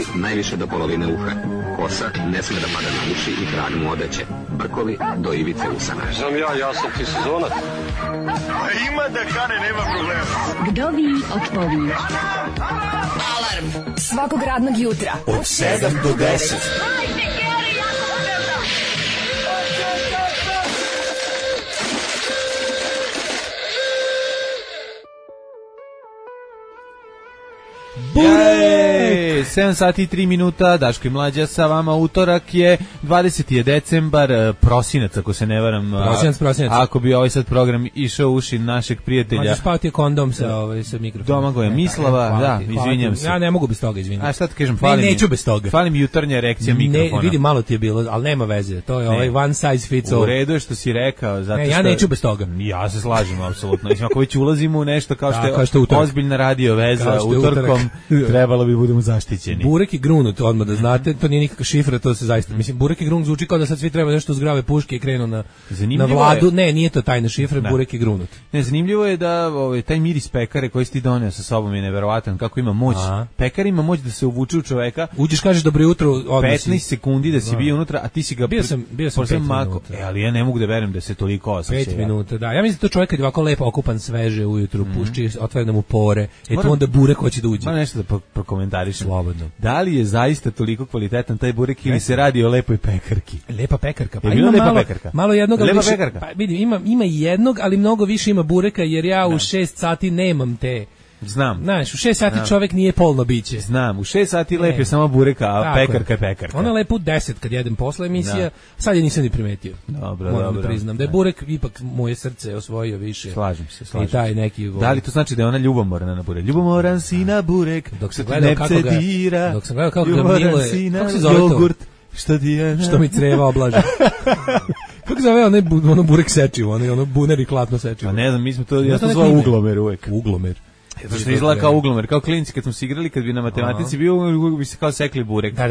Uši najviše do polovine uha. Kosa ne sme da pada na uši i trag mu odeće. Brkovi do ivice usana. Znam ja sam ti sezonac. Ima da kane, nema problema. Vdovi otpovi. Alarm svakog radnog jutra od 7 do 10. Bure! 7 sati i 3 minuta, Daško i Mlađa sa vama, utorak je 20. decembar, prosinac, ako se ne varam. Prosinac. Ako bi ovaj sad program išao u uši našeg prijatelja. Možeš spavati je kondom sa mikrofonom. Domagoja Mislava, izvinjam se. Ja ne mogu bez toga, izvinjam. A šta ti kažem, neću bez toga. Fali mi jutarnja erekcija mikrofona. Ne, vidi, malo ti je bilo, ali nema veze. To je ovaj one size fits all. U redu je što si rekao, zato što... ja neću bez toga. Ja se slažem, apsolutno. Mislim, ako već ulazimo u nešto kao što je ozbiljna radio veza, utorkom, trebalo bi budemo zaštićeni. Burek i grunut, odmah da znate, to nije nikakva šifra, to se zaista, mislim, burek i grunut zvuči kao da sad svi treba nešto zgrave puške i krenu na vladu, ne, nije to tajna šifra, burek i grunut. Ne, zanimljivo je da taj miris pekare koji si ti doneo sa sobom je neverovatan, kako ima moć. Pekar ima moć da se uvuče u čoveka. Uđeš, kažeš dobro jutro, odmah 15 sekundi da si bio unutra, a ti si ga... Bio sam 5 minuta. Ali ja ne mogu da verujem da se toliko osjeća. 5 minuta, da. Ja mislim da to čovjek kad je ovako lepo okupan sveže ujutru, pušči, otvara da mu pore, tu onda burek hoće da uđe. Ma nešto da prokomentariš. Slobodno. Da li je zaista toliko kvalitetan taj burek ili se radi o lepoj pekarki? Lepa pekarka. Pa ima lepa pekarka. Malo jednog, lepa više, pekarka. Pa vidi, ima i jednog, ali mnogo više ima bureka jer ja u 6 sati nemam te. Znam. Znaš, u 6 sati čovjek nije polno biće. Znam, u 6 sati lep je samo bureka, a pekarka je pekarka. Ona je lepo u 10 kad jedem posle emisija, sad je nisam ni primetio. Dobro. Da priznam da je burek ipak moje srce osvojio više. Slažem se. I taj neki... Da li to znači da je ona ljubomorna na burek? Ljubomoran si na burek, dok sam gledao kako ga miluje, kako se zove jogurt, to? Što mi creva oblaže. Kako zove ono burek sečivo, ono buner i klatno sečivo? A ne znam, mi smo to, ja to zvao uglomer uvek. Uglomer. To što izgleda kao uglomer, kao klinci kad smo se igrali, kad bi na matematici bio, uvijek bi se kao sekli burek. Da.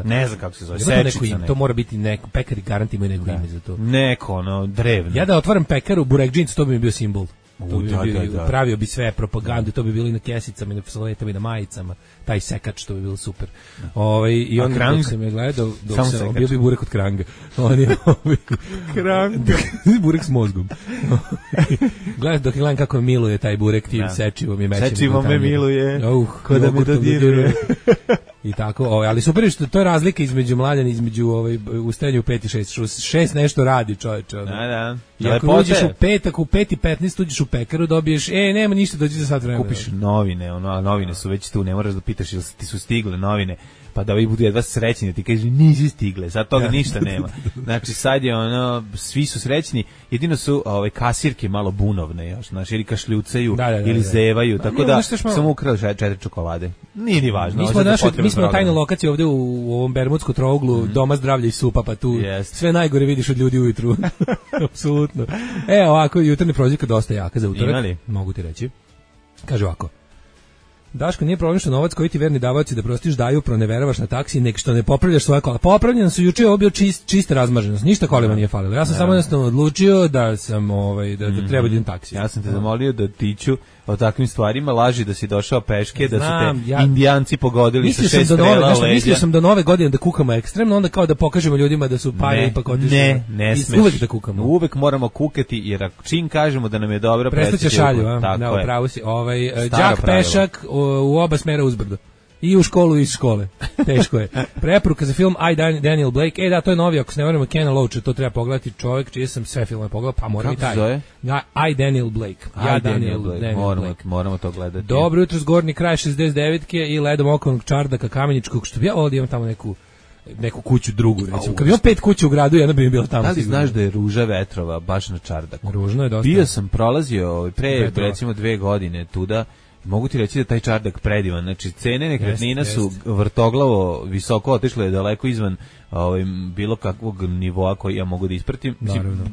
Ne znam kako se zove, sečica. To mora biti neko, pekari garanti imaju neko ime za to. Neko, drevno. Ja da otvaram pekaru, burek džins, to bi mi bio simbol. Pravio bi sve propagandu, to bi bilo i na kesicama, i na saletama, i na majicama, taj sekač, to bi bilo super. I on dok se me gledao, dok se bio bi burek od kranga. Kranga. Burek s mozgom. Dok gledam kako miluje taj burek tim sečivom i mećem. Sečivom me miluje, ko da me dodiruje. I tako, ali super je što to je razlika između mladen, između ustajanja u 5 i 6. 6 nešto radi, čoveče. Da. I ako uđeš u 5, ako u 5 i 15 uđeš u pekaru, dobiješ, nema ništa, dođi za sat vremena. Kupiš novine, novine su već tu, ne moraš da pitaš ili ti su stigle novine, pa da ovi budu jedva srećni, da ti kažu nisu stigle, sad toga ništa nema. Znači sad je svi su srećni, jedino su kasirke malo bunovne još, znači ili kašljucaju, ili zevaju, tako da sam ukrao 4 čokolade. Nije ni važno. Mi smo na tajnoj lokaciji ovde u ovom Bermudskom trouglu, doma zdravlja i supa, pa tu sve najgore vidiš od ljudi ujutru. Apsolutno. Ovako, jutarnja prozivka dosta jaka za utorak. Imali? Mogu ti reći. Kaže ovako. Daško, nije problem što novac koji ti verni davaoci da prostiš daju, proneveravaš na taksi, nek što ne popravljaš svoje kola. Popravljeno su juče, ovo bio čista razmaženost, ništa kolima nije falilo. Ja sam samo jednostavno odlučio da sam da treba idem taksi. Ja sam te zamolio da tiču o takvim stvarima, laži da si došao peške, da su te indijanci pogodili sa 6 strela u leđa. Mislio sam do nove godine da kukamo ekstremno, onda kao da pokažemo ljudima da su pare ipak otišli. Ne smeš. Uvek da kukamo. Uvek moramo kukati, jer čim kažemo da nam je dobro, prestaće šalju, da, upravo si. Đak pešak u oba smera uzbrdo. I u školu i iz škole. Teško je. Preporuka za film I, Daniel Blake. Da, to je novi, ako se ne vremo, Kena Loacha, to treba pogledati, čovjek čiji sam sve filmove pogledao, pa moram i taj. Kako se zove? I, Daniel Blake. Daniel Blake. Moramo to gledati. Dobro jutro, zgornji kraj 69-ke i ledom okolnog čardaka Kameničkog, što bi ja ovdje imam tamo neku kuću drugu, recimo. Kad bi imao 5 kuća u gradu, jedna bi mi bila tamo. Da li znaš da je ruža vetrova baš na čardaku? Ružno je dosta. Bio sam prolazio pre, recimo 2 godine tuda. Mogu ti reći da taj čardak predivan, znači cene nekretnina su vrtoglavo visoko otišle daleko izvan bilo kakvog nivoa koji ja mogu da ispratim,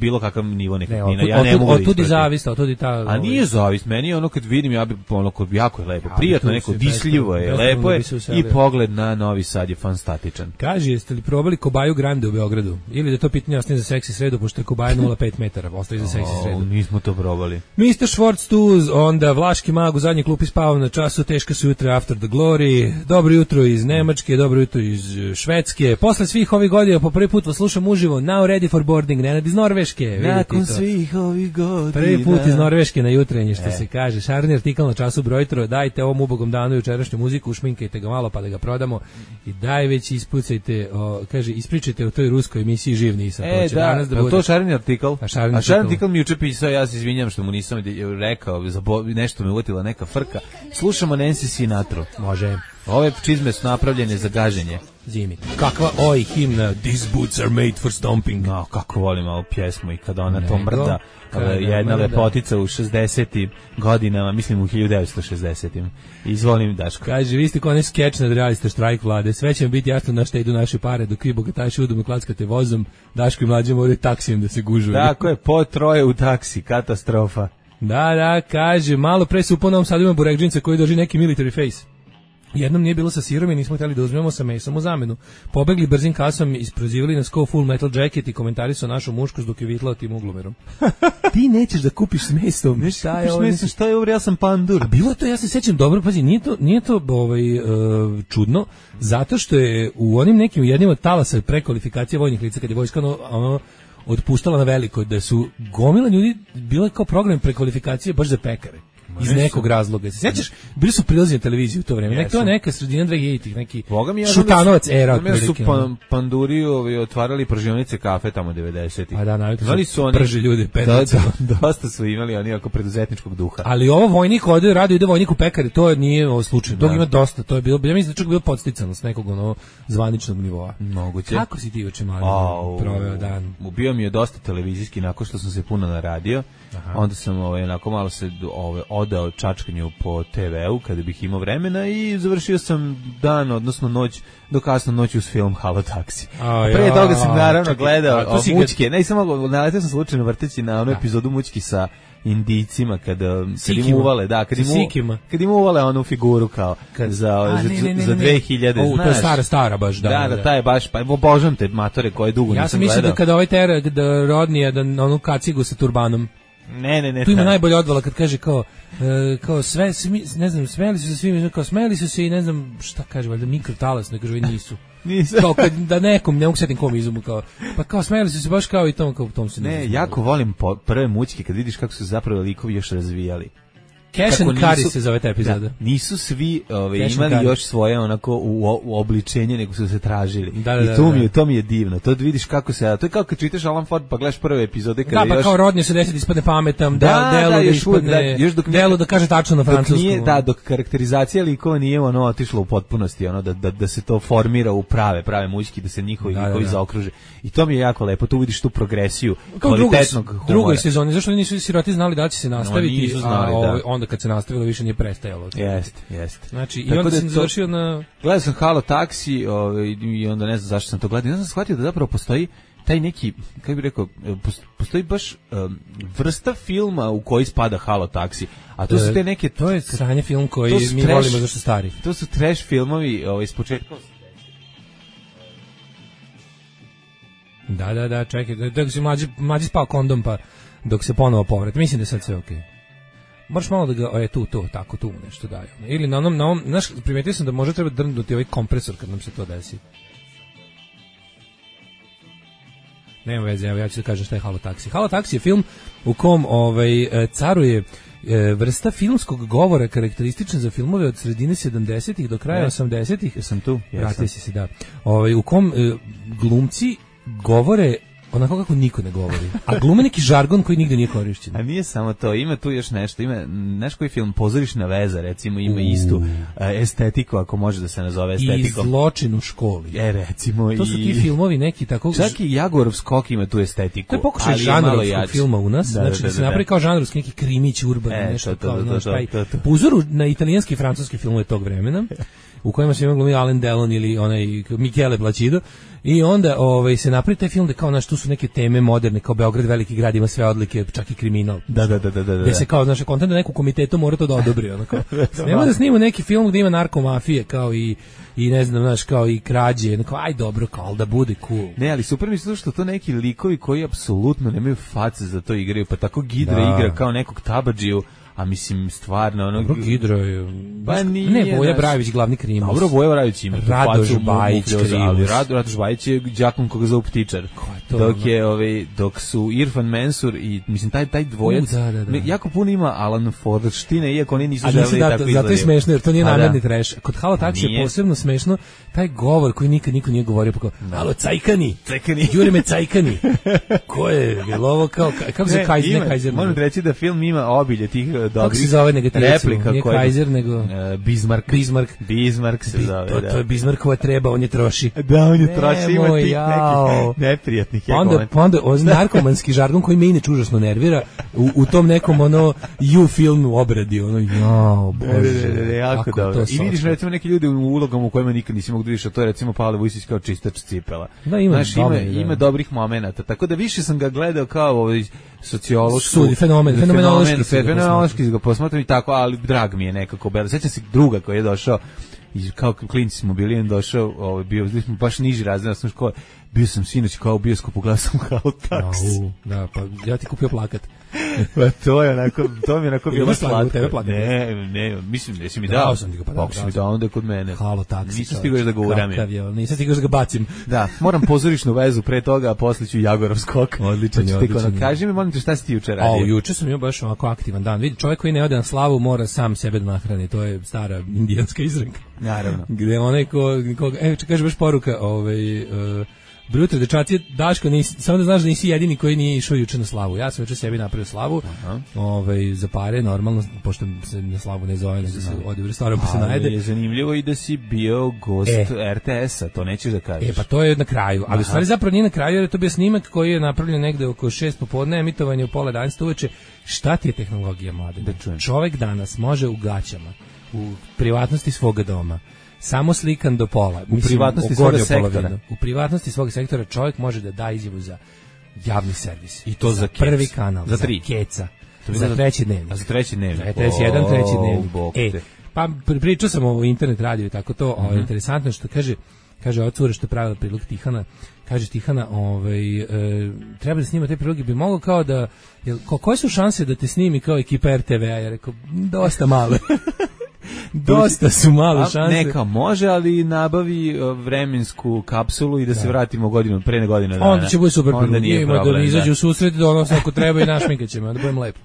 bilo kakav nivo nekretnina, ja ne mogu da ispratim. Otudi ta... A nije zavist, meni je ono kad vidim, ja bi ono kod jako je lepo, prijatno, neko disljivo je, lepo je i pogled na Novi Sad je fantastičan. Kaži, jeste li probali Kobaju Grande u Beogradu? Ili da to pitanje ostane za seksi sredu, pošto je Kobaja 0,5 metara, ostaje za seksi sredu. Nismo to probali. Mr. Schwartz tu, onda Vlaški mag u zadnjoj klupi spavao na času, teška su jutra after the glory, dobro jutro iz Nemačke, dobro jutro iz Švedske, posle svih ovih godina po prvi put vas slušam uživo, now ready for boarding, Nenad iz Norveške. Nakon svih ovih godina. Prvi put iz Norveške na jutrenje, što se kaže, šarni artikal na času brojtro, dajte ovom ubogom danu jučerašnju muziku, ušminkajte ga malo pa da ga prodamo i već ispucajte, kaže, ispričajte o toj ruskoj emisiji Živ nisam. To šarni artikal? A šarni artikal mi juče pisao, ja se izvinjam što mu nisam rekao, nešto me uvotila neka frka. Slušamo Nancy Sinatra. Može. Ove čizme su napravljene za gaženje. Zimi. Kakva himna, these boots are made for stomping. No, kako volim ovu pjesmu i kada ona to mrda. Jedna lepotica u 60. godinama, mislim u 1960. Izvolim, Daško. Kaže, vi ste kao onaj skeč nadrealiste štrajk vlade, sve će vam biti jasno na šta idu naše pare, dok vi bogataši udom i klackate vozom, Daško i mlađe moraju taksijem da se gužuju. Tako je, po troje u taksi, katastrofa. Da, kaže, malo pre se u ponovom Sadu ima burekdžinca koji drži neki military face. Jednom nije bilo sa sirom i nismo htjeli da uzmemo sa mesom u zamenu. Pobegli brzim kasom, isprozivali nas kao Full Metal Jacket i komentari su našu muškost dok je vitlao tim uglomerom. Ti nećeš da kupiš s mesom. Šta je ovo, ja sam pandur. A bilo je to, ja se sećam dobro, pazi, nije to čudno, zato što je u onim nekim jednim od talasa prekvalifikacije vojnih lica, kad je vojska otpuštala na veliko, da su gomila ljudi, bilo je kao program prekvalifikacije baš za pekare. Iz nekog razloga. Se sjećaš, bili su prilazi na televiziju u to vreme. To je neka sredina 2000-ih, neki Šutanovac era. Mene su panduri otvarali pržionice kafe tamo 90-ih. A da, navikli su prži ljudi. Dosta su imali oni oko preduzetničkog duha. Ali ovo vojnik ide vojnik u pekare, to nije ovo slučaj. Tog ima dosta, to je bilo, ja mislim da čak bilo podsticano s nekog zvaničnog nivoa. Moguće. Kako si ti juče mali proveo dan? Bio mi je dosta televizijski, nakon što sam se puno naradio. Onda sam onako malo se odao čačkanju po TV-u kada bih imao vremena i završio sam dan, odnosno noć, do kasno noći uz film Halo Taxi. Pre toga sam naravno gledao Mućke, ne samo naletio sam slučajno vrteći na onu epizodu Mućki sa Indijcima kad im uvale, kad im uvale onu figuru kao za 2000, to je stara baš, da, taj je baš, pa obožavam te matore koje dugo nisam gledao. Ja sam mislio da kada ovaj tera, da rodnije, da onu kacigu sa turbanom. Ne. Tu ima najbolje odvala kad kaže kao sve, ne znam, smeli su se svi, kao smeli su se i ne znam šta kaže, valjda mikrotalas, ne kaže, nisu. Kao kad da nekom, ne mogu setim kom izumu, kao, pa kao smeli su se baš kao i tom se ne, jako volim prve Mućke kad vidiš kako su zapravo likovi još razvijali. Cash and Carry se zove ta epizoda. Da, nisu svi imali još svoje onako u obličenje, nego su se tražili. I to mi je divno. To vidiš kako se, to je kao kad čitaš Alan Ford pa gledaš prve epizode kada pa kao rodnije se desiti ispadne pametam, delo da kaže tačno na francuskom. Dok karakterizacija likova nije otišla u potpunosti, da se to formira u prave Mućki, da se njihovi likovi zaokruže. I to mi je jako lepo, tu vidiš tu progresiju kvalitetnog humora. Drugoj sezoni, zašto nisu siroti znali da će se nastaviti, onda kad se nastavilo više nije prestajalo. Jeste. Znači, i onda sam završio na... Gledao sam Halo Taxi i onda ne znam zašto sam to gledao. Ja sam shvatio da zapravo postoji taj neki, kako bih rekao, postoji baš vrsta filma u koji spada Halo Taxi. A to su te neke... To je sranje film koji mi volimo zašto stari. To su trash filmovi iz početka... Da, čekaj, dok se mlađi spao kondom pa dok se ponovo povrati. Mislim da je sad sve okej. Moraš malo da ga, tu nešto daju. Ili na onom, znaš, primetio sam da možda treba drndnuti ovaj kompresor kad nam se to desi. Nema veze, evo ja ću da kažem šta je Halo Taxi. Halo Taxi je film u kom caruje vrsta filmskog govora karakteristična za filmove od sredine 70-ih do kraja 80-ih. Jesam tu. Vratio si se, da. U kom glumci govore onako kako niko ne govori. A glume neki žargon koji nigde nije korišćen. A nije samo to, ima tu još nešto, ima znaš koji film Pozorišna veza, recimo ima istu estetiku, ako može da se nazove estetikom. I Zločin u školi. Recimo to su ti filmovi neki tako. Čak i Jagorov skok ima tu estetiku. To je pokušaj žanrovskog filma u nas, znači da se napravi kao žanrovski neki krimić urbani, nešto kao po uzoru na italijanski i francuski filmove tog vremena, u kojima se glumi Alain Delon ili onaj Michele Placido. I onda se napravi taj film da kao tu su neke teme moderne, kao Beograd veliki grad ima sve odlike, čak i kriminal. Da. Gde se kao kontent da neku komitetu mora to da odobri, nema da snima neki film gde ima narkomafije kao i ne znam, kao i krađe, aj dobro, kao da bude cool. Ne, ali super mi se što to neki likovi koji apsolutno nemaju face za to igraju, pa tako Gidra igra kao nekog tabadžiju. A mislim, stvarno... Gidro je... Ne, Voja Brajević, glavni krimus. Dobro, Voja Brajević ima. Radoš Bajić, krimus. Radoš Bajić je đakom koga zovu Ptičar. Dok su Irfan Mensur i, mislim, taj dvojac... Jako puno ima Alan Fordštine, iako oni nisu želeli tako izgledaju. Zato je smešno, jer to nije namerni treš. Kod Halo Taksi je posebno smešno taj govor koji nikad niko nije govorio, pa kao, alo, cajkani, jure me cajkani. Ko je ovo kao, kako se Kajzer? Moram reći da film ima obilje tih kako se zove replika, nije Kaiser nego Bismarck se zove. To je Bismarckova treba, on je troši. Da, on je troši, ima tih nekih neprijatnih. Pa onda narkomanski žargon koji me inače užasno nervira u tom nekom you filmu obradi, bože. Jako dobro. I vidiš recimo neki ljudi u ulogama u kojima nikad nisi mogu da vidiš, a to je recimo Pavle Vujsić kao čistač cipela. Ima dobrih momenata, tako da više sam ga gledao kao sociološki fenomenološki ga posmatram i tako, ali drag mi je nekako belo. Sećam se druga koji je došao i kao klinci smo bili, došao, bio smo baš niži razred osnovne škole. Bio sam sinoć kao u bioskopu, gledao sam Halo Taksi. Da, pa ja ti kupio plakat. Pa to mi je onako bilo slatko. Ne, mislim da si mi dao. Kako si mi dao onda kod mene. Halo Taksi. Nisam stigao još da ga uramim. Nisam stigao još da ga bacim. Da, moram pozorišnu vezu pre toga, a posle ću Jagorov skok. Odličan. Kaži mi, molim te, šta si ti juče radio? Juče sam imao baš ovako aktivan dan. Vidi, čovjek koji ne ode na slavu mora sam sebe da nahrani. To je stara indijanska izreka. Naravno. Gde onaj kaže baš poruka, Bruto, dečaci, Daško, samo da znaš da nisi jedini koji nije išao juče na slavu. Ja sam juče sebi napravio slavu, za pare, normalno, pošto se na slavu ne zove, nego se ode u restoran pa se najede. Ali je zanimljivo i da si bio gost RTS-a, to nećeš da kažeš. Pa to je na kraju, ali u stvari zapravo nije na kraju, jer je to bio snimak koji je napravljen negde oko 6 popodne, emitovanje u 9:30 uveče. Šta ti je tehnologija, mlade? Čovek danas može u gaćama, u privatnosti svoga doma, samo slikan do pola. U privatnosti svog sektora. U privatnosti svog sektora čovjek može da da izjavu za javni servis. I to za prvi kanal, za Keca, za treći dnevnik. A za treći dnevnik. RTS1, treći dnevnik. Pa pričao sam o internet radiju i tako to, interesantno što kaže ova cura što je pravila prilog Tihana, kaže Tihana, treba da snima te priloge, bi mogao kao da, koje su šanse da te snimi kao ekipa RTV-a? Ja rekao, dosta male. Dosta su male šanse. Neka može, ali nabavi vremensku kapsulu i da se vratimo pre godine dana. Onda će biti super. Onda nije problem. Da izađe u susret, donosno ako treba i našminkat ćemo, da budem lepo.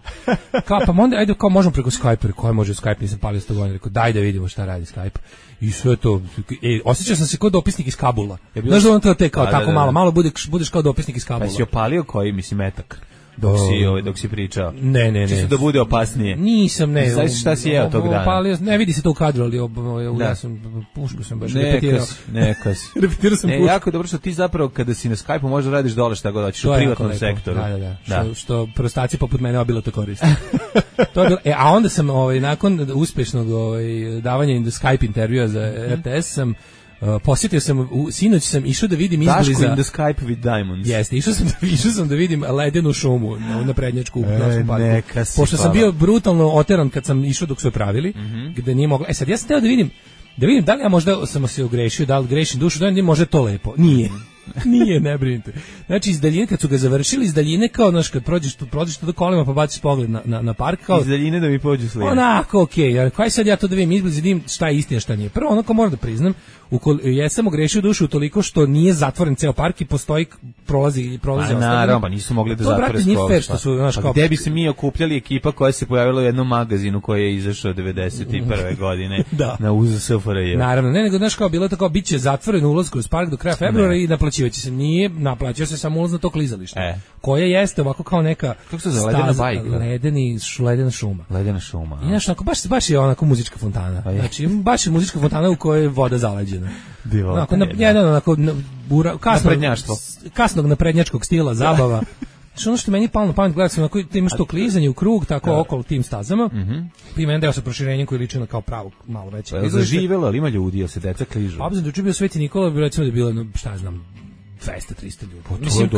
Pa onda, ajde, kao možemo preko Skype, koji može Skype, nisam palio 100 godina, rekao, daj da vidimo šta radi Skype. I sve to, osjećao sam se kao dopisnik iz Kabula. Znaš da on to te kao tako malo budeš kao dopisnik iz Kabula. Pa si opalio koji, mislim, metak? Dok si pričao. Ne. Čisto da bude opasnije. Nisam, ne. Znaš šta si jeo tog dana? Ne vidi se to u kadru, ali ja sam pušku sam baš repetirao. Neka si. Repetirao sam pušku. Jako je dobro što ti zapravo kada si na Skype-u možda radiš dole šta god hoćeš u privatnom sektoru. Da. Što prostaci poput mene obilo to koriste. A onda sam nakon uspešnog davanja Skype intervjua za RTS sam posjetio sam, sinoć sam išao da vidim izbliza... Daško in the Skype with Diamonds. Jeste, išao sam da vidim ledenu šumu na prednjačku u Novskom parku. Pošto sam bio brutalno oteran kad sam išao dok su je pravili, gde nije moglo... Sad, ja sam teo da vidim da li ja možda sam se ogrešio, da li grešim dušu, da li može to lepo. Nije, ne brinite. Znači, iz daljine, kad su ga završili, iz daljine, kao, znaš, kad prođeš tu do kolima, pa baciš pogled na park, kao... Iz daljine da mi pođu slije. Onako, okej, kaj sad ja to da vidim izbliz, vidim šta je istina, šta nije. Prvo, onako moram da priznam, jesam ogrešio dušu toliko što nije zatvoren ceo park i postoji, prolazi ostali. Naravno, pa nisu mogli da zatvore skroz. Gde bi se mi okupljali ekipa koja se pojavila u jednom magazinu koji je izašao 91. godine na UZ SFRJ. Naravno, nego, znaš, kao, bilo to kao, bit će zatvoren ulaz kroz park do kraja februara i naplaćivati naplaćivaće se, nije naplaćuje se samo ulaz na to klizalište, koje jeste ovako kao neka kako se zove, ledena bajka, ledena šuma. Ledena šuma. I znaš, baš je onako muzička fontana. Znači, baš je muzička fontana u kojoj je voda zaleđena. Kasnog naprednjačkog stila, zabava. Znači, ono što meni palo na pamet, gledati sam, imaš to klizanje u krug, tako okolo tim stazama, pa ima jedan deo sa proširenjem koji liči na kao pravo malo veće. Zaživelo, ali ima ljudi, jel se deca kližu? Obzirom da je bio Sveti Nikola, recimo da je bilo, šta ja znam, 200-300 ljudi. Mislim,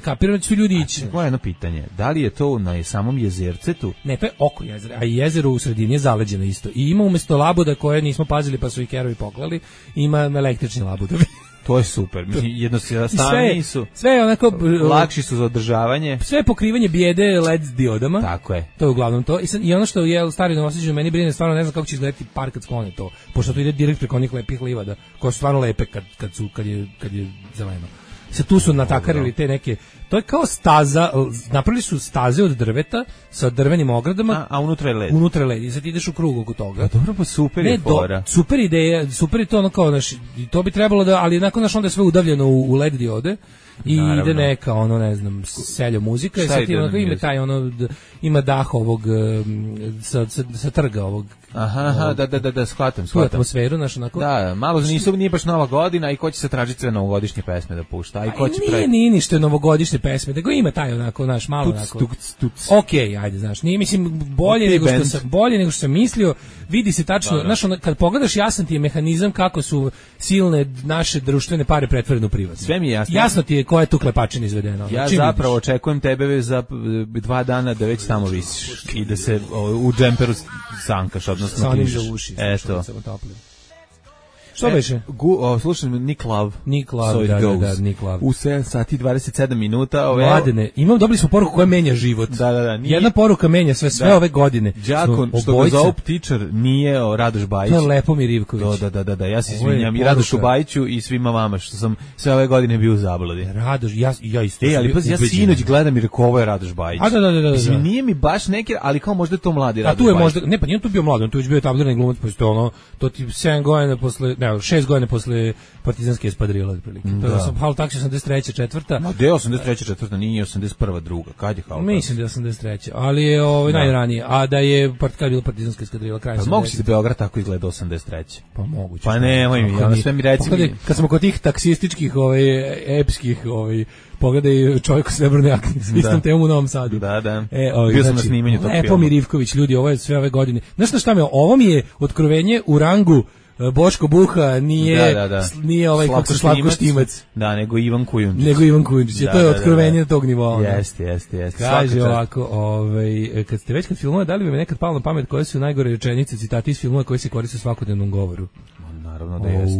kapiram da su ljudi ići. Moje jedno pitanje, da li je to na samom jezercetu? Ne, to je oko jezera, a i jezero u sredini je zaleđeno isto. I ima umesto labuda koje nismo pazili pa su i kerovi poklali, ima električni labudovi. To je super. Jednostavni su. Sve je onako lakši su za održavanje. Sve je pokrivanje bijede LED diodama. Tako je. To je uglavnom to. I ono što je stari Novosađan meni brine, stvarno ne znam kako će izgledati park kad sklone to. Pošto to ide direkt preko onih lepih livada, koje su stvarno lepe kad je zeleno. Tu su natakarili te neke, to je kao staza, napravili su staze od drveta sa drvenim ogradama, a unutra je led. Unutra je led i sad ideš u krug oko toga. Dobro, pa super je fora. Super ideja, super je to ono kao, to bi trebalo da, ali nakon onda je sve udavljeno u led diode. I ide neka, ono, ne znam, seljo muzika i sad ima taj, ono, ima dah ovog sa trga ovog. Aha, da, shvatam. Tu atmosferu, znaš, onako. Da, malo nije baš Nova godina i ko će se tražiti sve novogodišnje pesme da pušta. A i ko će nije ništa novogodišnje pesme, nego ima taj, onako, znaš, malo onako. Okej, ajde, znaš, nije, mislim, bolje nego što sam mislio, vidi se tačno, znaš, kad pogledaš, jasan ti je mehanizam kako su silne naše društvene pare pretvorene u privatne. Sve mi je jasno. Jasno ti je koja je tu klepačina izvedena. Ja zapravo očekujem tebe za 2 dana da već tamo visiš i da se u džemperu sankaš, odnosno kližeš. Eto. Što beše? Slušam Nick Love. Nick Love, da, Nick Love. U 7 sati 27 minuta. Mladene, dobili smo poruku koja menja život. Da. Jedna poruka menja sve ove godine. Đakon, što ga zove teacher, nije Radoš Bajić. To je Lepomir Ivković. Da, ja se izvinjam i Radošu Bajiću i svima vama što sam sve ove godine bio u zabludi. Radoš, ja isto. Ali pa ja sinoć gledam i rekao ovo je Radoš Bajić. Da. Mislim, nije mi baš neki, ali kao možda je to mladi Radoš Bajić. A tu je možda, ne pa nije tu bio mladi, on tu već bio etablirani glumac, pa to ono, to ti 7 godina posle, 6 godina posle partizanske espadrile otprilike. To sam Halo Taksi 83. 4. Ma gde 83. 4. nije 81. 2. Kad je Halo Taksi? Mislim da je 83. Ali je najranije. A da je kad je bila partizanska espadrila kraj. Pa mogu si da Beograd tako izgleda 83. Pa moguće. Pa nemoj mi, ono sve mi reci mi. Kad smo kod tih taksističkih epskih pogledaj čovjek u srebrnoj jakni s istom temom u Novom Sadu. Da. Bio sam na snimanju tog filma. Lepomir Ivković, ljudi, ovo je sve ove godine. Znaš šta ovo mi je otkrovenje u rangu Boško Buha, nije kako Slavko Štimac. Da, nego Ivan Kujundžić. To je otkrovenje tog nivoa. Jeste. Kaže ovako, kad ste već kod filmova, da li bi me nekad palo na pamet koje su najgore rečenice, citati iz filmova koji se koriste u svakodnevnom govoru? Naravno da jeste.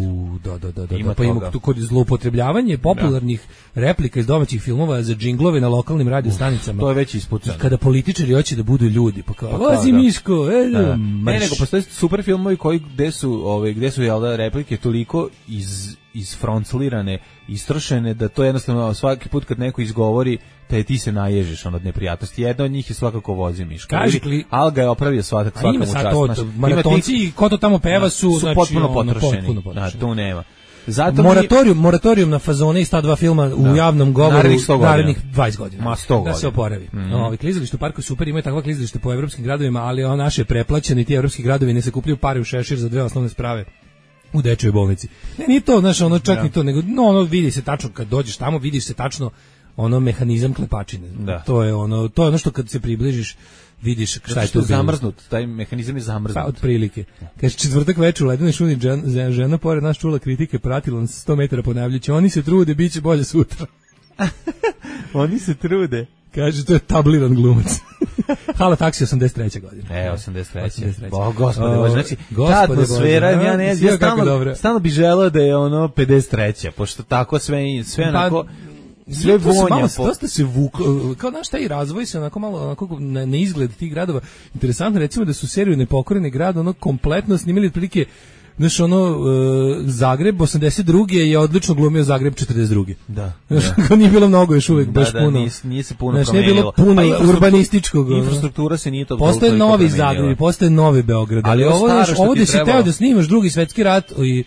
Da. Pa ima tu kod zloupotrebljavanje popularnih replika iz domaćih filmova za džinglove na lokalnim radio stanicama. To je već ispucano. Kada političari hoće da budu ljudi, pa kao, vozi Miško, ne, nego postoje super filmovi koji gde su replike toliko isfronclirane, istrošene, da to jednostavno svaki put kad neko izgovori, ti se naježiš od neprijatnosti. Jedna od njih je svakako vozi Miško. Alga je opravio svaka mu čast. Maratonci i ko to tamo peva su potpuno potrošeni. Da, tu nema. Moratorijum na fazone iz ta 2 filma u javnom govoru narednih 20 godina. Ma 100 godina. Da se oporavi. Klizalište u parku super, imaju takva klizalište po evropskim gradovima, ali naše preplaćeni ti evropski gradovi ne se kupljaju pare u šešir za 2 osnovne sprave u dečjoj bolnici. Ne, nije to, čak ni to, nego vidi se tačno, kad dođeš tamo, vidiš se tačno mehanizam klepačine. To je ono što kad se približiš vidiš šta je to zamrznut, taj mehanizam je zamrznut. Pa, otprilike. Kaže, četvrtak večer u ledenoj šuni žena pored nas čula kritike, pratila nas 100 metara ponavljajući, oni se trude, bit će bolje sutra. Oni se trude. Kaže, to je tabliran glumac. Halo Taksi 83. godine. 83. Gospode Bože, znači, ta atmosfera, ja stalno bi želeo da je 53. Pošto tako sve onako... Sve vonja. Dosta se vuklo, kao naš taj razvoj se onako malo na izgled tih gradova. Interesantno recimo da su seriju Nepokoreni grad kompletno snimili otprilike Znaš, ono, Zagreb 82. je odlično glumio Zagreb 42. Da. Znaš, nije bilo mnogo još uvijek, baš puno. Nije se puno znaš, promenilo. Nije bilo puno urbanističkog. Infrastruktura se nije to postoje novi Zagreb, postoje novi Beograd. Ali ovo da si teo da snimaš Drugi svetski rat i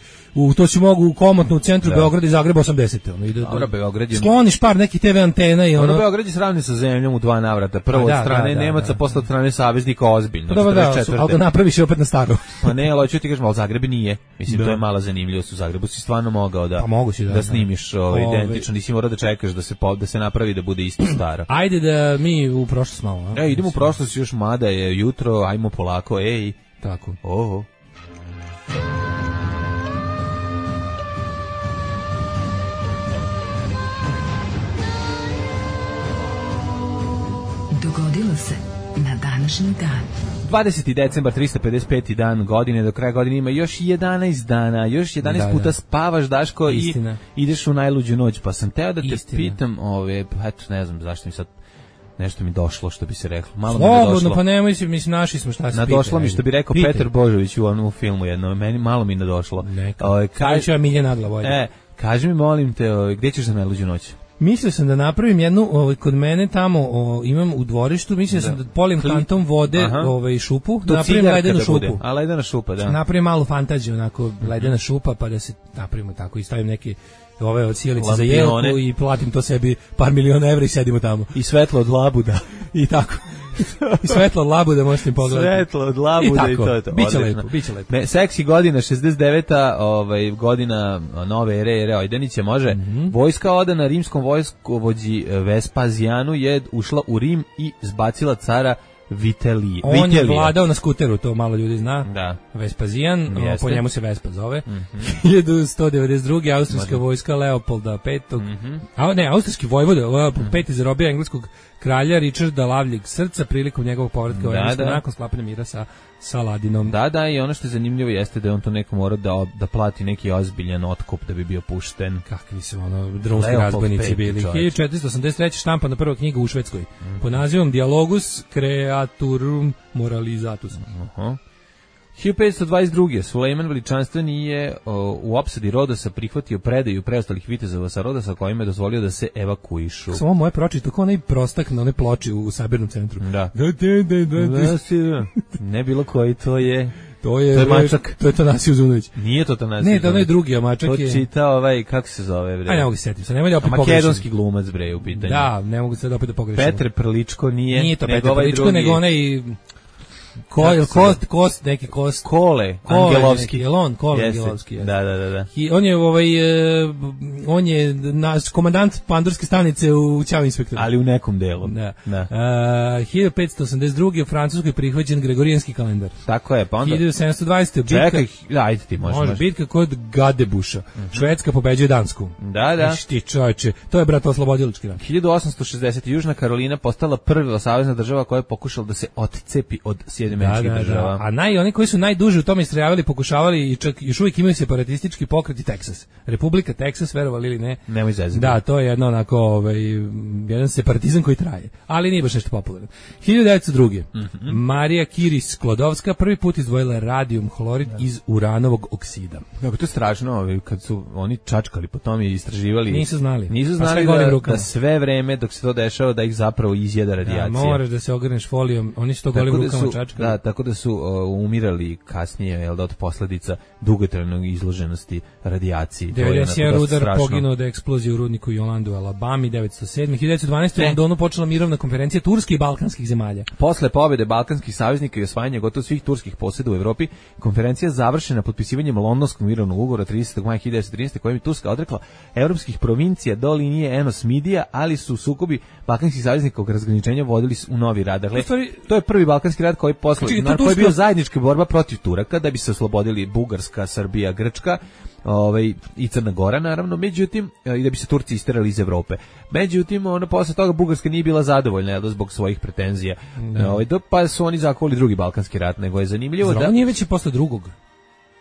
to si mogu komotno u centru Beograda i Zagreba 80. Ono, dobro, Beograd je... Skloniš par nekih TV antena i ono... Beograd je sravni sa zemljom u 2 navrata. Prvo od strane Nemaca, posle od strane saveznika ozbiljno. Ali ga napraviš opet na staro. Pa ne, ali hoću ti kažem, ali Zagreb nije. Mislim, to je mala zanimljivost. U Zagrebu si stvarno mogao da snimiš identično. Nisi morao da čekaš da se napravi da bude isto staro. Ajde da mi u prošlost malo. Idemo u prošlost još, mada je jutro, ajmo polako, ej. Tako. Oho. Dogodilo se na današnji dan. 20. decembar, 355. dan godine, do kraja godine ima još 11 dana, još 11 puta spavaš, Daško, Istina. I ideš u najluđu noć, pa sam teo da te pitam, eto, ne znam zašto mi sad nešto mi došlo, što bi se reklo. Malo mi došlo. Pa nemoj se, mislim, našli smo šta se pita. Nadošlo mi, što bi rekao Petar Božović u onom filmu jednom, meni malo mi nadošlo. Kažu ja milje nagla volja. Kaži mi, molim te, gdje ćeš za najluđu noć? Mislio sam da napravim jednu, kod mene tamo imam u dvorištu, mislio sam da polim kantom vode šupu, da napravim ledenu šupu. A ledena šupa, da. Napravim malu fantaziju, onako, ledena šupa, pa da se napravimo tako i stavim neke od sjelice za jelku i platim to sebi par miliona evra i sedimo tamo. I svetlo od labuda. I tako. I svetlo od labuda možete im pogledati. Svetlo od labuda i to je to. Biće lepo. Seksi godina, 69. Godina nove ere Ojdanića, može. Vojska odana rimskom vojskovođi Vespazijanu je ušla u Rim i zbacila cara Vitelija. On je vladao na skuteru, to malo ljudi zna. Da. Vespazijan, po njemu se Vespa zove. 1192. austrijska vojska Leopolda V. Austrijski vojvoda, peti zarobio engleskog kralja Richarda Lavljeg srca prilikom njegovog povratka u Englesku nakon sklapanja mira sa Saladinom. Da, i ono što je zanimljivo jeste da on to neko mora da plati neki ozbiljan otkup da bi bio pušten. Kakvi su drumski razbojnici bili. 1483. štampa na prva knjiga u Švedskoj pod nazivom Dialogus Creaturum Moralizatus. 1522. Sulejman Veličanstveni je u opsadi Rodosa prihvatio predaju preostalih vitezova sa Rodosa kojima je dozvolio da se evakuišu. Samo moje pročito kao onaj prostak na one ploči u sabirnom centru. Da. Ne bilo koji, to je mačak. To je Tanasije Uzunović. Nije to Tanasije. Ne, to onaj drugi, a mačak je... To čita kako se zove, bre? Ne mogu se setiti, sad nemoj da opet pogrešim. Makedonski glumac, bre, u pitanju. Da, ne mogu se da opet pogrešim. Petre Prličko nije. Nije to Petre Prličko, nego onaj... Kole Angelovski. Kole Angelovski. Da. On je naš komandant pandurske stanice u Ćao inspektoru. Ali u nekom delu. Da. 1582. u Francuskoj prihvaćen Gregorijanski kalendar. Tako je, pa onda... 1720. Čekaj, ajde ti može. Bitka kod Gadebuša. Švedska pobeđuje Dansku. Da. Ti čovječe, to je bratooslobodilački rat. 1860. Južna Karolina postala prva savezna država koja je pokušala da se otcepi od Sjedinjenih država. A oni koji su najduže u tome istrajavali, pokušavali i čak još uvijek imaju separatistički pokret i Teksas. Republika Teksas, verovali ili ne. Nemoj zezati. Da, to je jedno onako, jedan separatizam koji traje. Ali nije baš nešto popularno. 1902. Marija Kiris Sklodovska prvi put izdvojila radijum hlorid iz uranovog oksida. Kako to je strašno, kad su oni čačkali po tome i istraživali. Nisu znali da sve vreme dok se to dešava da ih zapravo izjeda radijacija. Da, moraš da se ogrneš folijom, oni su to golim rukama čačkali. Da, tako da su umirali kasnije, od posledica dugotrajnog izloženosti radijaciji. 91 rudar poginuo od eksplozije u rudniku Jolandu u Alabami, 907. 1912. u Londonu počela mirovna konferencija turskih i balkanskih zemalja. Posle pobjede balkanskih saveznika i osvajanja gotovo svih turskih posjeda u Evropi, konferencija završena potpisivanjem Londonskog mirovnog ugovora 30. maja 1913. kojim je Turska odrekla evropskih provincija do linije Enos-Midija, ali su sukobi balkanskih saveznika oko razgraničenja vodili u novi rad. Dakle, to je prvi balkanski rat koji koji je bio zajednička borba protiv Turaka da bi se oslobodili Bugarska, Srbija, Grčka, i Crna Gora naravno, međutim i da bi se Turci isterali iz Evrope. Međutim, posle toga Bugarska nije bila zadovoljna zbog svojih pretenzija. Pa su oni zakovali drugi balkanski rat, nego je zanimljivo da... nije već i posle drugog.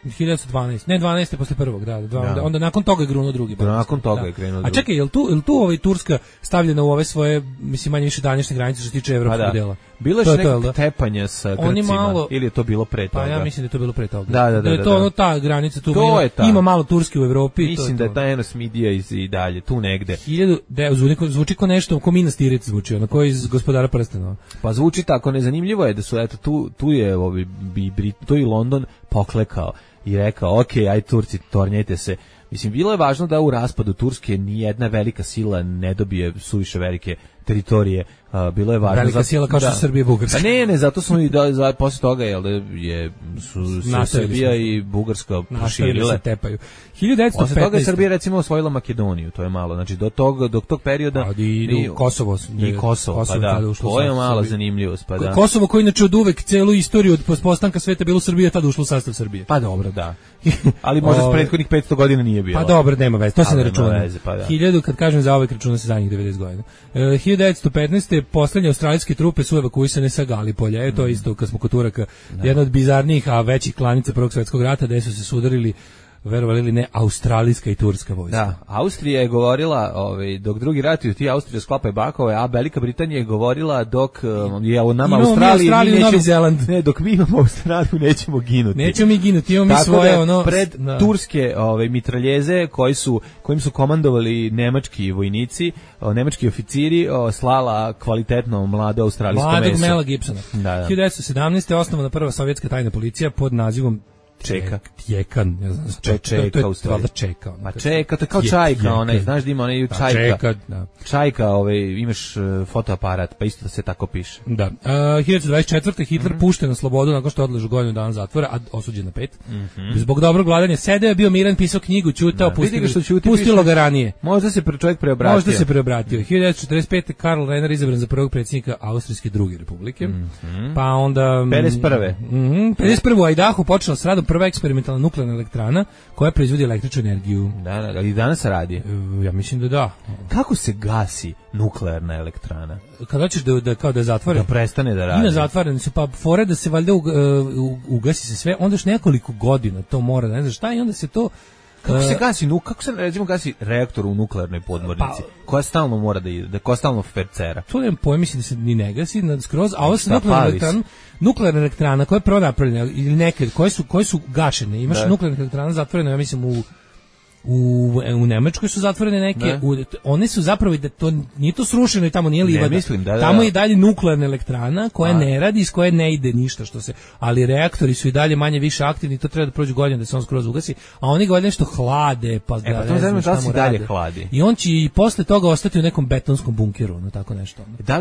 1912. Ne, 12. posle prvog, da. Onda nakon toga je grunuo drugi. Nakon toga je krenuo drugi. A čekaj, je li tu Turska stavljena u ove svoje, mislim, manje više današnje granice što se tiče evropskog dela? Bilo je nekog tepanja sa Grcima, ili je to bilo pre toga? Pa ja mislim da je to bilo pre toga. Da je to ta granica tu. Ima malo Turske u Evropi. Mislim da je ta Enos Midija i dalje, tu negde. Zvuči kao nešto, ko Minas Tirith zvuči, ono koji iz Gospodara prstenova. Pa zvuči tako, nezanimljivo je da su, eto, tu je tu i London poklekao i rekao, ok, aj Turci, tornjajte se. Mislim, bilo je važno da u raspadu Turske nijedna velika sila ne dobije suviše velike teritorije. Bilo je važno velika sila kao što su Srbija i Bugarska. Ne, zato smo i posle toga su Srbija i Bugarska proširile. Se tepaju. 1915. Posle toga je Srbija recimo osvojila Makedoniju, to je malo. Znači do tog perioda i Kosovo, pa da, to je malo zanimljivost, pa da. Kosovo koji inače od uvek celu istoriju od postanka sveta bilo Srbije, tad ušlo u sastav Srbije. Pa dobro, da. Ali možda prethodnih 500 godina nije bilo. Pa dobro, nema veze, to se ne računa. 1000, kad kažem za ovaj računa se zadnjih 90 godina. 1915. poslednje australijske trupe su evakuisane sa Galipolja. To je isto kad smo kod Turaka, jedna od bizarnijih, a većih klanica Prvog svjetskog rata, gde su se sudarili, verovali ili ne, australijska i turska vojska. Da, Austrija je govorila, dok drugi ratuju, ti Austrija sklapaju bakove, a Velika Britanija je govorila dok je u nama Australiji, Novi Zeland. Ne, dok mi imamo Australiju, nećemo ginuti. Nećemo mi ginuti, imamo mi svoje pred turske mitraljeze kojim su komandovali nemački vojnici, nemački oficiri, slala kvalitetno mlado australijsko meso. Mladog Mela Gibsona. 1917. je osnovana prva sovjetska tajna policija pod nazivom Tjekan, ne znam. Čeka u stvari. Čeka. Ma čeka, to je kao čajka, onaj, znaš da ima onaj čajka. Čajka, imaš fotoaparat, pa isto da se tako piše. Da. 1924. Hitler pušten na slobodu nakon što odležu godinu dana zatvora, a osuđen na 5. Zbog dobrog vladanja sedeo je bio miran, pisao knjigu, ćutao, pustilo ga ranije. Možda se čovjek preobratio. 1945. Karl Renner izabran za prvog predsjednika Austrijske druge republike. Pa onda 51. u Idahu počela s radom prva eksperimentalna nuklearna elektrana koja proizvodi električnu energiju. Da, i danas radi. Ja mislim da da. Kako se gasi nuklearna elektrana? Kada hoćeš da zatvore? Da prestane da radi. Ima zatvorene su, pa fore da se valjda ugasi se sve, onda još nekoliko godina to mora, ne znam šta, i onda se to... Kako se recimo gasi reaktor u nuklearnoj podmornici, koja stalno mora da ide, koja stalno fercera? To nemam pojma, mislim da se ni ne gasi skroz, a ovo se nuklearna elektrana koja je prvo napravljena, ili neke koje su gašene, imaš nuklearna elektrana zatvorena, ja mislim u Nemačkoj su zatvorene neke, one su zapravo, da to nije to srušeno i tamo nije livada. Ne, mislim, tamo je i dalje nuklearna elektrana koja ne radi, iz koje ne ide ništa ali reaktori su i dalje manje više aktivni, to treba da prođe godina da se on skroz ugasi, a oni ga nešto hlade, pa ga ne znam šta mu dalje hladi. I on će i posle toga ostati u nekom betonskom bunkeru, no tako nešto. Da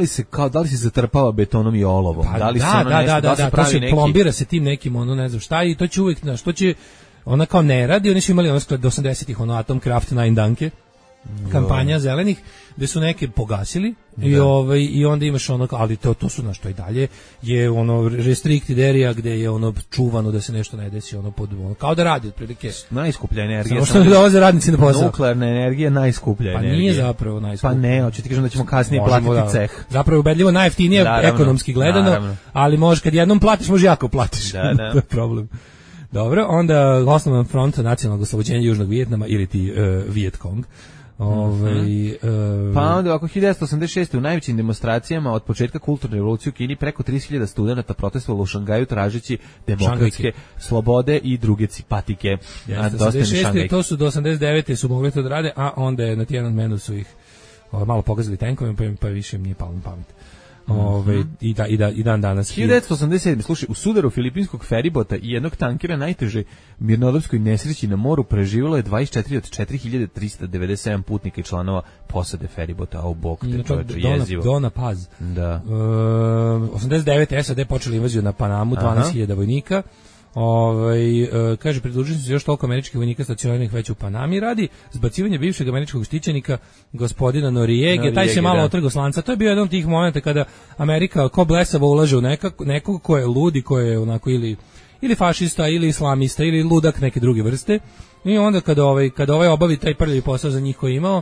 li se zatrpava betonom i olovom? Pa, da, to se plombira se tim nekim, ne znam šta, i to će uvijek, što će ona kao ne radi, oni su imali do 80-ih Atomkraft 9 danke, kampanja zelenih, gde su neke pogasili i onda imaš ali to su što i dalje je restricted area gde je čuvano da se nešto ne desi kao da radi otprilike. Najskuplja energija. Samo što dolaze radnici na posao. Nuklearna energija najskuplja energija. Pa nije zapravo najskuplja. Pa ne, hoću ti kažem da ćemo kasnije platiti ceh. Zapravo je ubedljivo najjeftinije ekonomski gledano, ali može kad jednom platiš, može jako platiš. To je problem. Dobro, onda osnovan front nacionalnog oslobođenja Južnog Vijetnama ili ti Viet Cong. Pa onda ovako 1986. u najvećim demonstracijama od početka kulturne revolucije u Kini preko 30.000 studenata protestovalo u Šangaju tražeći demokratske slobode i druge patike. 86. To su do 89. su mogli to da rade, a onda je na Tiananmenu su ih malo pogazili tenkovima, pa više im nije palo na pamet. I dan danas 1987. Slušaj, u sudaru filipinskog feribota i jednog tankera najteže mirnodopskoj nesreći na moru preživjelo je 24 od 4397 putnika i članova posade feribota. Bog te čoveče, jezivo. Dona Paz. Da. 89. SAD počeli invaziju na Panamu, 12.000 vojnika. Kaže, pridružili su još toliko američkih vojnika stacioniranih već u Panami, radi zbacivanje bivšeg američkog štićenika gospodina Noriege, taj se malo otrgao slanca. To je bio jedan od tih momenta kada Amerika ko blesavo ulaže u nekog ko je ludi, ko je onako ili fašista, ili islamista, ili ludak neke druge vrste, i onda kada ovaj obavi taj prljavi posao za njih koji je imao,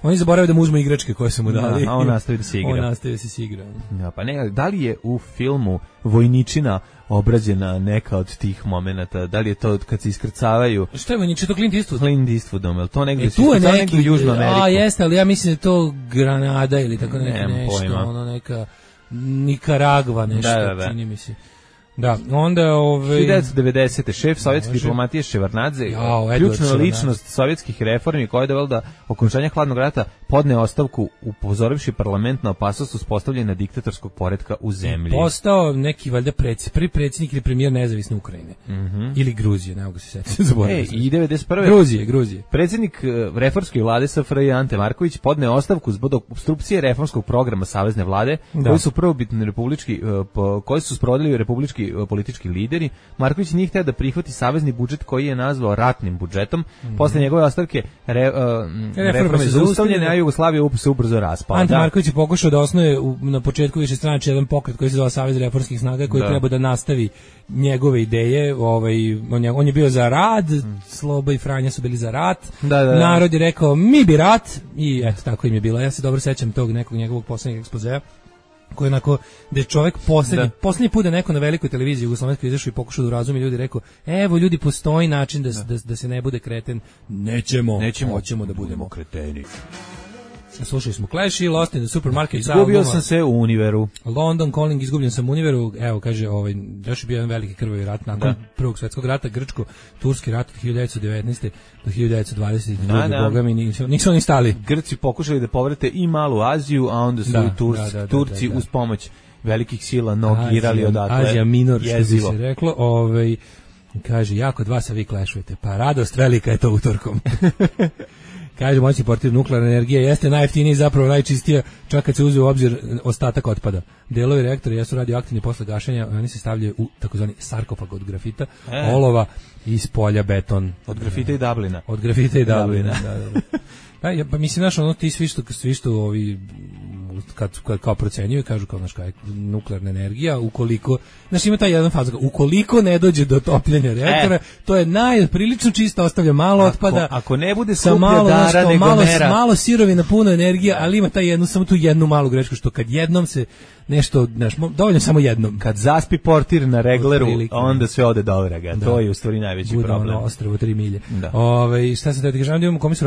Oni zaboravaju da mu uzmu igračke koje su mu dali. A on nastavi da se igra. On nastavi da se igra. Ja, pa ne, da li je u filmu Vojničina obrađena neka od tih momenata? Da li je to kad se iskrcavaju? Šta je Vojničina? To Clint Eastwood? Clint Eastwoodom, je li to negdje? Tu je neki u Južnu Ameriku? A jeste, ali ja mislim da je to Granada ili tako Nemam nešto, pojma. ono neka Nikaragva nešto, Da. čini mi se. Da, onda 1990. šef sovjetske diplomatije Ševarnadze, ključna ličnost sovjetskih reformi koja je dovela do okončanja hladnog rata, podneo ostavku upozorivši parlament na opasnost uspostavljanja diktatorskog poretka u zemlji. Postao neki valjda prvi predsjednik ili premijer nezavisne Ukrajine. Ili Gruzije, ne mogu se setiti. I 91. Gruzije. Predsjednik reformske vlade SFRJ Ante Marković podneo ostavku zbog opstrukcije reformskog programa savezne vlade, koji su prvobitni republički, koji su sprovodili republički politički lideri. Marković nije htio da prihvati savezni budžet koji je nazvao ratnim budžetom. Posle njegove ostavke reforme zaustavljene, a Jugoslavija se ubrzo raspala. Ante Marković je pokušao da osnuje na početku višestranačja jedan pokret koji se zove Savez reformskih snaga, koji treba da nastavi njegove ideje. On je bio za rad, Sloba i Franja su bili za rat. Narod je rekao mi bi rat i eto tako im je bilo. Ja se dobro sećam tog nekog njegovog poslednjeg ekspozea, koji onako, da je čovjek poslednji put da neko na velikoj televiziji jugoslovenskoj izašao i pokušao da urazumi ljudi, rekao, evo ljudi, postoji način da se ne bude kreten, nećemo, hoćemo da budemo kreteni. Slušali smo Clash i Lost in the Supermarket. Izgubio sam se u Univeru. London Calling, izgubljen sam u Univeru. Evo, kaže, još je bio jedan veliki krvavi rat nakon Prvog svjetskog rata, Grčko-Turski rat od 1919. do 1922. Boga mi nisu oni stali. Grci pokušali da povrate i Malu Aziju, a onda su i Turci uz pomoć velikih sila nogirali odatle. Azija minor, što bi se reklo. Kaže, jako dva se vi klešujete. Pa radost velika je to utorkom. Kaže, moćni portir nuklearna energija jeste najjeftinija i zapravo najčistija, čak kad se uzme u obzir ostatak otpada. Delovi reaktora jesu radioaktivni posle gašenja, oni se stavljaju u takozvani sarkofag od grafita, olova i iz polja beton. Od grafita i Dublina. Od grafita i Dublina, da. Pa mislim, znaš, ono ti svi što ovi kad kao procenjuju, kažu kao, znaš, kao nuklearna energija, ukoliko, znaš, ima taj jedan faz, ukoliko ne dođe do topljenja reaktora, to je prilično čisto, ostavlja malo otpada. Ako ne bude skuplja dara nego mera. Malo sirovina, puno energije, ali ima samo tu jednu malu grešku, što kad jednom se nešto, znaš, dovoljno samo jednom. Kad zaspi portir na regleru, onda sve ode do vraga. To je u stvari najveći problem. Bude ono ostrvo 3 milje. Šta se da ti kažem, da imamo kome su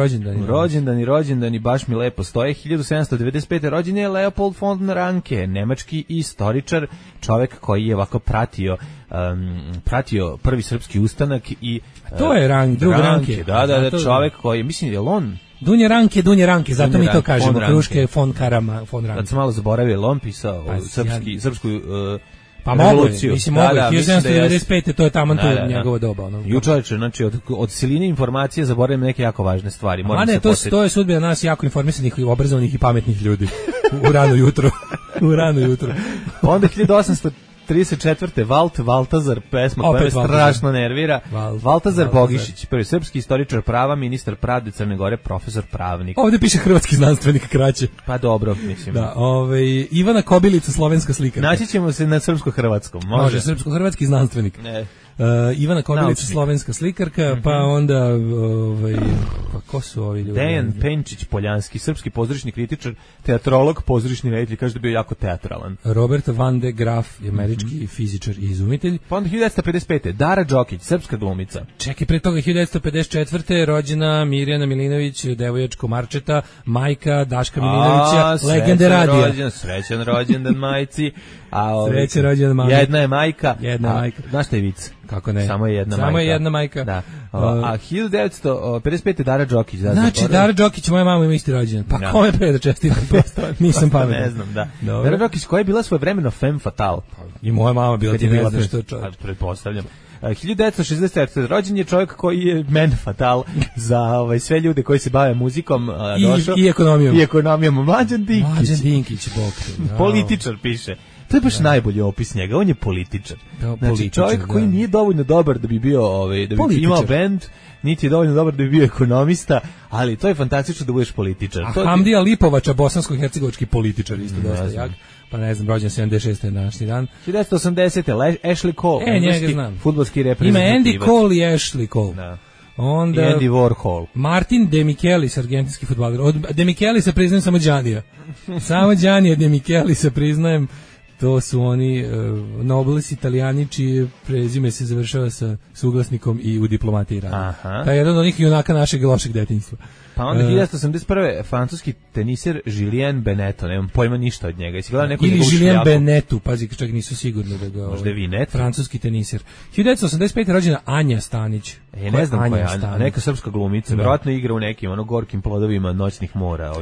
rođendani, baš mi lepo stoje. 1795. rođen je Leopold von Ranke, nemački istoričar, čovek koji je ovako pratio prvi srpski ustanak i to je drug Ranke. Da, čovek koji, mislim, je on Dunje Ranke, zato mi to kažemo, kruške von Ranke. Kad sam malo zaboravio, on pisao srpsku pa revoluciju. Mislim, 1795. to je taman tu njegovo doba. Čovječe, znači, od siline informacije zaboravim neke jako važne stvari. To je sudbina nas jako informisanih, obrazovanih i pametnih ljudi. U rano jutro. Onda 1834. Valtazar, pesma koja me strašno nervira. Valtazar Bogišić, prvi srpski istoričar prava, ministar pravde Crne Gore, profesor pravnik. Ovdje piše hrvatski znanstvenik kraće. Pa dobro, mislim. Da, Ivana Kobilica, slovenska slikarka. Naći ćemo se na srpsko-hrvatskom. Može, srpsko-hrvatski znanstvenik. Ivana Kobilica, slovenska slikarka, pa onda pa ko su ovi ljudi? Dejan Penčić Poljanski, srpski pozorišni kritičar, teatrolog, pozorišni reditelj, kaže da je bio jako teatralan. Robert van de Graf, američki fizičar i izumitelj. Pa onda 1955. Dara Đokić, srpska glumica. Čekaj, pre toga 1954. rođena Mirjana Milinović, devojačko Marčeta, majka Daška Milinovića, legende radija. Srećan rođendan majci. Srećan rođendan mami. Jedna je majka. Znaš šta je vic? Kako ne? Samo je jedna majka. Da. A 1955. Dara Đokić. Znači, Dara Đokić, moja mama ima isti rođendan. Pa kome pre da čestitam? Nisam pametan. Ne znam, da. Dara Đokić, koja je bila svojevremeno femme fatale. I moja mama bila ti ne znaš što je čovjek. Pretpostavljam. 1964. rođen je čovjek koji je men fatal za sve ljude koji se bave muzikom. I ekonomijom. I ekonomijom. Mlađan Dinkić, političar piše. To je baš najbolji opis njega, on je političar. Znači, čovjek koji nije dovoljno dobar da bi bio, da bi imao bend, niti je dovoljno dobar da bi bio ekonomista, ali to je fantastično da budeš političar. A Hamdija Lipovača, bosansko-hercegovački političar, isto dosta jak. Pa ne znam, rođen 76. je današnji dan. 1980. Ashley Cole, njega znam. Fudbalski reprezentativ. Ima Andy Cole i Ashley Cole. Da. Onda Andy Warhol. Martin De Michelis, argentinski fudbaler. Od De Michelisa priznajem samo Đanija. Samo Đanija De Michelisa priznajem. To su oni nobles Italijani čije prezime se završava sa suglasnikom i u diplomatiji radi. To je jedan od onih junaka našeg lošeg detinjstva. Pa onda 1981. francuski teniser Julien Beneteau, nemam pojma ništa od njega. Jesi gledao neku ili njegovu Julien šljaku? Beneteau, pazi, čak nisu sigurni da ga... Možda je Vinet? Francuski teniser. 1985. rođena Anja Stanić. Ne znam koja je Anja Anja, neka srpska glumica. Verovatno igra u nekim gorkim plodovima noćnih mora,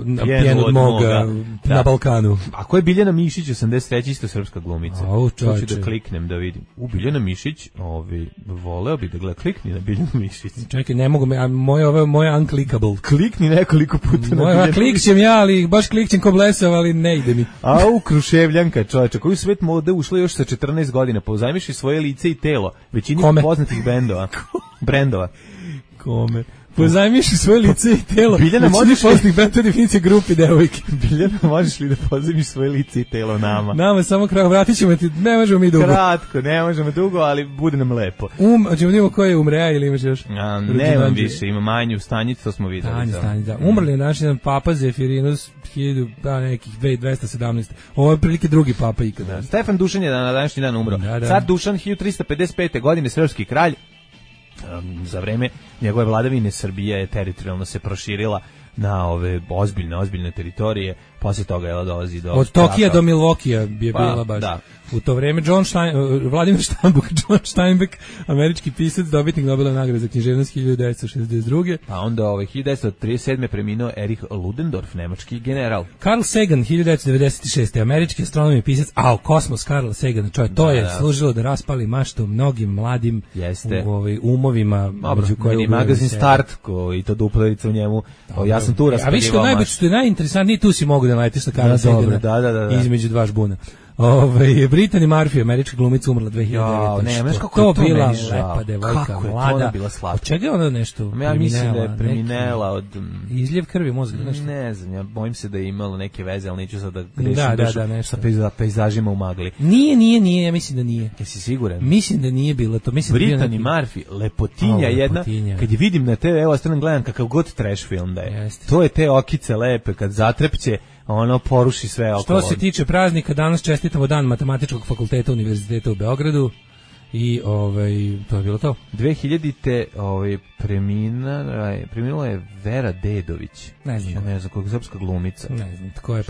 na pjenu od moga. Na Balkanu. A ko je Biljana Mišić, 83. isto srpska glumica? Čovječe. Hoću da kliknem da vidim. Biljana Mišić, voleo bi da gleda, klikni na Biljanu Mišić. Čekaj, ne mogu, moje unclickable. Klikni nekoliko puta na Biljanu. Klikćem ja, ali baš klikćem ko blesav, ali ne ide mi. Au, Kruševljanka, čovječe, koju svet mode ušla još sa 14 godina, pozajmiš i svoje lice i telo, većini poznatih brendova. Kome? Pozajmiš svoje lice i telo. Biljana, možeš li benda definicije grupi devojke? Biljana, možeš li da pozajmiš svoje lice i telo nama? Nama samo kraj, vratit ćemo ti, ne možemo mi dugo. Kratko, ne možemo dugo, ali bude nam lepo. Hoćemo da imamo ko je umreja ili imaš još? Nemam više, ima manju stanicu, to smo videli. Stanicu, da. Umrli je naš jedan papa Zefirinus, nekih 2217. Ovo je prilike drugi papa ikada. Stefan Dušan je na današnji dan umro. Car Dušan, 1355. godine, srpski kralj. Za vreme njegove vladavine Srbija je teritorijalno se proširila na ove ozbiljne teritorije, poslije toga je dolazi do... Od Tokija do Milvokija je bila baš. Da. U to vreme Vladimir John Steinbeck, američki pisac, dobitnik Nobelove nagrade za književnost 1962. Pa onda 1937. preminuo Erich Ludendorff, nemački general. Carl Sagan, 1996. američki astronom i pisac, kosmos Carl Sagan, to je služilo da raspali maštu mnogim mladim umovima. Meni magazin Start, i to duplerica u njemu, ja sam tu raspalivao maštu. Što je najinteresantnije, tu si mogu da najtiš na Carl Sagana između dva žbuna. Brittany Murphy, američka glumica, umrla 2009. To bila lepa devojka, mlada. Od čega je ona nešto ja mislim da je preminela od... Izljev krvi mozga, nešto? Ne znam, ja bojim se da je imalo neke veze, ali neću sad da grešim sa pejzažima u magli. Nije, ja mislim da nije. Jesi siguran? Mislim da nije bilo to. Brittany Murphy, lepotinja jedna, kad je vidim na TV, evo stvarno gledam kakav god trash film da je. To je te okice lepe, kad zatrepće, ono poruši sve okolo. Što se tiče praznika, danas čestitamo dan Matematičkog fakulteta Univerziteta u Beogradu i to je bilo to. 2000-te preminula je Vera Dedović. Ne znam koja je srpska glumica. Ne znam tko je,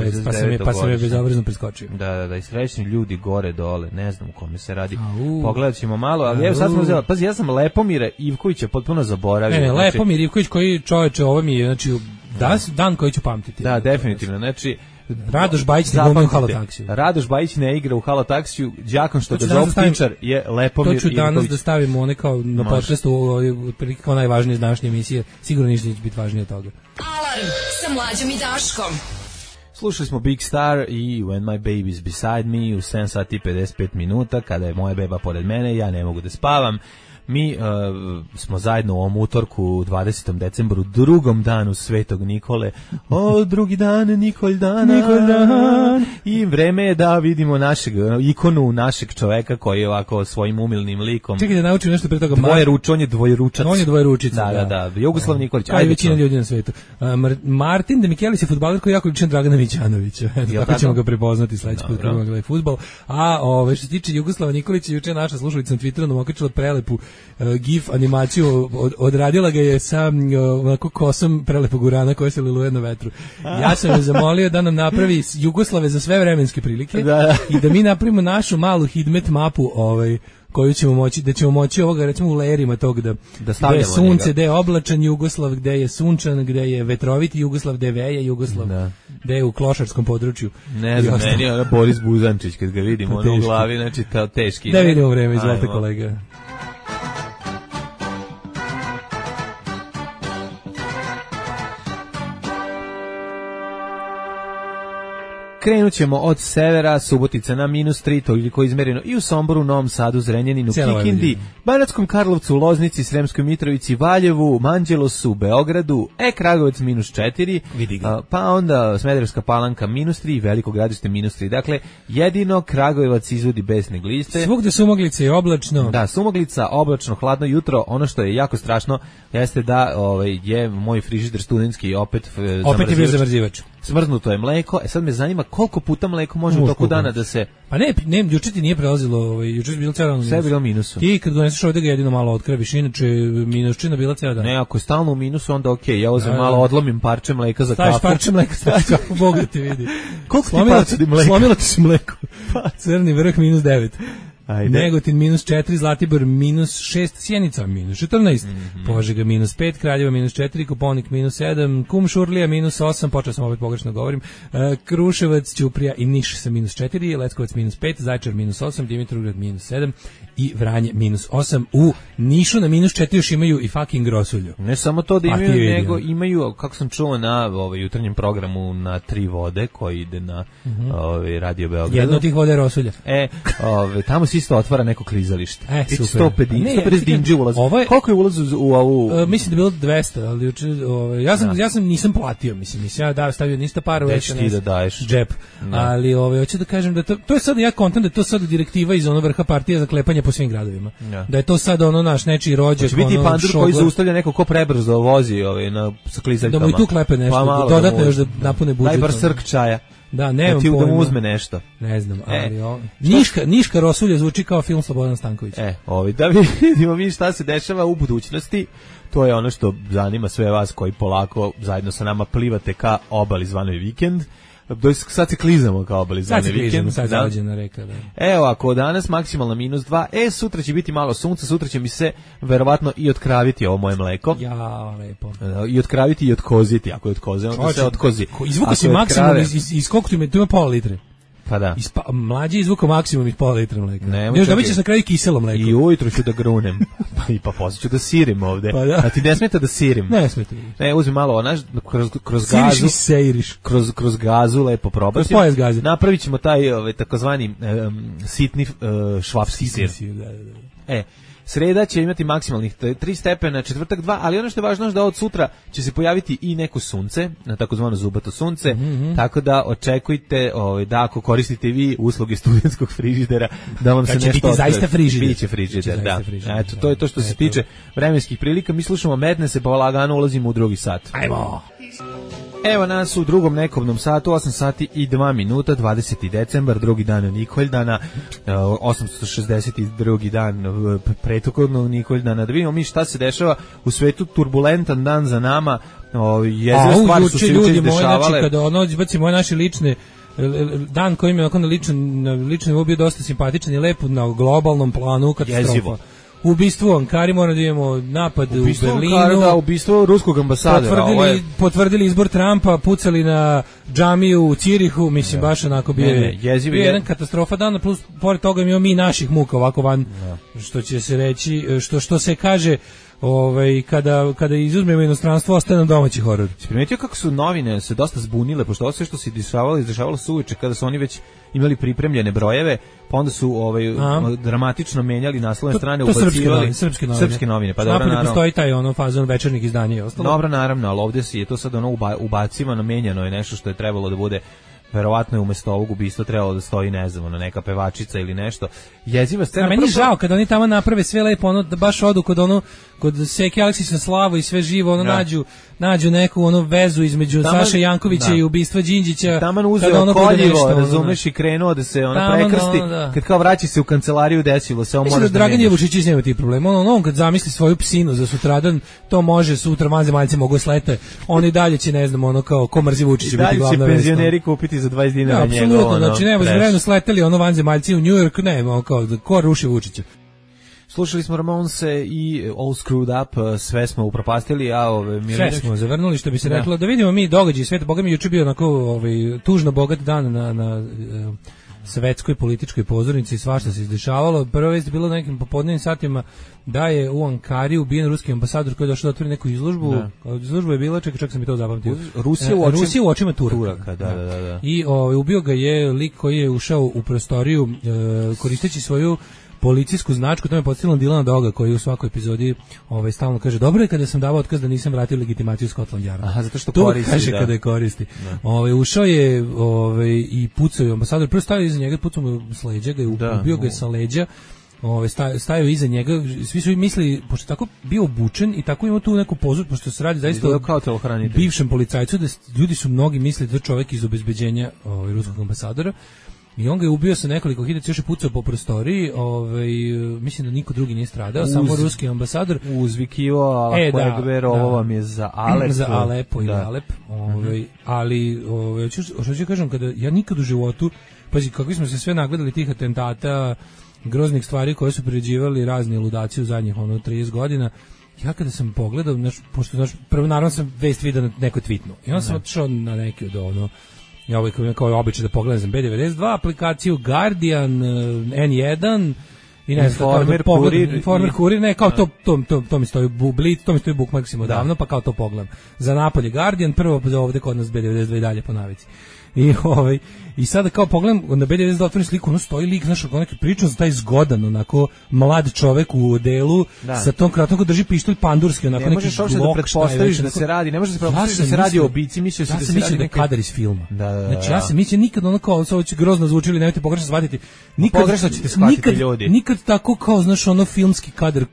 pa sam je bezobrazno preskočio. Da, i srećni ljudi gore dole, ne znam u kome se radi. Pogledat ćemo malo, ali evo sad smo uzeli, pazi, ja sam Lepomira Ivkovića potpuno zaboravio. Ne, Lepomir Ivković koji čoveče, ovo mi je, znači, dan koji ću pamtiti. Da, definitivno, znači Radoš Bajić ne glumi u Halotaksiju. Radoš Bajić ne igra u Halotaksiju, đakon što ga zove Tičar je Lepomir Ivković. To ću danas da stavimo one kao na podcastu, kao najvažnije iz današnje emisije, sigurno ništa neće biti važnije od toga. Alarm sa Mlađom i Daškom. Slušali smo Big Star i When My Baby's Beside Me u 7 sati 55 minuta, kada je moja beba pored mene, ja ne mogu da spavam. Mi smo zajedno u ovom utorku 20. decembru, drugom danu Svetog Nikole. Drugi dan, Nikol dan. I vreme je da vidimo ikonu našeg čoveka koji je ovako svojim umilnim likom. Čekaj da naučim nešto pre toga. On je dvojručac. On je dvojručica. Da. Jugoslav Nikolić. Kao i većina ljudi na svetu. Martin De Michelis je fudbaler koji je jako ličan Dragana Mićanovića. Tako ćemo ga prepoznati sledeći put kada gleda fudbal. A što se tiče Jugoslava Nikolića, juče naša slušalica na Twitteru nam okačila prelepu GIF animaciju, odradila ga je sa onako kosom prelepog urana koja se liluje na vetru. Ja sam je zamolio da nam napravi Jugoslave za sve vremenske prilike i da mi napravimo našu malu hidmet mapu koju ćemo moći, da ćemo moći ovoga recimo u lerima tog da gde je sunce, gde je oblačan Jugoslav, gde je sunčan, gde je vetroviti Jugoslav, gde veje Jugoslav, gde je u klošarskom području. Ne znam, meni je Boris Buzančić kad ga vidim, ono u glavi, znači teški. Da vidimo vreme, izvolite kolega. Krenut ćemo od severa, Subotica na -3, toliko izmereno i u Somboru, Novom Sadu, Zrenjaninu, Kikindi, Banatskom Karlovcu, Loznici, Sremskoj Mitrovici, Valjevu, Manđelosu, Beogradu, Kragujevac -4, pa onda Smederevska Palanka -3, Veliko Gradište -3. Dakle, jedino Kragujevac izvodi besne gliste. Svugde Sumaglica i oblačno. Da, Sumaglica, oblačno, hladno jutro. Ono što je jako strašno jeste da je moj frižider studentski opet je bio zamrzivač. Smrznuto je mleko. Sad me zanima koliko puta mleko može u toku dana da se... Pa ne, juče ti nije prelazilo, juče je bilo cijelo dan. Sve je bilo u minusu. Ti kad doneseš ovdje ga jedino malo otkreviš, inače minusčina bila cijelo dan. Ne, ako je stalno u minusu, onda okej. Ja uzem malo, odlomim parče mleka za kafu. Staviš parče mleka, staviš kafu, Bog da te vidi. Koliko ti parče mleka? Slomilo ti se mleko. Crni vrh -9. Ajde. Negotin -4, Zlatibor -6, Sjenica -14, Požega -5, Kraljeva -4, Koponik -7, Kumšurlija -8, počeo sam opet pogrešno govorim, Kruševac, Ćuprija i Niš sa -4, Leskovac -5, Zaječar -8, Dimitrovgrad -7 i Vranje -8. U Nišu na -4 još imaju i fucking Grosulju. Ne samo to da imaju, nego imaju, kako sam čuo na jutarnjem programu na 3 vode koji ide na Radio Beogradu. Jedno od tih vode je Rosulja. Tamo se isto otvara neko klizalište. Super. 150 dinđi ulaz. Koliko je ulaz u ovu? Mislim da je bilo 200, ali juče ja nisam platio, mislim ja stavio ništa para u SNS. Da daješ džep. Ali hoću da kažem da to je sad ja kontam da je to sad direktiva iz onog vrha partije za klepanje po svim gradovima. Da je to sad naš nečiji rođak, će biti pandur koji zaustavlja neko ko prebrzo vozi sa klizaljkama. Da mu i tu klepe nešto, dodatno još da napune budžet. Daj bar srk čaja. Da, nemam pojma. Da mu uzme nešto. Ne znam, ali Niška Rosulja zvuči kao film Slobodan Stanković. Da vidimo mi šta se dešava u budućnosti. To je ono što zanima sve vas koji polako zajedno sa nama plivate ka obali zvanoj vikend. Sad se klizamo kao obali zvanoj vikend. Sad zaođena reka. Da. Evo, ako danas maksimalno -2, sutra će biti malo sunca, sutra će mi se verovatno i otkraviti ovo moje mleko. Ja, lepo. I otkraviti i otkoziti, ako je od koze, onda se otkozi. Izvuka si maksimum iz koliko tu ima pola litre. Pa da. Mlađi izvukao maksimum iz pola litra mleka. Još da bićeš na kraju kiselo mleko. I ujutru ću da grunem. Pa posle ću da sirim ovde. Pa da. A ti ne smeta da sirim? Ne smeta. Ne, uzmi malo kroz gazu. Siriš. Kroz gazu lepo probaš. Napravit ćemo taj takozvani sitni švapski sir. Da. Sreda će imati maksimalnih 3 stepena, četvrtak 2, ali ono što je važno je da od sutra će se pojaviti i neko sunce, na takozvano zubato sunce, tako da očekujte da ako koristite vi usluge studentskog frižidera, da vam se nešto... Biti zaista frižider. Biće frižider, da. Eto, to je to što se tiče vremenskih prilika. Mi slušamo Madness, pa lagano ulazimo u drugi sat. Ajmo! Evo nas u drugom nekobnom satu, 8 sati i 2 minuta, 20. decembar, drugi dan Nikoldana, 862. dan pretokodnog Nikoldana. Da vidimo mi šta se dešava u svetu, turbulentan dan za nama, jezive stvari su se juče dešavale. Kada izbacimo naše lične dan koji mi je na ličnom bio dosta simpatičan i lep na globalnom planu katastrofa. Jezivo. Ubistvo u Ankari, moramo da imamo napad u Berlinu. Ubistvo ruskog ambasadora. Potvrdili izbor Trumpa, pucali na džamiju u Cirihu, mislim baš onako bio jedan katastrofa dana, plus pored toga imamo mi naših muka ovako van, što će se reći, što se kaže, kada izuzmemo inostranstvo, ostaje nam domaći horor. Si primetio kako su novine se dosta zbunile, pošto ovo sve što se izdešavalo su uveče, kada su oni već imali pripremljene brojeve, pa onda su dramatično menjali naslovne strane, ubacivali srpske novine. Pa dobro, naravno. Postoji taj fazon večernjih izdanja i ostalo. Dobro, naravno, ali ovdje je to sad ubacivano, menjano je nešto što je trebalo da bude, verovatno je umjesto ovog ubistva trebalo da stoji, ne znam, neka pevačica ili nešto. Jeziva scena. Meni žao kada oni tamo naprave sve lepo, da baš odu kod Seke Aleksisa Slavo i sve živo, nađu neku vezu između Saše Jankovića i ubistva Đinđića. Taman uzeo koljivo, razumeš, i krenuo da se prekrsti, kad kao vraća se u kancelariju, desilo se, on moraš da menjaš. Dragan Jevušić nema tih problema, on kad zamisli svoju psinu za sutradan, to može sutra, vanzemaljci mogu slete, oni dalje će, ne znam, kao ko mrzi Vučića biti glavna vest. Dalje će penzioneri kupiti za 20 dinara njega. Apsolutno, znači ne, vremeno sleteli vanzemaljci u New York, ne, kao ko ruši Vučića. Slušali smo Ramonse i All Screwed Up, sve smo upropastili, sve smo zavrnuli, što bi se reklo. Da vidimo mi događaj sveta, boga mi juče bio onako tužno bogat dan na svetskoj političkoj pozornici, svašta se izdešavalo. Prva vest je bilo na nekim popodnevnim satima da je u Ankari ubijen ruski ambasador koji je došao da otvori neku izložbu. Izložba je bila, čak sam i to zapamtio. Rusija u očima Turaka. Da. I ubio ga je lik koji je ušao u prostoriju koristeći svoju policijsku značku, to me podsjetilo na Dilana Doga koji u svakoj epizodi stalno kaže dobro je kada sam davao otkaz da nisam vratio legitimaciju Scotland Yarda. Aha, zato što to koristi, kaže kada je koristi. Ušao je i pucao je ambasador, prvo stavio iza njega, pucao mu s leđa, ubio ga je sa leđa. Stajao iza njega, svi su mislili, pošto tako bio obučen i tako imao tu neku pozu, pošto se radi zaista o bivšem policajcu, da ljudi su mnogi mislili da je čovjek iz obezbeđenja ruskog ambasadora. I on ga je ubio sa nekoliko hiljada, još je pucao po prostoriji, mislim da niko drugi nije stradao, samo ruski ambasador. Uzvikivo, ovo vam je za Alep. Za Alepo ili Alep. Ali, što ću kažem, kada ja nikad u životu, pazi, kakvi smo se sve nagledali tih atentata, groznih stvari koje su priređivali razni ludaci u zadnjih 30 godina, ja kada sam pogledao, pošto prvo naravno sam vest vidio na nekoj tweetnu, i onda sam otišao na neki od ja kao običaj da pogledam za B92, aplikaciju Guardian, N1 i ne znam, Informer, Kurir, ne, kao to mi stoji Blitz, to mi stoji Bookmarksima odavno, pa kao to pogledam. Za napolje Guardian, prvo ovde kod nas B92 i dalje po navici. I sada kao pogledam na B92 otvorim sliku, ono stoji lik, znaš, neki pričam za taj zgodan, onako mlad čovek u odelu, sa tom kratom koji drži pištolj pandurski, onako neki blok. Ne možeš uopšte da pretpostaviš da se radi, ne možeš da pretpostaviš da se radi o ubici, mislio ja sam mislio da je kadar iz filma. Znači ja sam mislio nikad ono kao, ovo će grozno zvučili, nemojte pogrešno shvatiti. Pogrešno ćete shvatiti ljudi. Nikad tako kao, znaš, ono filmski kadar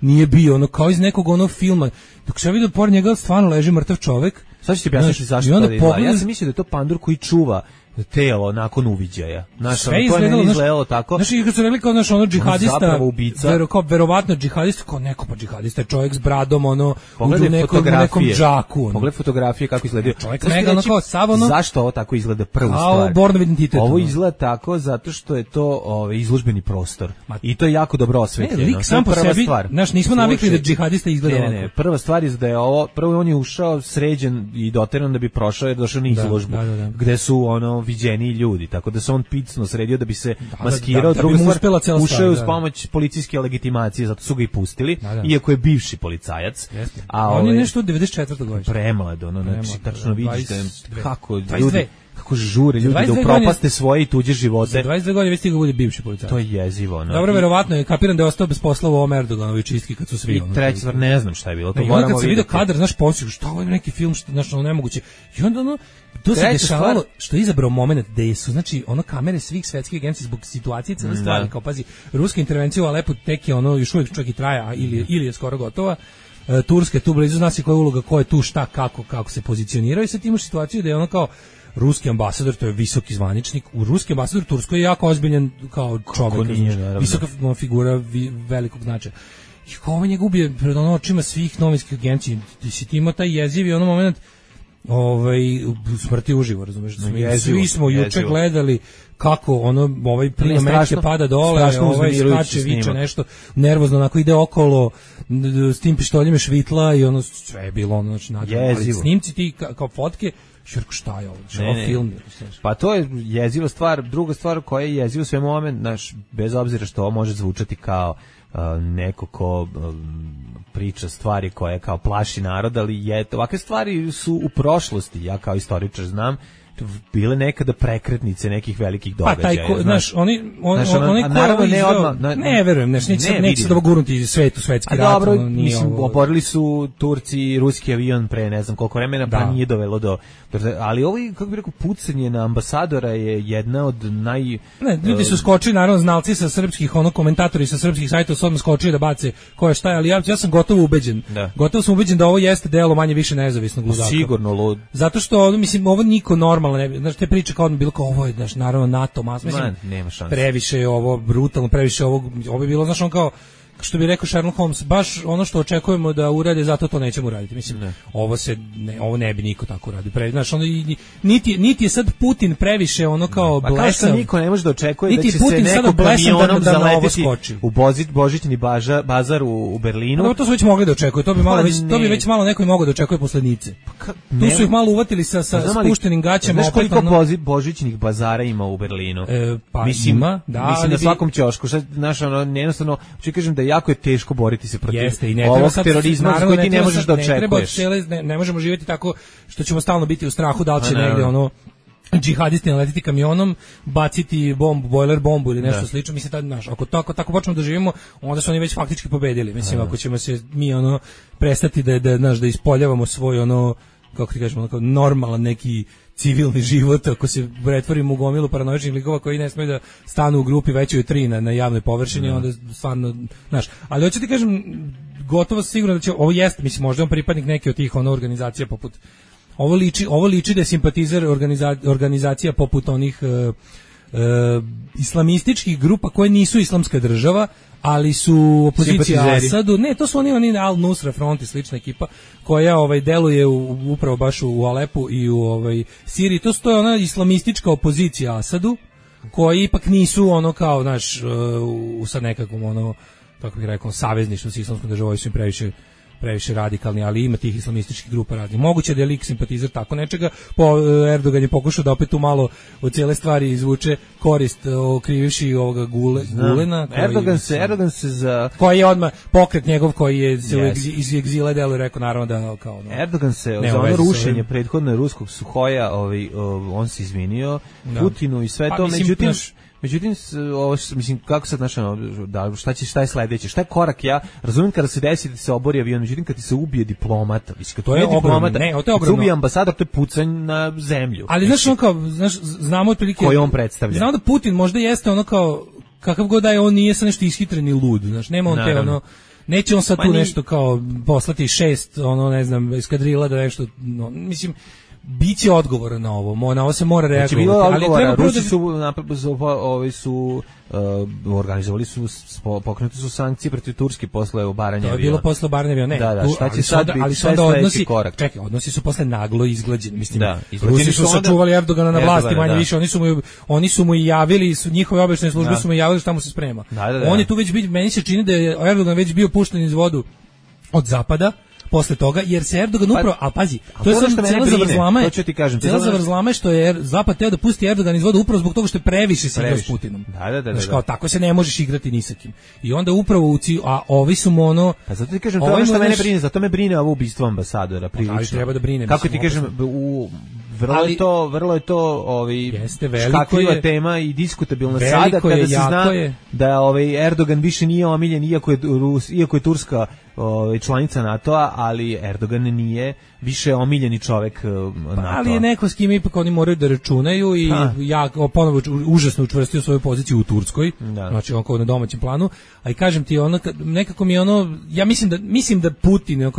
nije bio, ono kao iz nekog ono filma. Dok se ja vidio pored njega stvarno leži mrtav čovek. Sad ću ti objasniti zašto to izgleda. Ja sam mislio da je to pandur koji čuva telo nakon uviđaja. Sve izgledalo tako. Znači, kad su rekli kao ono džihadista, verovatno džihadista, kao neko pa džihadista je čovjek s bradom, u nekom džaku. Pogledaj fotografije kako izgledaju. Čovjek mega kao sav ono. Zašto ovo tako izgleda prvu stvar? Bornov identitet. Ovo izgleda tako zato što je to izložbeni prostor. I to je jako dobro osvetljeno. Lik sam po sebi, znaš, nismo navikli da džihadista izgleda ovako. Ne, prva stvar je da je ovo, prvo on je ušao sređen i doteran da bi prošao, je došao na izložbu, gde su viđeni ljudi, tako da se on picno sredio da bi se maskirao, druga stvar, ušao uz pomoć policijske legitimacije, zato su ga i pustili, iako je bivši policajac. On je nešto od 94. godine. Premlad, znači, tačno vidiš kako ljudi, kako žure ljudi da upropaste svoje i tuđe živote. Za 22 godine već stiga bude bivši policajac. To je jezivo. Dobro, verovatno je kapiran da je ostao bez posla u ovom Erdoganovoj čistki kad su svi. I treća stvar, ne znam šta je bilo. I onda kad se vidio kadar, znaš, pomisliš, šta ovo je neki film, znaš, nemoguće. I onda to se dešavalo, što je izabrao moment da su, znači, kamere svih svetskih agencija zbog situacije cele stvari, kao pazi, ruska intervencija u Alepu tek je još uvijek čak i traja, ili je skoro gotova. Turska je tu blizu, zna se koja je uloga, ko je tu, šta, kako se pozicionirao, i sad imaš situaciju da je kao ruski ambasador, to je visoki zvaničnik, u ruski ambasador Turskoj je jako ozbiljan kao čovjek, visoka figura velikog značaja. I kao ovo njega ubije pred očima svih novinskih agencija, si ti imao taj jezivi moment smrti uživo, razumeš? Svi smo juče gledali kako prima metke pada dole, skače, viče nešto, nervozno onako ide okolo s tim pištoljima švitla i sve je bilo znači ali snimci ti kao fotke, širko šta je ovo, film. Pa to je jeziva stvar. Druga stvar koja je jeziva svemu ovome, bez obzira što ovo može zvučati kao neko ko priča stvari koje kao plaši narod, ali ovakve stvari su u prošlosti, ja kao istoričar znam, bile nekada prekretnice nekih velikih događaja. Pa znaš, oni ne verujem, neće da gurnuti svetski rat. Dobro, mislim, oborili su Turci i ruski avion pre ne znam koliko vremena, pa nije dovelo do... Ali ovo, kako bih rekao, pucanje na ambasadora je jedna od ljudi su skočili, naravno, znalci sa srpskih, komentatori sa srpskih sajtova su odmah skočili da bace ko je šta je, ali ja sam gotovo ubeđen. Gotovo sam ubeđen da ovo jeste delo manje više nezavisnog ludaka. Sigurno lud. Zato što, mislim, ovo niko normalno ne bi, znaš, te priče kao bilo kao ovo je, znaš, naravno NATO, mislim, nema šanse. Previše je ovo brutalno, previše ovo je bilo, znaš, on kao, što bi rekao Sherlock Holmes, baš ono što očekujemo da urade, zato to nećemo uraditi. Mislim, ovo ne bi niko tako uradio. Znaš, ono, niti je sad Putin previše ono kao blesav. Pa kao što niko ne može da očekuje da će Putin se neko kamionom da zaletiti u božićni bazar u Berlinu. No, to su već mogli da očekuje, to bi već malo neko i mogao da očekuje posle Nice. Tu su ih malo uvatili sa spuštenim gaćama. Znaš koliko božićnih bazara ima u Berlinu? Pa mislim, ima, mislim na svakom ćošku. Znaš, ono, jednostavno, ću kažem da jako je teško boriti se protiv ovog terorizma koji ti ne možeš da očekuješ. Ne možemo živjeti tako što ćemo stalno biti u strahu da li će negde ono džihadisti naletiti kamionom, baciti bombu, bojler bombu ili nešto slično. Mislim, znaš, ako tako počnemo da živimo, onda su oni već faktički pobedili. Mislim, ako ćemo se mi ono prestati da ispoljavamo svoj ono, kako ti kažemo, kao normalan neki civilni život, ako se pretvorimo u gomilu paranoičnih likova koji ne smeju da stanu u grupi većoj od 3 na javnoj površini, onda stvarno, znaš, ali hoću ti kažem, gotovo sigurno da će, ovo jeste, mislim, možda on pripadnik neke od tih organizacija poput, ovo liči da je simpatizer organizacija poput onih islamističkih grupa koje nisu islamska država, ali su opozicija Asadu. Ne, to su oni Al-Nusra Front i slična ekipa koja deluje upravo baš u Alepu i u Siriji. To je ona islamistička opozicija Asadu, koji ipak nisu ono kao, znaš, u sad nekakvom ono, kako bih rekao, savezništvu s islamskom državom, su im previše radikalni, ali ima tih islamističkih grupa raznih. Moguće da je lik simpatizer tako nečega, Erdogan je pokušao da opet tu malo od cijele stvari izvuče korist, okrivivši ovoga Gulena. Erdogan se za... Koji je odmah pokret njegov koji je se iz egzila delu rekao naravno da kao... Erdogan se za ono rušenje prethodno ruskog Suhoja, on se izvinio Putinu i sve to, međutim, ovo mislim kako sad šta je sledeće? Šta je korak? Ja razumem kada se desi da se obori avion, međutim kad ti se ubije diplomata, mislim to je ogromno. Kad se ubije ambasador, to je pucanj na zemlju. Ali znamo otprilike koji on predstavlja. Znamo da Putin možda jeste ono kao kakav god da je, on nije sa nešto ishitren i lud, znaš, nema on te ono, neće on sad tu nešto kao poslati 6 ne znam eskadrila da nešto, mislim, biće odgovor na ovo, na ovo se mora reagovati. Ali treba Rusi su organizovali su, pokrenuti su sankcije protiv Turske posle obaranja aviona. To je bilo posle obaranja aviona, ne. Šta će sad biti, šta je sledeći korak? Čekaj, odnosi su posle naglo izglađeni. Mislim, Rusi su sačuvali Erdogana na vlasti, manje više, oni su mu i javili, njihove obaveštajne službe su mu javili šta mu se sprema. On je tu već bio, meni se čini da je Erdogan već bio pušten iz vodu od zapada, posle toga, jer se Erdogan upravo, a pazi, to je sad cijela zavrzlama, cijela zavrzlama je što je Zapad teo da pusti Erdogan iz voda upravo zbog toga što je previše se igrao s Putinom. Znaš, kao, tako se ne možeš igrati ni sa kim. I onda upravo a ovi su mu ono... Pa zato ti kažem, to je ono što mene brine, zato me brine ovo ubistvo ambasadora, prilično. Ali treba da brine. Kako ti kažem, vrlo je to škakljiva tema i diskutabilna sada kada se zna da Erdogan više nije omiljen, iako je Turska članica NATO-a, ali Erdogan nije više omiljeni čovek NATO-a. Ali je neko s kim ipak oni moraju da računaju i ja ponovo užasno učvrstio svoju poziciju u Turskoj, znači on kao na domaćem planu, a i kažem ti, nekako mi ja mislim da Putin,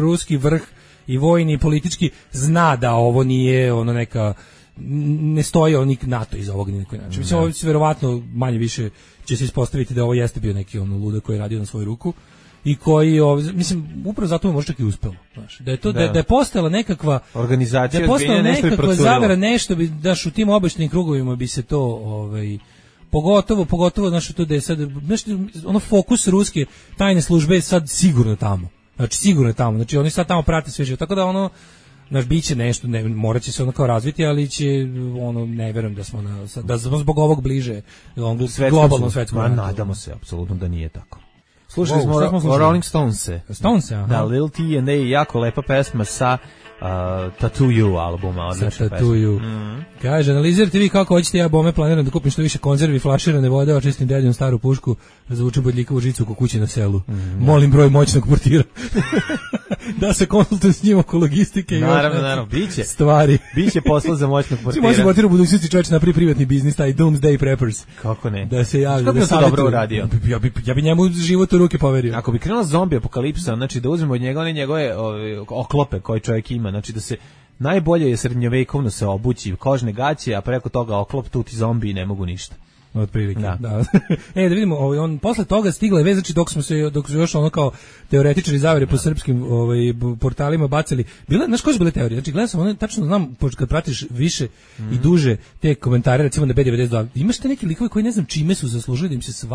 ruski vrh i vojni i politički zna da ovo nije neka, ne stoji onik NATO iza ovog ni na koji način. Mislim, ovo se verovatno manje više će se ispostaviti da ovo jeste bio neki ludak koji je radio na svoju ruku i koji, mislim, upravo zato mu možda i uspelo, znaš, da je to, da je postala nekakva organizacija, da je postala nekakva zavera, nešto bi, daš, u tim obaveštajnim krugovima bi se to, pogotovo, znaš, to da je sad, znaš, fokus ruske tajne službe je sad sigurno tamo. Znači oni sad tamo prate sve živo, tako da znaš, biće nešto, morat će se kao razviti, ali će, ne verujem da smo zbog ovog bliže globalnom svetskom. Nadamo se, apsolutno da nije tako. Slušali smo Rolling Stonese. Aha. Da, Lil T and A, jako lepa pesma sa Tattoo You albuma, odlična pesma. Kaže, analizirajte vi kako hoćete, ja bome planiram da kupim što više konzervi, flaširane vode, očistim deljom staru pušku, razvučem bodljikavu žicu ko kući na selu. Molim broj moćnog portira. Da se konsultujem s njim oko logistike i naravno, biće stvari. Biće posla za moćnog portira. Moćnog portira u budućnosti čovječ napravi privatni biznis, taj Doomsday Preppers. Kako ne? Da se javi, da se dobro uradio. Ja bi njemu život u ruke poverio. Ako bi krenula zombi apokalipsa, znači da uzmemo od njega njegove oklope koje čovjek ima, znači da se najbolje je srednjovekovno se obući kožne gaće, a preko toga oklop, tu ti zombi ne mogu ništa. otprilike. Da. Da vidimo, on posle toga stigla je vez, znači dok su još ono kao teoretičari zavere po srpskim portalima bacili. Znaš koje su bile teorije? Znači, gledam sam, ono, tačno znam, kad pratiš više i duže te komentare, recimo na B92, imaš te neki likovi koji ne znam čime su zaslužili da im se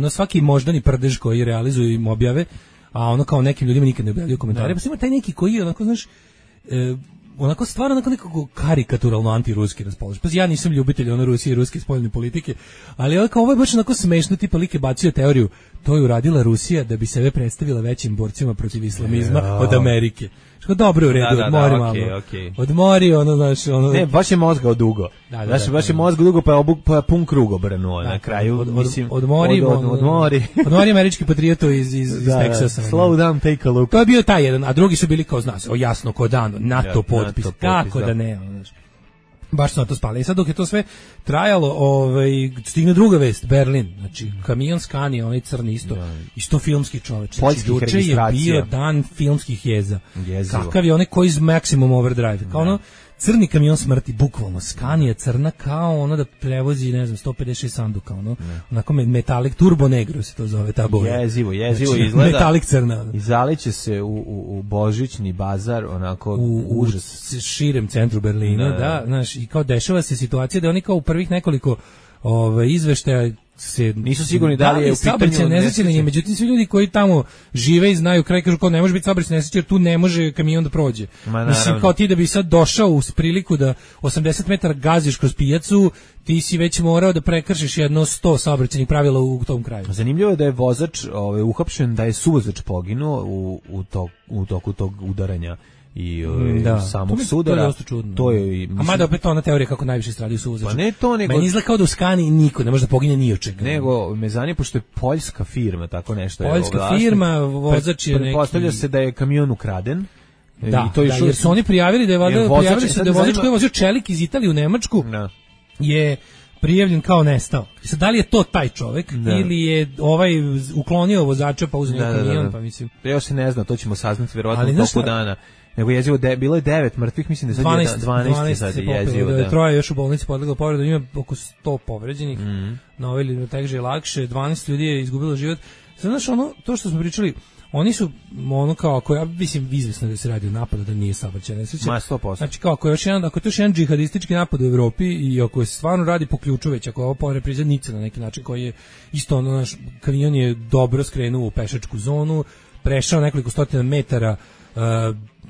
svaki moždani prdež koji realizuju im objave, a ono kao nekim ljudima nikad ne objavljaju komentare, pa ima taj neki koji onako, znaš, onako stvarno onako nekako karikaturalno antiruski raspoložen. Pa ja nisam ljubitelj Rusije i ruske spoljne politike, ali ovo je baš onako smešno, tipa lik je bacio teoriju, to je uradila Rusija da bi sebe predstavila većim borcima protiv islamizma od Amerike. Što dobro u redu, odmori malo. Odmori, znaš, Ne, baš je mozgao dugo. Baš je mozgao dugo, pa je pun krug obrnuo na kraju. Odmori američki patrioto iz Teksasa. Slow down, take a look. To je bio taj jedan, a drugi su bili kao, zna se, jasno, ko dan, NATO potpis, kako da ne, znaš. Baš su na to spali. I sad dok je to sve trajalo, stigne druga vest, Berlin, znači kamion Scania, onaj crni isto filmski čoveč. Znači, juče je bio dan filmskih jeza. Kakav je onaj koji iz Maximum Overdrive, kao ono crni kamion smrti, bukvalno, Scania crna kao ono da prevozi, ne znam, 156 sanduka, onako metalik, turbo negro se to zove, ta boja. Jezivo znači, izgleda. Metalik crna. I zaliće se u božićni bazar, onako užas. U širem centru Berlina, da, znaš, i kao dešava se situacija da oni kao u prvih nekoliko izveštaja nisu sigurni da li je u pitanju nesreće, međutim svi ljudi koji tamo žive i znaju kraj kažu kao ne može biti saobraćajna nesreća jer tu ne može kamion da prođe. Mislim kao ti da bi sad došao u priliku da 80 metara gaziš kroz pijacu, ti si već morao da prekršiš jedno 100 saobraćajnih pravila u tom kraju. Zanimljivo je da je vozač uhapšen, da je suvozač poginuo u toku tog udaranja i samog sudara. To je a mada opet ona teorija kako najviše stradaju suvozači. Pa ne to, nego... Meni izgleda kao da u Skani niko ne može da pogine ni od čega. Nego, me zanima, pošto je poljska firma, tako nešto je. Poljska firma, vozač je neki... Pretpostavlja se da je kamion ukraden. Da, jer su oni prijavili da je vozač koji je vozio čelik iz Italije u Nemačku je prijavljen kao nestao. Sad, da li je to taj čovek ili je uklonio vozača pa uzeo kamion, pa mislim... Još se ne zna, to ćemo saznati verovatno u toku dana. Nego jezivo, bilo je 9 mrtvih, mislim da sad 12 sad je jezivo. Da. Troje još u bolnici podleglo povredu, ima oko 100 povređenih, na ove ili teže lakše, 12 ljudi je izgubilo život. Sad, znaš, to što smo pričali, oni su, kao, ako ja mislim, izvesno da se radi o napadu, da nije saobraćajna nesreća. 100%. Znači, kao, ako je to još jedan džihadistički napad u Evropi i ako se stvarno radi po ključu već, ako je ovo reprizadnica na neki način, koji je isto, naš kamion je dobro skrenuo u pešačku zonu, prešao nekoliko stotina metara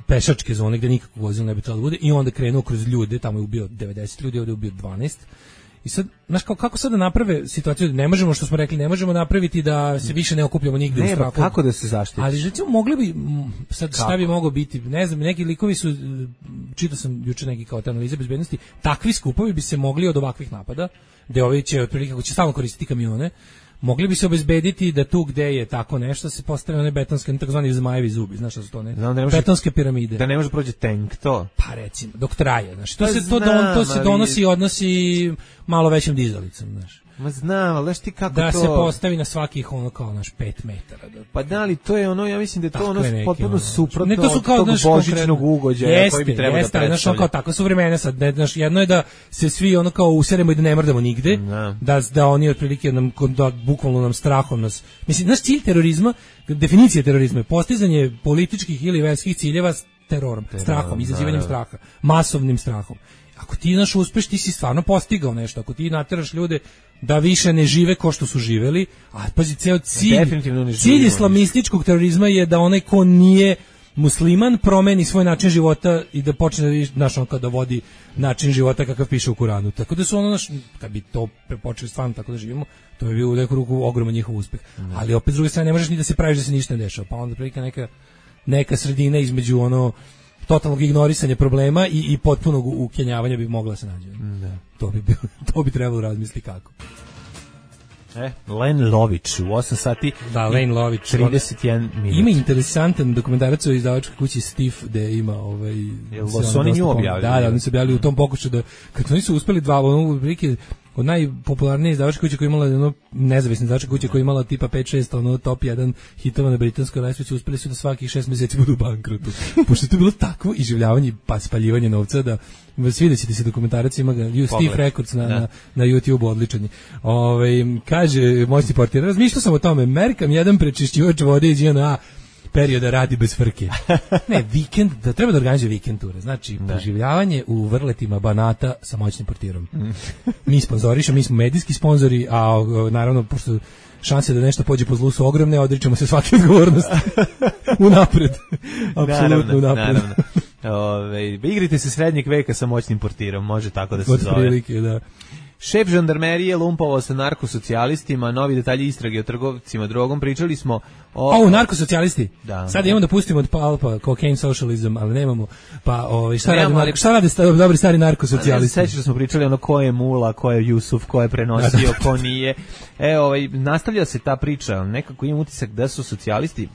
pešačke zone gde nikakvog vozila ne bi trebalo da bude i onda krenuo kroz ljude, tamo je ubio 90 ljudi, ovdje je ubio 12. I sad, znaš, kako sad da naprave situaciju, ne možemo, što smo rekli, ne možemo napraviti da se više ne okupljamo nigde u strahu. Kako da se zaštiti? Ali recimo mogli bi, sad šta bi moglo biti, ne znam, neki likovi su, čitao sam juče neki kao te analize bezbednosti, takvi skupovi bi se mogli od ovakvih napada, gde ovi će otprilike, ako će stalno koristiti kamione, mogli bi se obezbediti da tu gde je tako nešto se postave one betonske, takozvani zmajevi zubi, znaš šta su to, ne? Betonske piramide. Da ne može proći tank, to? Pa recimo, dok traje, znaš. To se donosi i odnosi malo većim dizalicom, znaš. Ma znam, ali znaš ti kako da to... Da se postavi na svakih kao naš 5 metara. Pa da li, to je ja mislim da je to potpuno suprotno od tog božićnog ugođaja koji bi trebao da predstavlja. Znaš, kao takva su vremena sad, znaš, jedno je da se svi kao useremo i da ne mrdamo nigde, da oni otprilike bukvalno nam strahom nas... Mislim, naš cilj terorizma, definicija terorizma je postizanje političkih ili verskih ciljeva s terorom, strahom, izazivanjem straha, masovnim strahom. Ako ti uspeš, ti si stvarno postigao nešto. Ako ti nateraš ljude da više ne žive ko što su živeli, a pazi, ceo cilj islamističkog terorizma je da onaj ko nije musliman promeni svoj način života i da počne da vodi način života kakav piše u Kuranu. Tako da su kad bi to počeli stvarno tako da živimo, to bi bio u neku ruku ogroman njihov uspeh. Ali opet s druge strane ne možeš ni da se praviš da se ništa ne dešava. Pa onda prilike neka sredina između totalnog ignorisanja problema i potpunog ukenjavanja bi mogla se naći. To bi trebalo razmisliti kako. Len Lović u 8 sati. Da, Len Lović 31 minuta. Ima interesantan dokumentarac o izdavačkoj kući Stif, gde ima su oni nju objavili? Da, oni su objavili u tom pokušaju da kad oni su uspeli od najpopularnije izdavačke kuće koja je imala ono nezavisne izdavačke kuće koja je imala tipa 5-6 ono top 1 hitova na britanskoj lestvici, uspeli su da svakih 6 meseci budu u bankrotu. Pošto je to bilo takvo iživljavanje pa spaljivanje novca da svidećete se dokumentarac, ima ga Steve Records na YouTube-u, odličan je. Kaže moćni portir, razmišljao sam o tome, merkam jedan prečišćivač vode iz JNA perioda radi bez frke. Ne, vikend, da treba da organizuje vikend ture. Znači, preživljavanje u vrletima Banata sa moćnim portirom. Mi sponzorišemo, mi smo medijski sponzori, a naravno, pošto šanse da nešto pođe po zlu su ogromne, odričemo se svake odgovornosti. Unapred. Apsolutno unapred. Igrite se srednjeg veka sa moćnim portirom, može tako da se zove. Od prilike, da. Šef žandarmerije lumpovao sa narkosocijalistima, novi detalji istrage o trgovcima drogom, pričali smo o narkosocijalisti. Da. Sad imamo da pustimo od Palpa cocaine socialism, ali nemamo. Pa šta radi dobri stari narkosocijalisti? Sećaš da smo pričali ono ko je Mula, ko je Jusuf, ko je prenosio, ko nije. Nastavlja se ta priča, nekako imam utisak da su socijalisti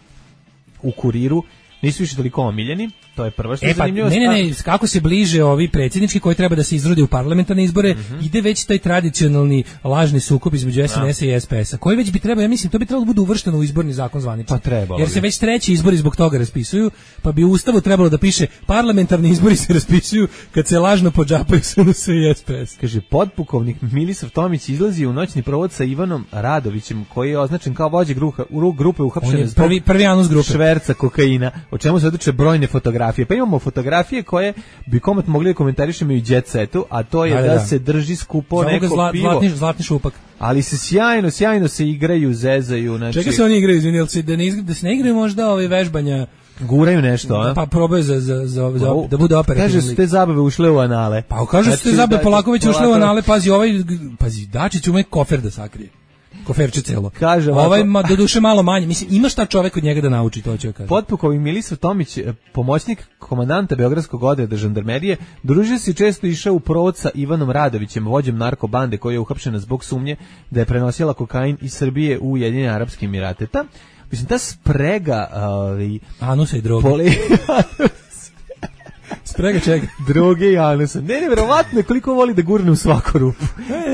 u Kuriru nisu više toliko omiljeni, to je prvo što je zanimljivo. Ne, kako se bliže ovi predsjednički koji treba da se izrode u parlamentarne izbore, ide već taj tradicionalni lažni sukob između SNS-a i SPS-a, koji već bi trebao, ja mislim, to bi trebalo da bude uvršteno u izborni zakon zvanično. Pa trebalo. Jer se već treći izbori zbog toga raspisuju, pa bi u Ustavu trebalo da piše parlamentarni izbori se raspisuju kad se lažno podžapaju SNS i SPS. Kaže, podpukovnik Milisav Tomić izlazi u noćni provod sa Ivanom Radovićem, koji je označen kao vođa grupe uhapšene zbog prvi anus grupe šverca kokaina, o čemu se odluče brojne fotografije. Pa imamo fotografije koje bi komot mogli da komentarišemo i u Jet Setu, a to je da se drži skupo neko pivo. Zlatni šupak. Ali se sjajno se igraju, zezaju. Znači... Čega se oni igraju, izvinjel se, da se ne igraju možda ove vežbanja? Guraju nešto, a? Pa probaju da bude operativni. Kaže su te zabave ušle u anale. Pa kaže su te zabave Polaković ušle u anale, pazi, Dačić ume kofer da sakrije. Koferče celo. Kaže ovako, do duše malo manje. Mislim, ima šta čovek od njega da nauči, to ću ja kažem. Potpukovnik Milisav Tomić, pomoćnik komandanta Beogradskog odreda žandarmerije, družio se često išao u provod sa Ivanom Radovićem, vođem narkobande koja je uhapšena zbog sumnje da je prenosila kokain iz Srbije u Ujedinjene Arapske Emirate. Mislim, ta sprega... anusa i droge. Sprega čega? Droge i anusa. Ne, verovatno koliko voli da gurne u svaku rupu.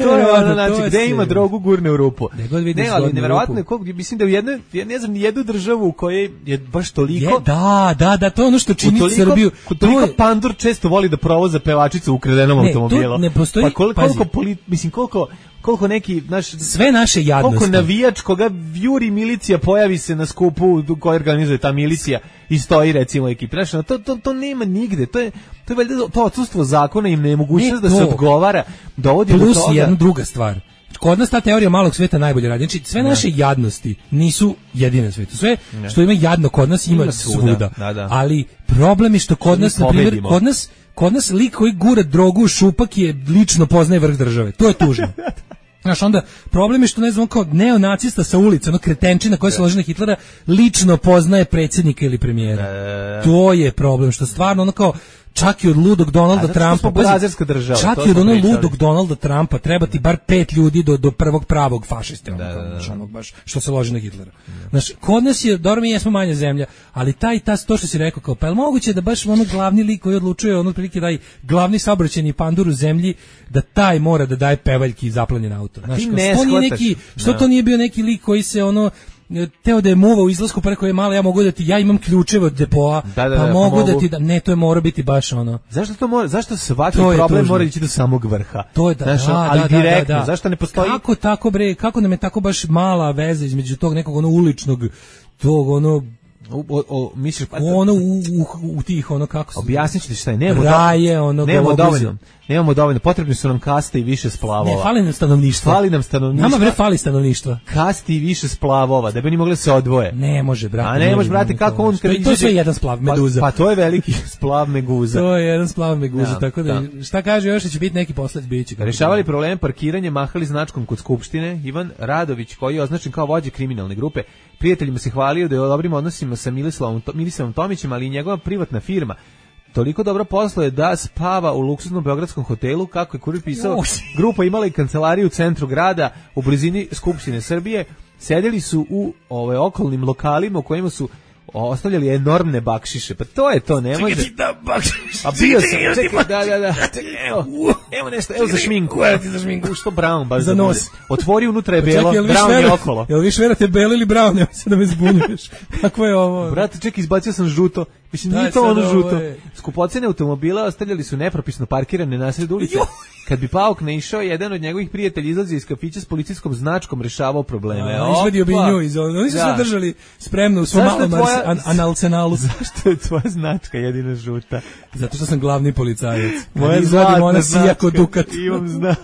To je ono, znači, gde ima drogu, gurne u rupu. Ne, ali neverovatno je, mislim da u jednoj, ja ne znam, ni jednu državu u kojoj je baš toliko... Da, to je ono što čini Srbiju. Toliko pandur često voli da provoza pevačicu u ukradenom automobilu. Ne postoji, pa koliko neki sve naše jadnosti. Koliko navijač koga juri milicija pojavi se na skupu koji organizuje ta milicija i stoji recimo ekipa. Znači, to nema nigde. To je valjda to odsustvo zakona i nemogućnost da se odgovara dovodi do toga. Plus jedna druga stvar. Kod nas ta teorija malog sveta najbolje radi. Znači, sve naše jadnosti nisu jedine na svetu. Sve što ima jadno kod nas ima svuda. Ali problem je što kod nas, na primjer, kod nas lik koji gura drogu u šupak je lično poznaje vrh države. To je tužno. Znaš, onda problem je što, ne znam, kao neonacista sa ulice, ono kretenčina koja se loži na Hitlera, lično poznaje predsjednika ili premijera. To je problem, što stvarno ono kao čak i od ludog Donalda Trumpa, čak i od onog ludog Donalda Trumpa treba ti bar 5 ljudi do prvog pravog fašiste, onog baš što se loži na Hitlera. Znaš, kod nas je, dobro, mi jesmo manja zemlja, ali to što si rekao, kao, pa je moguće da baš ono glavni lik koji odlučuje, ono prilike daj glavni saobraćajni pandur u zemlji, da taj mora da daje pevaljki i zaplanjen auto. Znaš, što to nije bio neki lik koji se ono teo da je muva u izlasku preko je malo, ja imam ključeve od depoa, pa mogu da ti ne, to je mora biti baš ono. Zašto svaki problem mora ići do samog vrha? To je ali direktno, zašto ne postoji? Kako tako bre, kako nam je tako baš mala veza između tog nekog ono uličnog, tog ono misliš ono u tih ono kako se objasnićete šta je, nemamo dovoljno, potrebni su nam kaste i više splavova. Ne, fali nam stanovništva. Nama bre fali stanovništva. Kasti i više splavova, da bi oni mogli se odvoje. Ne može, brate. A ne može, brate, kako on to je sve jedan splav meduza. Pa to je veliki splav meduza. To je jedan splav meduza, tako da šta kaže još, će biti neki posled biće. Rešavali probleme parkiranja, mahali značkom kod skupštine. Ivan Radović, koji je označen kao vođa kriminalne grupe, prijateljima se hvalio da je u dobrim odnosima sa Milisavom Tomićem, ali i njegova privatna firma toliko dobro posluje da spava u luksuznom beogradskom hotelu, kako je kurir pisao. Grupa imala i kancelariju u centru grada, u blizini Skupštine Srbije. Sedeli su u okolnim lokalima u kojima su ostavljali enormne bakšiše. Pa to je to, ne može. Čekaj ti da bakšiš. A bio sam, čekaj, da. Evo nešto, evo za šminku. Za šminku. Što brown, baš za nos. Otvori, unutra je belo, brown je okolo. Jel više verate belo ili brown, nema se da me zbunjuješ. Kako je ovo? Brate, čekaj, izbacio sam žuto. Mislim, nije to ono žuto. Skupocene automobila ostavljali su nepropisno parkirane na sred ulice. Kad bi Pauk naišao, jedan od njegovih prijatelja izlazi iz kafića s policijskom značkom, rešavao probleme. Izvadio bi nju iz ovog. Oni su sve držali spremno u svom malom analcenalu. Zašto je tvoja značka jedina žuta? Zato što sam glavni policajac. Moja zlatna značka. Dukat. Imam znač.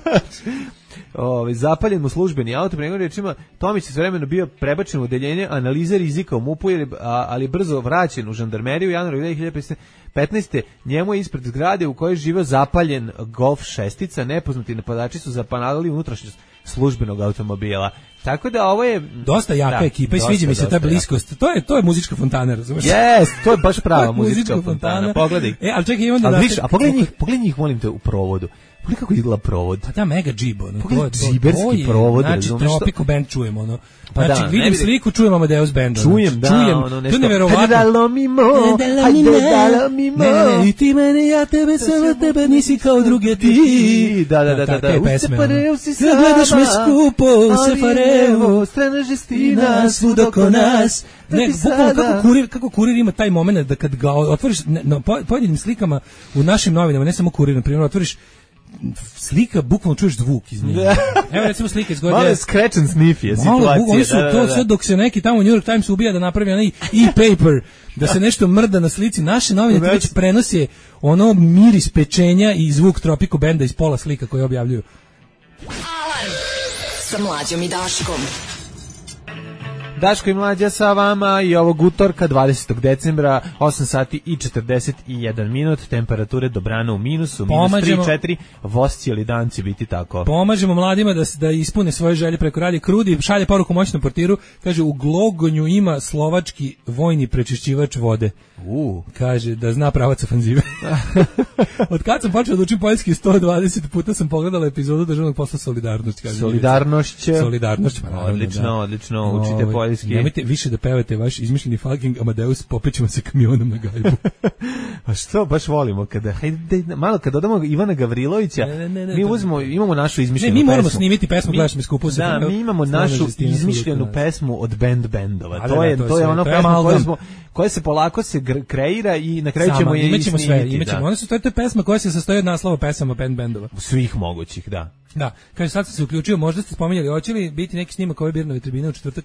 Zapaljen mu službeni auto, prema rečima, Tomić je vremeno bio prebačen u odeljenje analize rizika u MUP-u, ali brzo vraćen u žandarmeriju u januaru 2015. Njemu je ispred zgrade u kojoj živeo zapaljen Golf 6, nepoznati napadači su zapanadali unutrašnjost službenog automobila. Tako da ovo je dosta jaka ekipa i sviđa mi se ta bliskost. To je muzička fontana, razumeš? Yes, to je baš prava muzička fontana. Pogledaj. Ali čekaj, imam da pogledaj njih, molim te, u provodu. Pogledaj kako izgleda provod. Pa da, mega džibo. Pogledaj džiberski provod. Znači, Tropico Band čujemo, ono. Znači, vidim sliku, čujemo Amadeus Band. Čujem, ono, nešto. To je neverovatno. Dalo mi mo, hajde dalo mi mo. Ne, i ti mene, ja tebe, samo tebe, nisi kao druge ti. Da. U Separeu si sama. Gledaš me skupo, u Separeu. Strana žestina, svud oko nas. Ne, kako kurir ima taj moment da kad ga otvoriš na pojedinim slikama u našim novinama, ne samo kurir, na primjer, otvoriš slika, bukvalno čuješ zvuk iz nje. Evo recimo slika iz godine. Malo scratch and sniff je situacija. Oni su to sve dok se neki tamo u New York Times ubija da napravi onaj e-paper, da se nešto mrda na slici. Naše novine već prenose ono miris pečenja i zvuk Tropico Banda iz pola slika koje objavljuju. Alarm sa Mlađom i Daškom. Daško i Mlađa sa vama i ovog utorka 20. decembra 8 sati i 41 minut, temperature dobrana u minusu, minus 3-4, voz cijeli dan će biti tako. Pomažemo mladima da ispune svoje želje preko radija. Krudi šalje poruku moćnom portiru, kaže u Glogonju ima slovački vojni prečišćivač vode. Kaže da zna pravac ofanzive. Od kad sam počeo da učim poljski 120 puta sam pogledala epizodu državnog posla Solidarnost. Kaže, Solidarnošć. Odlično, učite poljski. Nemojte više da pevate vaš izmišljeni fucking Amadeus, popećemo se kamionom na gajbu. A što baš volimo kada malo kad dodamo Ivana Gavrilovića, mi uzmemo, imamo našu izmišljenu pesmu. Mi moramo snimiti pesmu, gledaš me skupo se. Da, mi imamo našu izmišljenu pesmu od bendova. To je ono pesma koja se polako kreira i na kraju ćemo je imaćemo sve. One su to je pesma koja se sastoji od naslova pesama bendova. Svih mogućih, da. Da, kaže sad sam se uključio, možda ste spominjali, hoće li biti neki snimak ove Birnove tribine u četvrtak?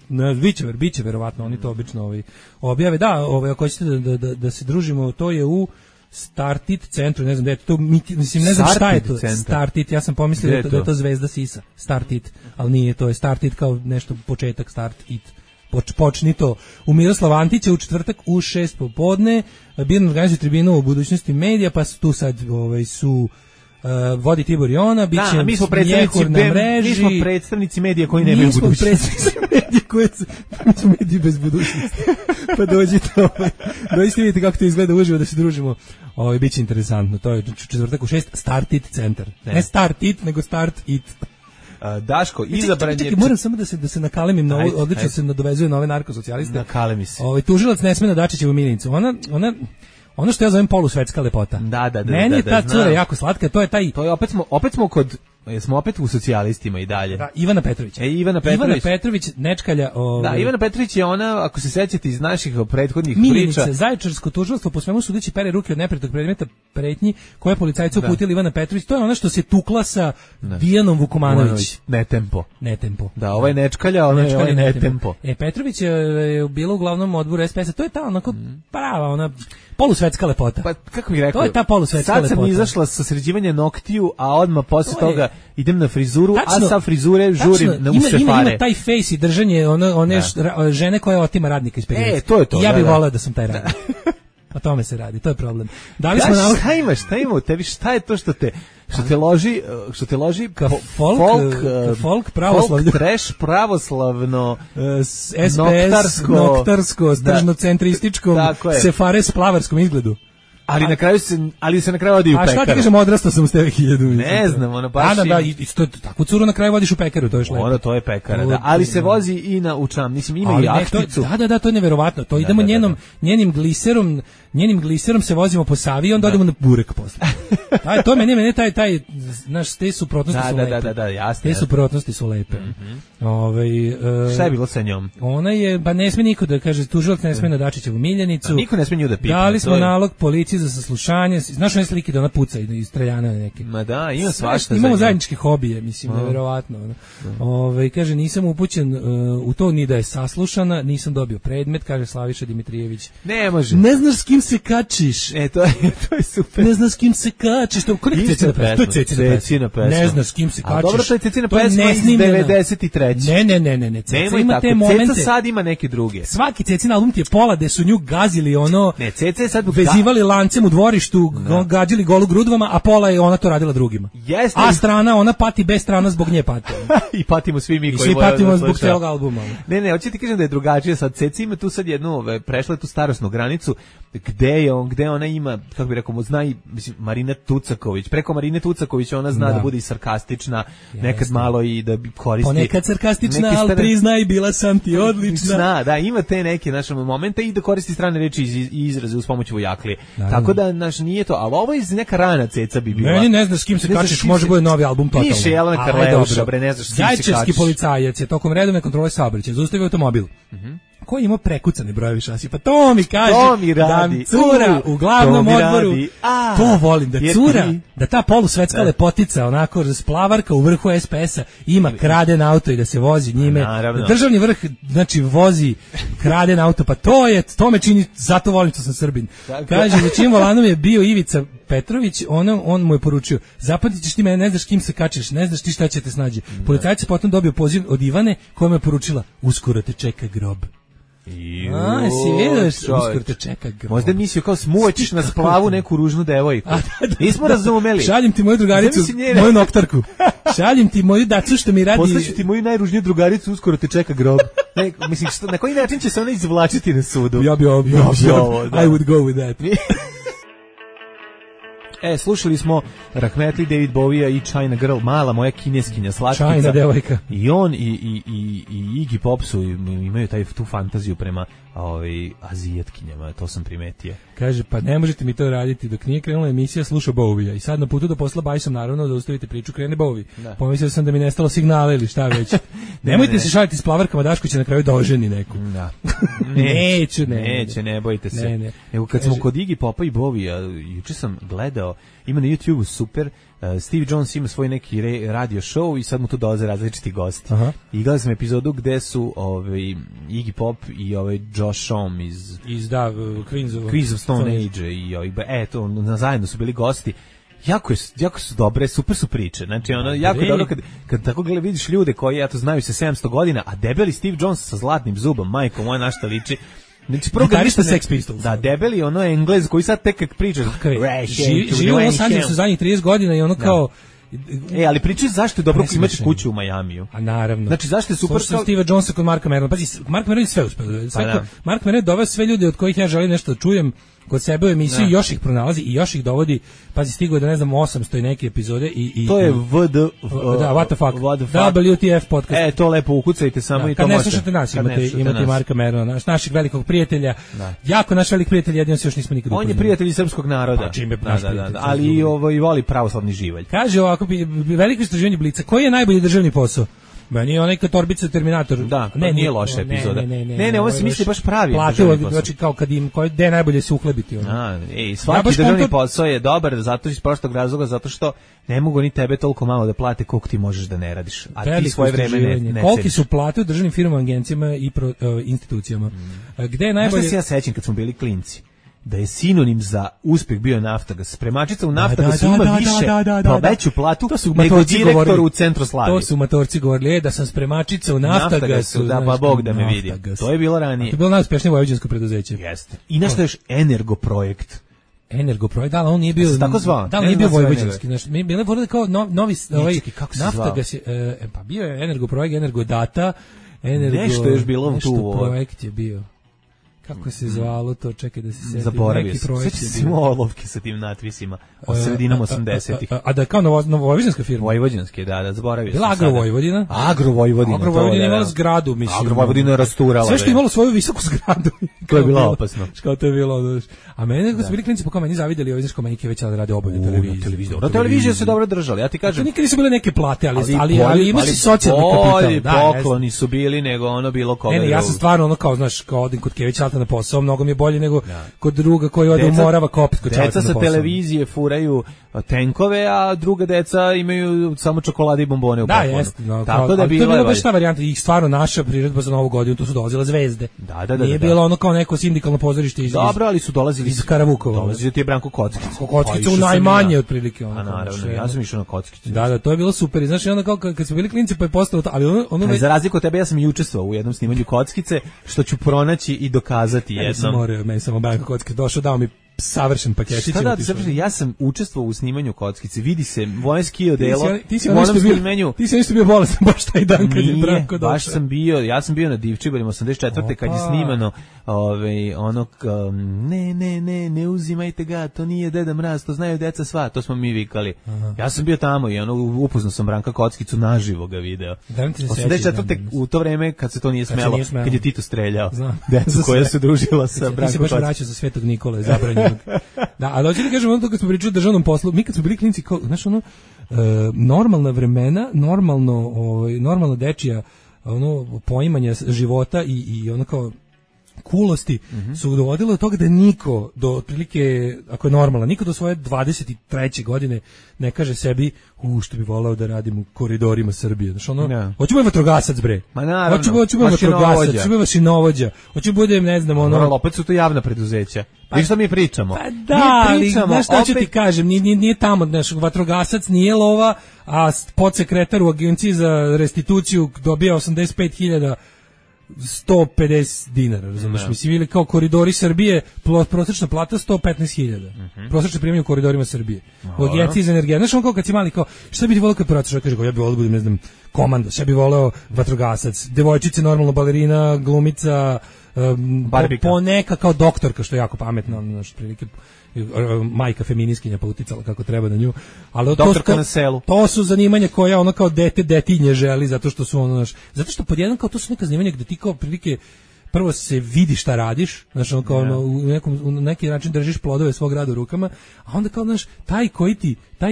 Biće verovatno, oni to obično objave. Da, ako hoćete da se družimo, to je u Startit centru, ne znam da je to, mislim ne znam šta je to. Startit, ja sam pomislio da je to Zvezda Sisa, Startit, ali nije, to je Startit kao nešto početak, Start It. Počni to u Miroslava Antića u četvrtak u 6 popodne. Birno organizuje tribinu o budućnosti medija, pa tu sad su vodi Tibor Jona, bit će mi smo predstavnici medija koji nemaju budućnost. Mi smo predstavnici mediji bez budućnosti. Pa dođite, dođite vidite kako to izgleda uživo da se družimo. Bit će interesantno. To je četvrtak u 6, Start It centar. Ne Start It, nego Start It. Daško, izabran je... Čekaj, moram samo da se nakalemim na ovo, odlično se nadovezuje na ove narkosocijaliste. Nakalemi se. Tužilac Nesmena Dačićevu Milicu. Ono što ja zovem polusvetska lepota. Da. Meni je ta cura jako slatka, to je taj... To je opet smo kod... Smo opet u socijalistima i dalje. Da, Ivana Petrović. Ivana Petrović, nečkalja... Da, Ivana Petrović je ona, ako se sećate iz naših prethodnih Milinica, priča... Zaječarsko tužilaštvo po svemu sudeći pere ruke od neprijatnog predmeta pretnji koje policajca uputila Ivana Petrović. To je ona što se tukla sa Vijanom Vukomanović. Netempo. Da, ovo je nečkalja, ono je netempo. Petrović je bila u glavnom odboru SPS-a. To je ta onako prava, ona... polusvetska lepota. Pa kako bih rekao? To je ta polusvetska lepota. Sad sam izašla sa sređivanja noktiju, a odmah posle toga idem na frizuru, a sa frizure žurim na usefare. Ima taj face i držanje one žene koja otima radnika iz periodice. To je to. I ja bih voleo da sam taj radnik. O tome se radi, to je problem. Da li smo šta ima u tebi, šta je to što te loži folk pravoslavno, trash pravoslavno, SPS noktarsko, tržno-centrističkom, sefare s plavarskom izgledu. ali se na kraju odi u pekaru. A šta ti kažem, odrastao sam s tebe 1000. Ne znam, ono baš. Da, i takvu curu na kraju vodiš u pekaru, to je lepo. Ono to je pekara, da. Ali se vozi i na učam, mislim ima i jahticu. Da, to je neverovatno. To idemo njenim gliserom se vozimo po Savi i onda odemo na burek posle. To meni taj naš te suprotnosti su lepe. Da, jasno. Te suprotnosti su lepe. Šta je bilo sa njom? Ona je, pa ne sme niko da kaže, tužilac ne sme na Dačićevu miljenicu. Niko ne sme nju da pita. Dali smo nalog policiji za saslušanje. Znaš one slike da ona puca i streljana neke. Ma da, ima svašta. Imamo zajedničke hobije, mislim, neverovatno. Kaže, nisam upućen u to ni da je saslušana, nisam dobio predmet, kaže Slaviša Dimitrijević. Ne može. Ne znaš s kim se kačiš. To je super. Ne znaš s kim se kačiš. To je Cecina pesma. Ne znaš s kim se kačiš. A dobro, to je Cecina pesma iz 93. Ne. Ceca ima te momente. Ceca sad ima neke druge. Svaki Cecin album ti je pola gde su nju gazili ono. Ne, Ceca je sad vezivali lancem u dvorištu, gađali golu grudvama, a pola je ona to radila drugima. Jeste. A strana, ona pati bez strana zbog nje pati. I patimo svi mi koji patimo zbog celog albuma. Ne, hoćete ti kažem da je drugačije sad. Ceca ima tu sad jednu, prešla je tu starosnu granicu, gde ona ima, kako bi rekao, mislim, Marina Tucaković. Preko Marine Tucaković ona zna da bude i sarkastična, nekad malo i da koristi. Ponekad sarkastična, ali priznaj, bila sam ti odlična. Da, ima te neke naše momente i da koristi strane reči i izraze uz pomoć vojaklije. Tako da, nije to, ali ovo iz neka rana Ceca bi bila. Meni ne znaš s kim se kačiš, može bude novi album totalno. Piše Jelena Karleuša, ne znaš s kim se kačiš. Zaječarski policajac je tokom redovne kontrole saobraćaja zaustavio automobil. Koji ima prekucane brojevi šasi, pa to mi kaže da cura u glavnom odboru, to volim, da cura, da ta polusvetska lepotica, onako splavarka u vrhu SPS-a ima kraden auto i da se vozi njime, da državni vrh, znači vozi kraden auto, pa to me čini, zato volim što sam Srbin. Kaže, za čim volanom je bio Ivica Petrović, on mu je poručio, zapamtit ćeš ti mene, ne znaš kim se kačiš, ne znaš ti šta će te snađi. Policajac je potom dobio poziv od Ivane koja mu je poručila, uskoro te čeka grob. Si vidiš, uskoro te čeka grob. Možda mislio kao smuvaćeš na splavu neku ružnu devojku. Nismo razumeli. Šaljem ti moju drugaricu, moju noktarku. Šaljem ti moju dacu što mi radi. Poslaću ti moju najružniju drugaricu, uskoro te čeka grob. Mislim, na koji način će se ona izvlačiti na sudu? Ja bi ovo. I would go with that. Slušali smo Rahmetli, David Bowie i China Girl, mala moja kineskinja slatkica. China devojka. I on i Iggy Pop su imaju tu fantaziju prema azijatkinjama, to sam primetio. Kaže, pa ne možete mi to raditi, dok nije krenula emisija sluša Bowie-a i sad na putu do posla bajsom naravno da ustavite priču, krene Bowie. Pomislio sam da mi nestalo signala ili šta već. Nemojte se šaliti s plavarkama, Daško će na kraju da oženi neku. Da. Neće, ne bojite se. Nego kad smo kod Iggy Popa i Bowie-a, juče sam gledao, ima na YouTube super, Steve Jones ima svoj neki radio show i sad mu tu dolaze različiti gosti. I gledao sam epizodu gde su Iggy Pop i Josh Homme iz Queens of Stone Age i zajedno su bili gosti. Jako su dobre, super su priče. Znači, jako dobro kad tako vidiš ljude koji znaju se 700 godina, a debeli Steve Jones sa zlatnim zubom, majko moja, na šta liči. Znači, gitarista Sex Pistols. Da, debeli, Englez koji sad tek kak priča. Živi u Los Angelesu zadnjih 30 godina i kao... ali pričaj zašto je dobro imati kuću u Majamiju. A naravno. Znači, zašto je super... Slušao Steve Jonesa kod Marka Merona. Pazi, Mark Meron je sve uspeo. Mark Meron doveo sve ljude od kojih ja želim nešto da čujem kod sebe u emisiju, još ih pronalazi i još ih dovodi. Pazi, stigo je da 800 i neke epizode i to je what the fuck. WTF podcast. To lepo ukucajte samo i to možete. Kad ne slušate nas, imate Marka Merona, našeg velikog prijatelja. Jako naš velik prijatelj, jedino se još nismo nikad upoznali. On je prijatelj srpskog naroda. Pa čime naš prijatelj. Ali i voli pravoslavni živalj. Kaže ovako, veliko istraživanje Blica, koji je najbolji državni posao? Meni je onaj Torbica Terminator. Da, nije loša epizoda. Ne, ovo se misli baš pravi državni posao. Znači kao kad im, gde je najbolje se uhlebiti. Svaki državni posao je dobar, zato iz prostog razloga, zato što ne mogu ni tebe toliko malo da plate koliko ti možeš da ne radiš. A ti svoje vreme ne ceniš. Koliki su plate u državnim firmama, agencijama i institucijama. Gde je najbolje... Znaš da se ja sećam kad smo bili klinci? Da je sinonim za uspjeh bio Naftagas. Spremačica u Naftagasu ima više, pa veću platu nego direktor u Centru Slavi. To su matorci govorili, da sam spremačica u Naftagasu. Da, pa Bog da me vidi. To je bilo ranije. To je bilo najuspešnije vojvođansko preduzeće. Jeste. I nešto još Energoprojekt. Energoprojekt, da, on nije bio... Tako zvao? Da, on nije bio vojvođanski. Mi bile vorili kao novi... Naftagas je... Pa bio je Energoprojekt, Energodata, nešto je još bilo tu... Nešto projekt je bio. Kako se zvalo to, čekaj da se setim. Zaboravio sam. Sveći se olovke sa tim natpisima o sredinom 80-ih. A da je kao novovojvođanska firma? Vojvođanske, da, zaboravio sam. Bila Agrovojvodina? Agrovojvodina imala zgradu, mislim. Agrovojvodina je rasturala. Sve što imalo svoju visoku zgradu. To je bilo opasno. Kao to je bilo. A mene, kad su bili klinici, po meni zavideli ovi, znaš, kao menike već rade obavljaju televiziju. Na televiziji se dobro držali, ja ti kažem. Nikad nisu bile neke plate, ali ima si socijalni kapital. Pokloni su bili nego ono bilo koga. Ne, ja sam stvarno ono kao, znaš, kao odim kod Kevića Alta na posao, mnogo mi je bolje nego kod druga koji ode u Morava kopit kod Čaleta na posao. Deca sa televizije furaju tenkove, a druga deca imaju samo čokolade i bombone u poklonu. Da, jeste. Tako da to je bila baš ta varijanta. I stvarno naša priredba za Novu godinu, tu su dolazile zvezde. Nije bilo ono kao neko sindikalno pozorište iz Dobro, ali su dolazili iz Karavukova. Dolazio ti je Branko Kockić. Kockicu najmanje otprilike. A naravno, ja sam išao na Kockicu. Da, to je bilo super. I znaš, onda kao kad smo bili klinci pa je postalo to, ali ono za razliku od tebe ja sam i učestvovao u jednom snimanju Kockice, što ću pronaći i dokazati jednom. Meni samo Branko Kockić došao, dao mi savršen paketić. Ja sam učestvovao u snimanju Kockice. Vidi se moje ski odelo. Ti si nešto bio bolestan baš taj dan kad je Branko došao. Baš sam bio, ja sam bio na Divčibarima 84. kad je snimano ne uzimajte ga, to nije Deda Mraz, to znaju deca sva, to smo mi vikali. Ja sam bio tamo i upoznao sam Branka Kockicu, naživo ga video. 84. u to vreme kad se to nije smelo, kad je Tito streljao. Deca koja se družila sa Brankom Kockicu. Ti se baš vraćao za Svetog Nikole, zabranjenog. Da, ali hoću da kažem ono to kad smo pričali o državnom poslu, mi kad smo bili klinci, kao, znaš ono, normalna vremena, normalno dečija poimanja života i ono kao kulosti su dovodile do toga da niko do otprilike, ako je normalno, niko do svoje 23. godine ne kaže sebi što bi voleo da radim u koridorima Srbije. Znači hoću biti vatrogasac, bre. Ma naravno. Hoću biti vatrogasac, hoću biti mašinovođa, hoću budem, ne znam, opet su to javna preduzeća. Vi što mi pričamo? Pa da, ali znaš šta ću ti kažem, nije tamo, znaš, vatrogasac nije lova, a podsekretar u agenciji za restituciju dobija 85.000 150 dinara, razumiješ, mislim, ili kao koridori Srbije, prosječna plata 115.000, prosječne primanje u koridorima Srbije, u agenciji za energiju, znaš, on kao kad si mali, kao, šta bi ti volio kad pratiš, kaže, ja bi volio da budem, ne znam, komandos, ja bi voleo vatrogasac, devojčice, normalno, balerina, glumica, poneka kao doktorka, što je jako pametno, znaš, prilike, majka feminiskinja pa uticala kako treba na nju, ali doktorka na selu. To su zanimanja koja ono kao detinje želi, zato što su ono, zato što podjednom kao to su neka zanimanja gde ti kao prilike prvo se vidi šta radiš, znači ono kao u neki način držiš plodove svog rada u rukama, a onda kao znaš, taj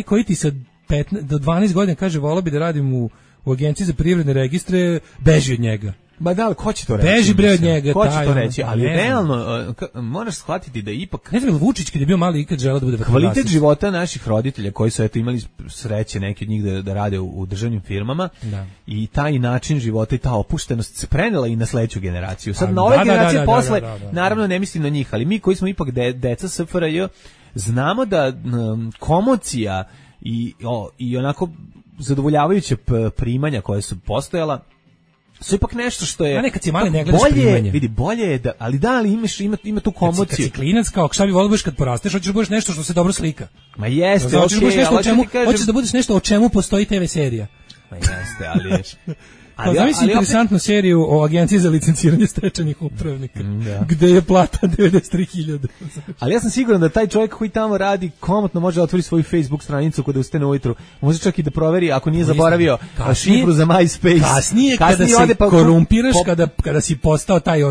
koji ti sa 15 do 12 godina kaže voleo bi da radim u agenciji za privredne registre, beži od njega. Ba da, ko će to reći? Beži bre od njega, ko će to reći, ali realno moraš shvatiti da ipak ne znam, Vučić kad je bio mali ikad želeo da bude vatrogasac. Kvalitet života naših roditelja koji su eto imali sreće neki od njih da rade u državnim firmama i taj način života i ta opuštenost se prenela i na sledeću generaciju. Sad na ove generacije posle, naravno ne mislim na njih, ali mi koji smo ipak deca SFRJ znamo da komocija i onako zadovoljavajuće primanja koje su postojala su ipak nešto što je nekad si mali ne gledaš primanje. Vidi, bolje je da, ali ima tu komociju. Kad si klinac, kao šta bi volio kad porasteš, hoćeš da budeš nešto što se dobro slika. Ma jeste, hoćeš da budeš nešto o čemu postoji TV serija. Ma jeste, ali zamisli interesantnu seriju o agenciji za licenciranje stečajnih upravnika, gde je plata 93.000. Ali ja sam siguran da taj čovjek koji tamo radi komotno može otvori svoju Facebook stranicu kada ustane ujutru. Može čak i da proveri ako nije zaboravio šifru za MySpace. Kasnije kada se korumpiraš, kada si postao taj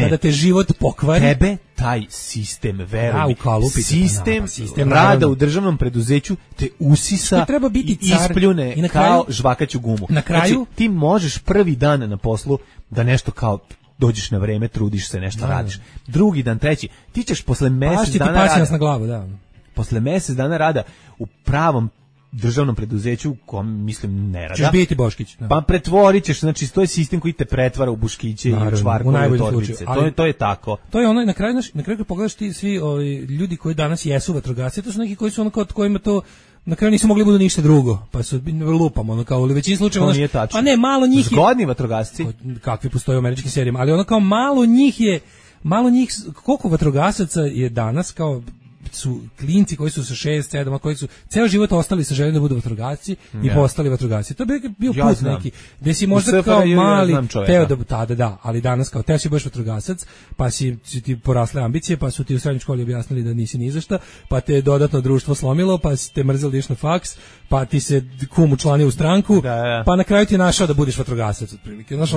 kada te život pokvari. Tebe taj sistem, veruj mi, sistem rada u državnom preduzeću te usisa i ispljune kao žvakaću gumu. Na kraju znači, ti možeš prvi dan na poslu da nešto kao dođeš na vreme, trudiš se, nešto radiš. Drugi dan, treći, ti ćeš posle mjesec dana rada na glavu, posle mjesec dana rada u pravom državnom preduzeću, kom mislim ne rada. Ćeš biti Boškić. Pa pretvorit ćeš, znači to je sistem koji te pretvara u Buškiće i u čvarkove u torbice. To je tako. To je ono, na kraju kad pogledaš ti svi ljudi koji danas jesu vatrogasci, to su neki koji su ono kod kojima to na kraju nisu mogli budu ništa drugo, pa su lupamo, kao u većini slučajeva, pa ne, malo njih je zgodni vatrogasci, kakvi postoje u američkim serijama, ali ono kao malo njih, koliko vatrogasaca je danas kao su klinci koji su sa 6, 7, koji su ceo život ostali sa željom da budu vatrogasci i postali vatrogasci. To bi bio put neki, gde si možda kao mali teo da tada, da, ali danas kao teo si budeš vatrogasac, pa si ti porasle ambicije, pa su ti u srednjoj školi objasnili da nisi ni za šta, pa te dodatno društvo slomilo, pa si te mrzeli da ideš na faks, pa ti se kum učlanio u stranku, pa na kraju ti je našao da budeš vatrogasac otprilike. Znaš,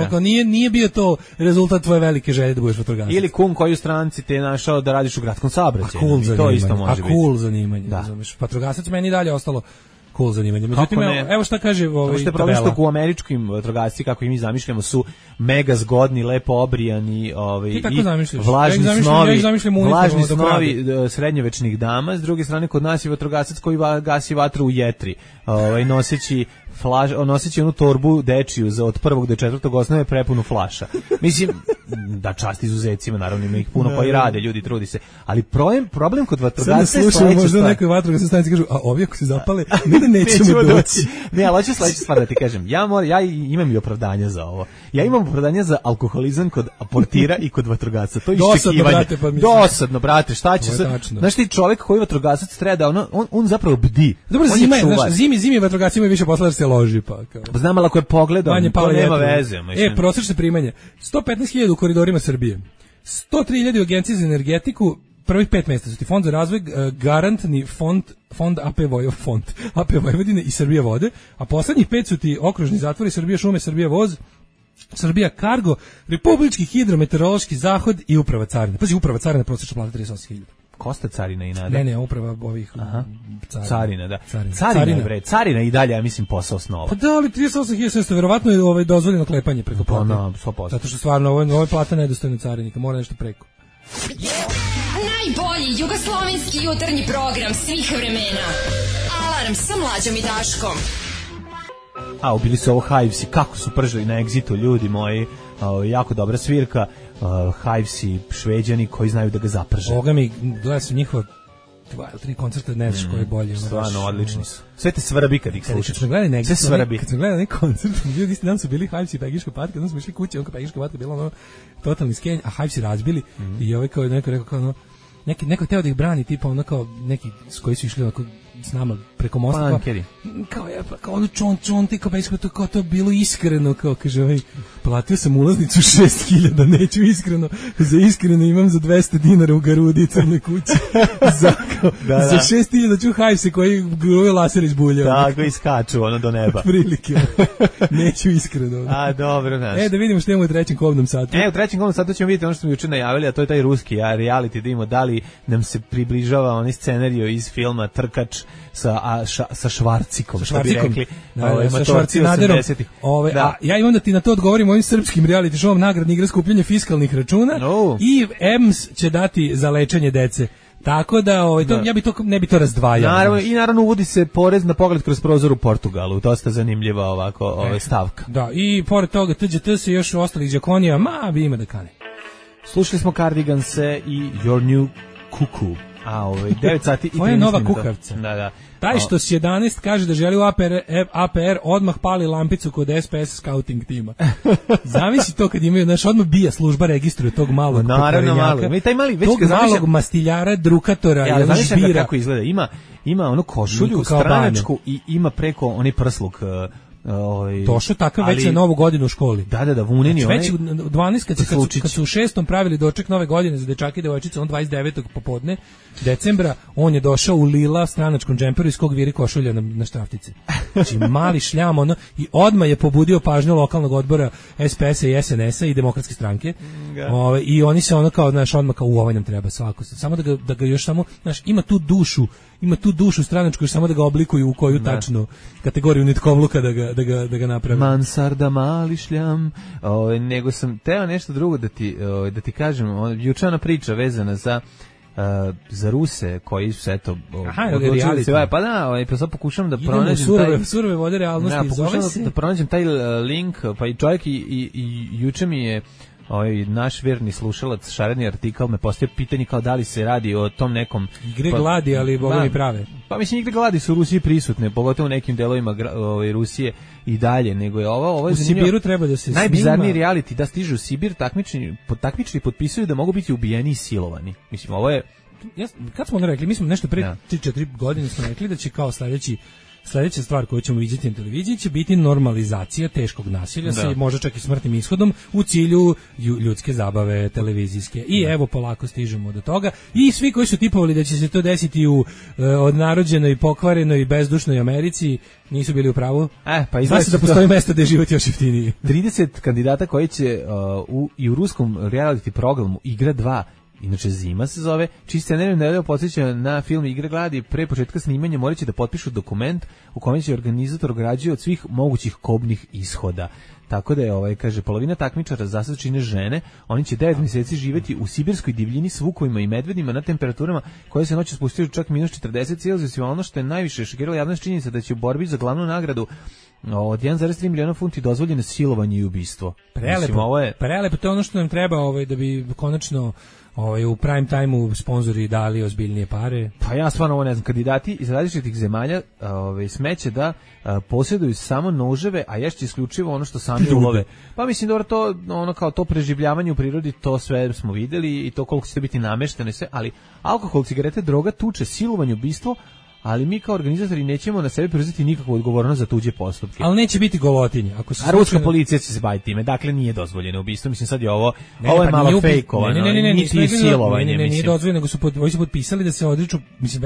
nije bio to rezultat tvoje velike želje da budeš vatrogasac. Ili kum koji u stranci te je našao da radiš u gradskom saobraćaju. To isto može biti. Cool zanimanje, razumeš. Vatrogasac meni dalje ostalo cool zanimanje. Međutim, evo šta kaže što je problem što u američkim vatrogasci, kako i mi zamišljamo, su mega zgodni, lepo obrijani, i vlažni snovi srednjovečnih dama. S druge strane, kod nas je vatrogasac koji gasi vatru u jetri, noseći onu torbu dečiju od 1. do 4. osnove prepunu flaša. Mislim, da čast izuzecima, naravno ima ih puno pa i rade, ljudi trudi se. Ali problem kod vatrogasca je sledeća možda stvar. Nekoj vatrogasnoj stanici kažu, a ovi ako se zapale, mi da nećemo doći. Ne, ali hoću sledeću stvar da ti kažem. Ja imam i opravdanja za ovo. Ja imam opravdanja za alkoholizam kod portira i kod vatrogasca. To je iščekivanje. Dosadno, brate, šta će se... Znaš ti čovjek koji vatrogasac treba da on zapravo bdi. Dobro, zimi vatrogasci imaju više posla da se loži, pa kao. Znam, ali ako je pogledam, to nema veze. Prosječne primanje. 115.000 u koridorima Srbije. 103.000 u Agenciji za energetiku, prvih 5 mjesta su ti Fond za razvoj, garantni fond AP Vojvodine i Srbija vode, a poslednjih 5 su ti okružni zatvori, Srbija šume, Srbija voz, Srbija Kargo, Republički hidrometeorološki zahod i Uprava carine. Pazi, Uprava carine prosječna plata 38.000. Kosta carina i nada. Ne, uprava ovih carina, da. Carina i dalje, ja mislim, posao snova. Pa da, ali 38.000, verovatno je dozvoljeno klepanje preko plate. Pa na, 100%. Zato što stvarno, ovo je plata nedostojna carinika, mora nešto preko. Najbolji jugoslovenski jutarnji program svih vremena. Alarm sa Mlađom i Daškom. Bili su ovo Hivesi, kako su pržili na Exitu, ljudi moji, jako dobra svirka, Hivesi, Šveđani koji znaju da ga zaprže. Boga mi, gleda su njihova 2 ili 3 koncerta, ne znaš koji je bolji. Stvarno, odlični su. Sve te svrabi kad ih slušaš. Sve svrabi. Kad sam gledali neki koncert, ljudi isti dan su bili Hivesi i Pegiška patka, onda smo išli kući, onka Pegiška patka bila ono totalni skenj, a Hivesi razbili i ovaj kao neko rekao kao ono, neko teo da ih brani, tipa ono kao neki s koji su išli onako s nama preko mosta, kao ono čon, ti kao to je bilo iskreno, kao kaže ovaj, platio sam ulaznicu 6.000, neću iskreno, za iskreno imam za 200 dinara u Garudi crnoj kući, za 6.000 ću Hivese koji gruje laser iz bulja. Tako, iskaču ono do neba. Prilike, neću iskreno. Dobro, znaš. Da vidimo što imamo u trećem kobnom satu. U trećem kobnom satu ćemo vidjeti ono što smo juče najavili, a to je taj ruski reality, da vidimo da li nam se približava onaj scenario iz filma Trkač sa Švarcikom, što bi rekli. Sa Švarcinaderom. Ja imam da ti na to odgovorim ovim srpskim reality showom nagradni igra skupljanje fiskalnih računa i EMS će dati za lečenje dece. Tako da, ja bi to ne bi to razdvajao. Naravno uvodi se porez na pogled kroz prozor u Portugalu. Dosta zanimljiva ovako stavka. Da, i pored toga TGT se još ostalih đakonija, bi ima da kane. Slušali smo Cardiganse i Your New Cuckoo. 9 sati i 13 minuta. Ovo je nova kukavca. Da. Taj što s 11 kaže da želi u APR odmah pali lampicu kod SPS scouting tima. Zamisli to kad imaju, odmah bija služba registruje tog malog pokvarenjaka, tog malog mastiljara, drukatora, žbira. Kako izgleda, ima onu košulju stranačku i ima preko onaj prsluk. Došao takav već na novu godinu u školi. Da, vuneni onaj. Već u 12 kad su u 6. pravili doček nove godine za dečake i devojčice, on 29. popodne decembra, on je došao u lila stranačkom džemperu iz kog viri košulja na štraftice. Znači mali šljam i odmah je pobudio pažnju lokalnog odbora SPS-a i SNS-a i Demokratske stranke. I oni se odmah kao ovaj nam treba svako. Samo da ga još samo, ima tu dušu stranačku, još samo da ga oblikuju u koju tačno kategoriju nitkovluka da ga napravi. Mansarda, mali šljam. Nego sam teo nešto drugo da ti kažem. Jučana priča vezana za Ruse koji su odlučili se, pa sad pokušam da pronađem surove vode realnosti. Pokušam da pronađem taj link, pa i čovjek i juče mi je naš verni slušalac, šareni artikal, me postavio pitanje kao da li se radi o tom nekom igre gladi, ali boga mi prave. Pa mislim, igre gladi su u Rusiji prisutne, pogotovo u nekim delovima Rusije i dalje, nego je ovo u Sibiru treba da se najbizarniji reality, da stižu u Sibir, takmičari potpisuju da mogu biti ubijeni i silovani. Mislim, ovo je kad smo ono rekli, mi smo nešto pre 3-4 godine smo rekli da će kao sledeća stvar koju ćemo vidjeti na televiziji će biti normalizacija teškog nasilja sa možda čak i smrtnim ishodom u cilju ljudske zabave televizijske. I evo polako stižemo do toga. I svi koji su tipovali da će se to desiti u odnarođenoj, pokvarenoj, bezdušnoj Americi nisu bili u pravu. Pa znači da postoji mesto gde je život još jeftiniji. 30 kandidata koji će i u ruskom reality programu Igra 2, inače Zima se zove, čiji scenarij nedavno podsjeća na film Igre gladi, pre početka snimanja morat će da potpišu dokument u kojem će organizator ograđuje od svih mogućih kobnih ishoda. Tako da je, kaže, polovina takmičara za sad čine žene, oni će 9 mjeseci živjeti u sibirskoj divljini s vukovima i medvedima na temperaturama koje se noću spustili čak -40 Celzijusova. Ono što je najviše šokiralo javnost činjenica da će u borbi za glavnu nagradu od 1,3 miliona funti dozvoljeno silovanje i ubistvo. Prelepo, to je ono što nam treba da bi konačno u prime time-u sponzori dali ozbiljnije pare. Pa ja stvarno ovo ne znam. Kandidati iz različitih zemalja smeće da posjeduju samo noževe, a ješće isključivo ono što sami ulove. Pa mislim dobro, to ono kao to preživljavanje u prirodi, to sve smo videli i to koliko će biti namešteno i sve, ali alkohol, cigarete, droga, tuče, silovanje, ubistvo, ali mi kao organizatori nećemo na sebe preuzeti nikakvu odgovornost za tuđe postupke. Ali neće biti golotinje. A ruska policija će se baviti time, dakle nije dozvoljeno ubistvo. Mislim sad je ovo je malo fejkovano. Niti silovanje. Nije dozvoljeno, nego su potpisali da se odriču, mislim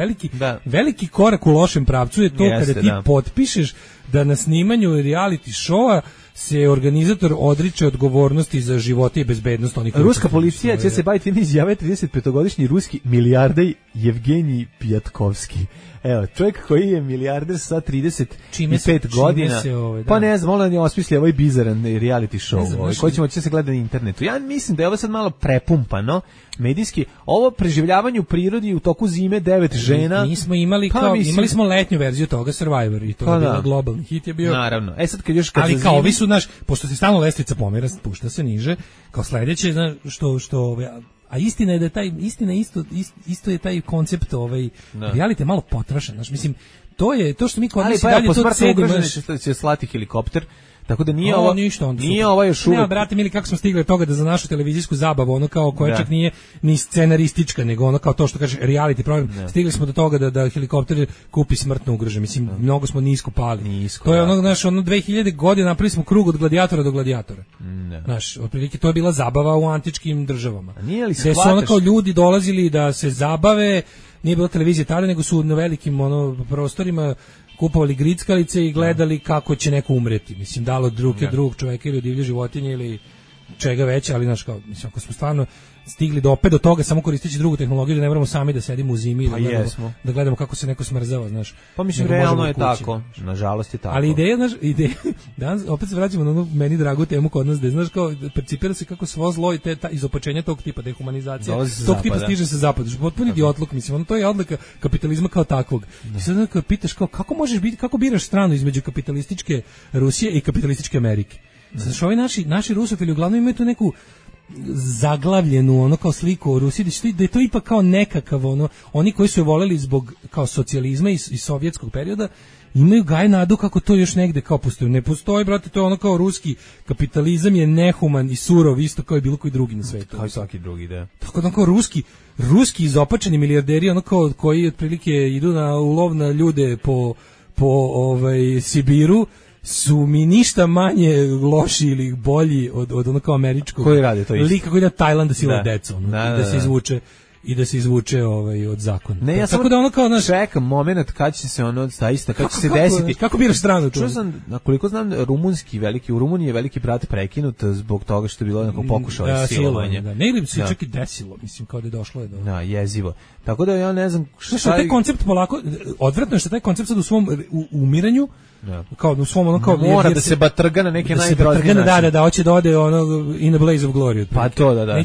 veliki korak u lošem pravcu je to kada ti potpišeš da na snimanju reality showa se organizator odriče odgovornosti za živote i bezbednost onih. Ruska policija će se baviti time, izjave 35-godišnji ruski milijarder Jevgenij Pjatkovski. Evo, čovjek koji je milijarder sa 35 godina, pa ne znam, on je osmislio ovaj bizaran reality show, koji će se gledati na internetu. Ja mislim da je ovo sad malo prepumpano, medijski, ovo preživljavanje u prirodi u toku zime 9 žena. Mi smo imali imali smo letnju verziju toga Survivor i to je bio globalni hit je bio. Naravno. Sad ali kao ovi su pošto se stalno lestvica pomera, spušta se niže, kao sledeće, što a istina je da isto je taj koncept reality malo potrošen, mislim to što mi kod nas dalje to cedimo, će slati helikopter. Tako da nije ovo ništa, nije ovo još uvijek. Ne, brate, mili, kako smo stigli od toga da za našu televizijsku zabavu, ono kao koja čak nije ni scenaristička, nego ono kao to što kaže reality program, stigli smo do toga da helikopter kupi smrtno ugrožen. Mislim, mnogo smo nisko pali. To je ono 2000 godina napravili smo krug od gladijatora do gladijatora. Znaš, otprilike to je bila zabava u antičkim državama. Gde su ono kao ljudi dolazili da se zabave, nije bilo televizije tada, nego su na velikim prostorima kupovali grickalice i gledali kako će neko umreti. Mislim, dalo drugog čoveka ili divlje životinje ili čega već, ali znaš kao, mislim, ako smo stvarno stigli do toga samo koristeći drugu tehnologiju, da ne moramo sami da sedimo u zimi i da gledamo kako se neko smrzava, znaš. Pa mislim, realno je tako. Nažalost je tako. Ali ideja, danas opet se vraćamo na onu meni dragu temu kod nas, da znaš kao, percipira se kako svo zlo i te izopačenja tog tipa, dehumanizacija, tog tipa stiže se zapadu. Potpuni idiotluk, mislim, to je odlika kapitalizma kao takvog. I sad kad pitaš kao, kako biraš stranu između kapitalističke Rusije i kapitalističke Amerike? Znaš, ovi naši rusofili uglavnom imaju tu neku zaglavljenu ono kao sliku o Rusiji, da je to ipak kao nekakav oni koji su je voleli zbog kao socijalizma i sovjetskog perioda, imaju gaj nadu kako to još negde kao postoji. Ne postoji, brate, to je ono kao ruski kapitalizam je nehuman i surov isto kao i bilo koji drugi na svetu. Kao i svaki drugi, da. Tako da kao ruski izopačeni milijarderi ono kao koji otprilike idu na ulov na ljude po Sibiru, su mi ništa manje loši ili bolji od ono kao američkog koji rade to isto. Lika koji ide na Tajland da siluje decu, da se izvuče od zakona. Ne, ja tako da ono kao čekam momenat kad će se ono zaista kad će se desiti. Kako biraš stranu tu? Koliko znam, u Rumuniji je veliki brat prekinut zbog toga što je bilo nekog pokušaja silovanja. Ne ili se čak i desilo, mislim, kao da je došlo do. Da, jezivo. Tako da ja ne znam šta je taj koncept polako odvratno je što taj koncept sad u svom umiranju kao u svom ono kao mora da se batrga na neke najgroznije načine. Da, hoće da ode ono in a blaze of glory. Pa to da.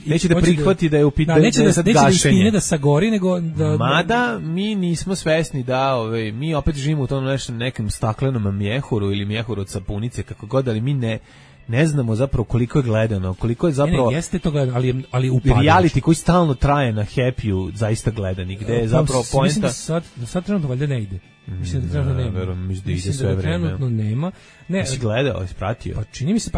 Neće da prihvati da je u pitanju gašenje. Da sagori, nego mada mi nismo svesni da mi opet živimo u tom nekom staklenom mjehuru ili mjehuru od sapunice, kako god, ali mi ne znamo zapravo koliko je gledano, koliko je zapravo... Ne, jeste to gledano, ali upadajući. Reality koji stalno traje na Happy-u zaista gledani, gde je zapravo poenta... Mislim da sad trenutno valjda ne ide. Mislim da trenutno nema. Verujem, mislim da ide sve da vreme. Trenutno nema. Ne, jesi gledao, ispratio? Pa čini mi se,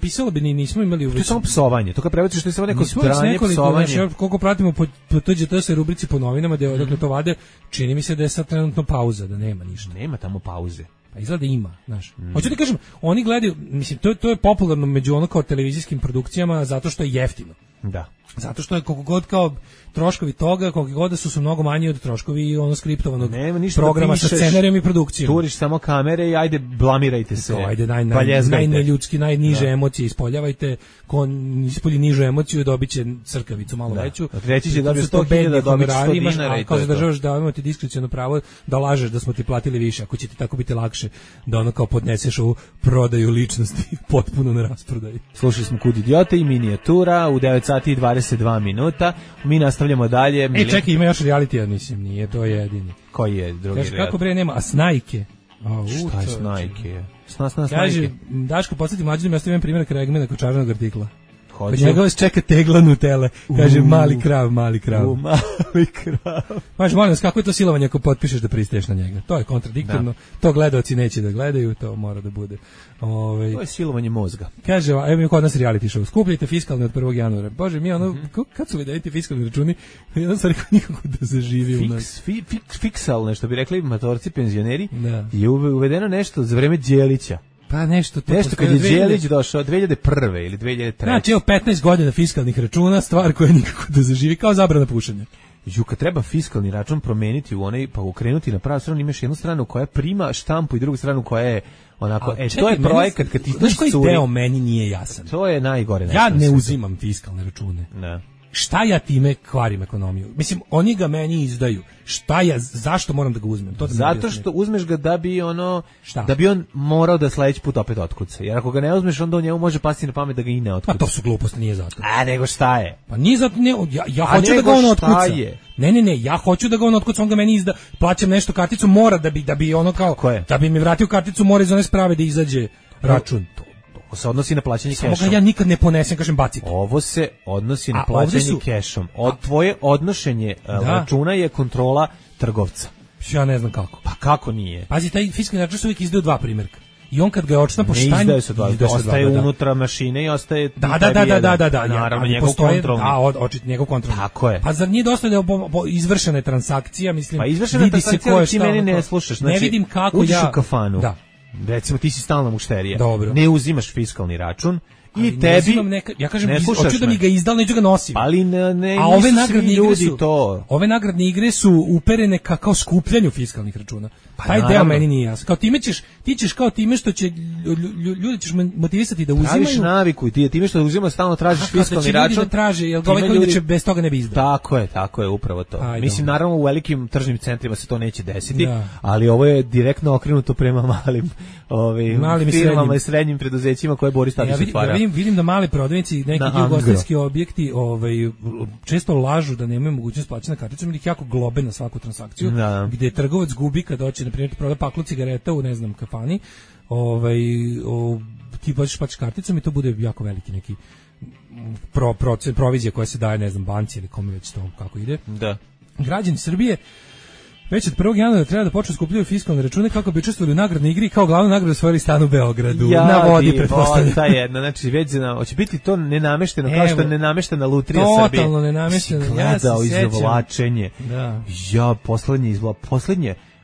pisalo bi, nismo imali... To je samo psovanje, to kad prebaciš što je samo neko dranje psovanje. Znači, koliko pratimo po TGT rubrici po novinama, da odakle to vade, čini mi se da je sad trenutno pauza, da nema ništa. Nema tamo pauze. Pa izgleda ima, znaš. Hoću ti kažem, oni gledaju, mislim, to je popularno među ono kao televizijskim produkcijama zato što je jeftino. Da. Zato što je koliko god kao troškovi toga, koliko god da su mnogo manji od troškovi ono skriptovanog programa da sa scenarijom i produkcijom. Turiš samo kamere i ajde blamirajte se. Ajde najneljudski, najniže emocije ispoljavajte, ko ispolji nižu emociju dobiće crkavicu malo veću. Reći će da bi 100.000 dobić 100 dinara i to. Kao zadržavaš da imate diskreciono pravo da lažeš da smo ti platili više, ako će ti tako biti lakše da ono kao podneseš ovu prodaju ličnosti potpuno na rasprodaji. Slušali smo Kud idiote i minijatura u 9 sati i 22 minuta. Mi nastavljamo dalje. Čekaj, ima još reality, ja mislim, nije to jedini. Koji je drugi reality? Kako bre nema, a Snajke? Šta je Snajke? Snajke? Kaže, Daško, podsjeti mlađe, ja stavim primjer Kregmena kočarnog artikla. Kod njega vas čeka tegla Nutele. Kaže, mali krav. Mali krav. Maš, molim vas, kako je to silovanje ako potpišeš da pristaješ na njega? To je kontradiktorno. To gledaoci neće da gledaju, to mora da bude. To je silovanje mozga. Kaže, evo mi kod nas reality show. Skupljajte fiskalne od 1. januara. Bože, mi kad su vidjeti fiskalni računi, jedan stvari nikako da zaživi u nas. Fiksalne, što bi rekli matorci penzioneri, je uvedeno nešto za vreme Đelića. Pa nešto kad je Đelić došao 2001. ili 2003. Znači, 15 godina fiskalnih računa, stvar koja nikako da zaživi, kao zabrana pušenja. Kad treba fiskalni račun promeniti u onaj, pa ukrenuti na pravu stranu, imaš jednu stranu koja prima štampu i drugu stranu koja je onako, to je projekat kad ti znaš koji deo meni nije jasan. To je najgore. Ja ne uzimam fiskalne račune. Ne. Šta ja time kvarim ekonomiju? Mislim, oni ga meni izdaju. Zašto moram da ga uzmem? Zato što uzmeš ga da bi da bi on morao da sledeći put opet otkuca. Jer ako ga ne uzmeš, onda u njemu može pasti na pamet da ga i ne otkuca. Pa to su gluposti, nije zato. Nego šta je? Pa nije zato, ja hoću da ga on otkuca. Ne, ja hoću da ga on otkuca, on ga meni izda, plaćam nešto karticu, mora da bi ono kao, da bi mi vratio karticu, mora iz one sprave da izađe račun. Ovo se odnosi na plaćanje kešom. Samo ga ja nikad ne ponesem, kažem bacite. Ovo se odnosi na plaćanje kešom. Tvoje odnošenje računa je kontrola trgovca. Ja ne znam kako. Pa kako nije? Pazi, taj fiskalni račun se uvijek izdaju 2 primjerka. I on kad ga je očna po štanju... Ne izdaju se 2, ostaje unutra mašine i ostaje... Da. Naravno, njegov kontrolni. Njegov kontrolni. Tako je. Pa zar nije dosta da je izvršena transakcija, mislim... Pa izvršena transakcija, ti meni ne slušaš. Ne vidim kako uđeš u kafanu. Da. Recimo, ti si stalna mušterija. Dobro. Ne uzimaš fiskalni račun i tebi... Ja kažem, hoću da mi ga izdal, neću ga nosim. Ali nisu svi ljudi to. Ove nagradne igre su uperene kao skupljanju fiskalnih računa. Taj deo meni nije jasno. Kao ti ćeš kao time što će ljudi ćeš motivisati da uzimaju. Praviš naviku i time što uzimaju stalno tražiš fiskalni račun. Ljudi da traže, jer ovaj koji će bez toga ne bi izdao. Tako je, upravo to. Mislim, naravno u velikim tržnim centrima se to neće desiti, ali ovo je direktno okrenuto prema malim firmama i srednjim preduzećima koje Boris Tadić otvara. Vidim da mali prodavnici, neki ugostiteljski objekti često lažu da nemaju mogućnost plaćanja karticom ili ih jako globe na svaku transakciju, gde trgovac gubi kad hoće, na primjer, proda paklu cigareta u, ne znam, kafani, ti plaćaš karticom i to bude jako veliki neki provizija koja se daje, ne znam, banci ili kome već to kako ide. Da. Građani Srbije već od 1. januara treba da počnu skupljaju fiskalne račune kako bi učestvovali u nagradnoj igri, kao glavnu nagradu osvojili stan u Beogradu. Na vodi, pretpostavljam. Ta jedna, znači već hoće biti to nenamešteno, kao što je nenameštena lutrija Srbije. Totalno nenamešteno. Gledao izvlačenje. Da.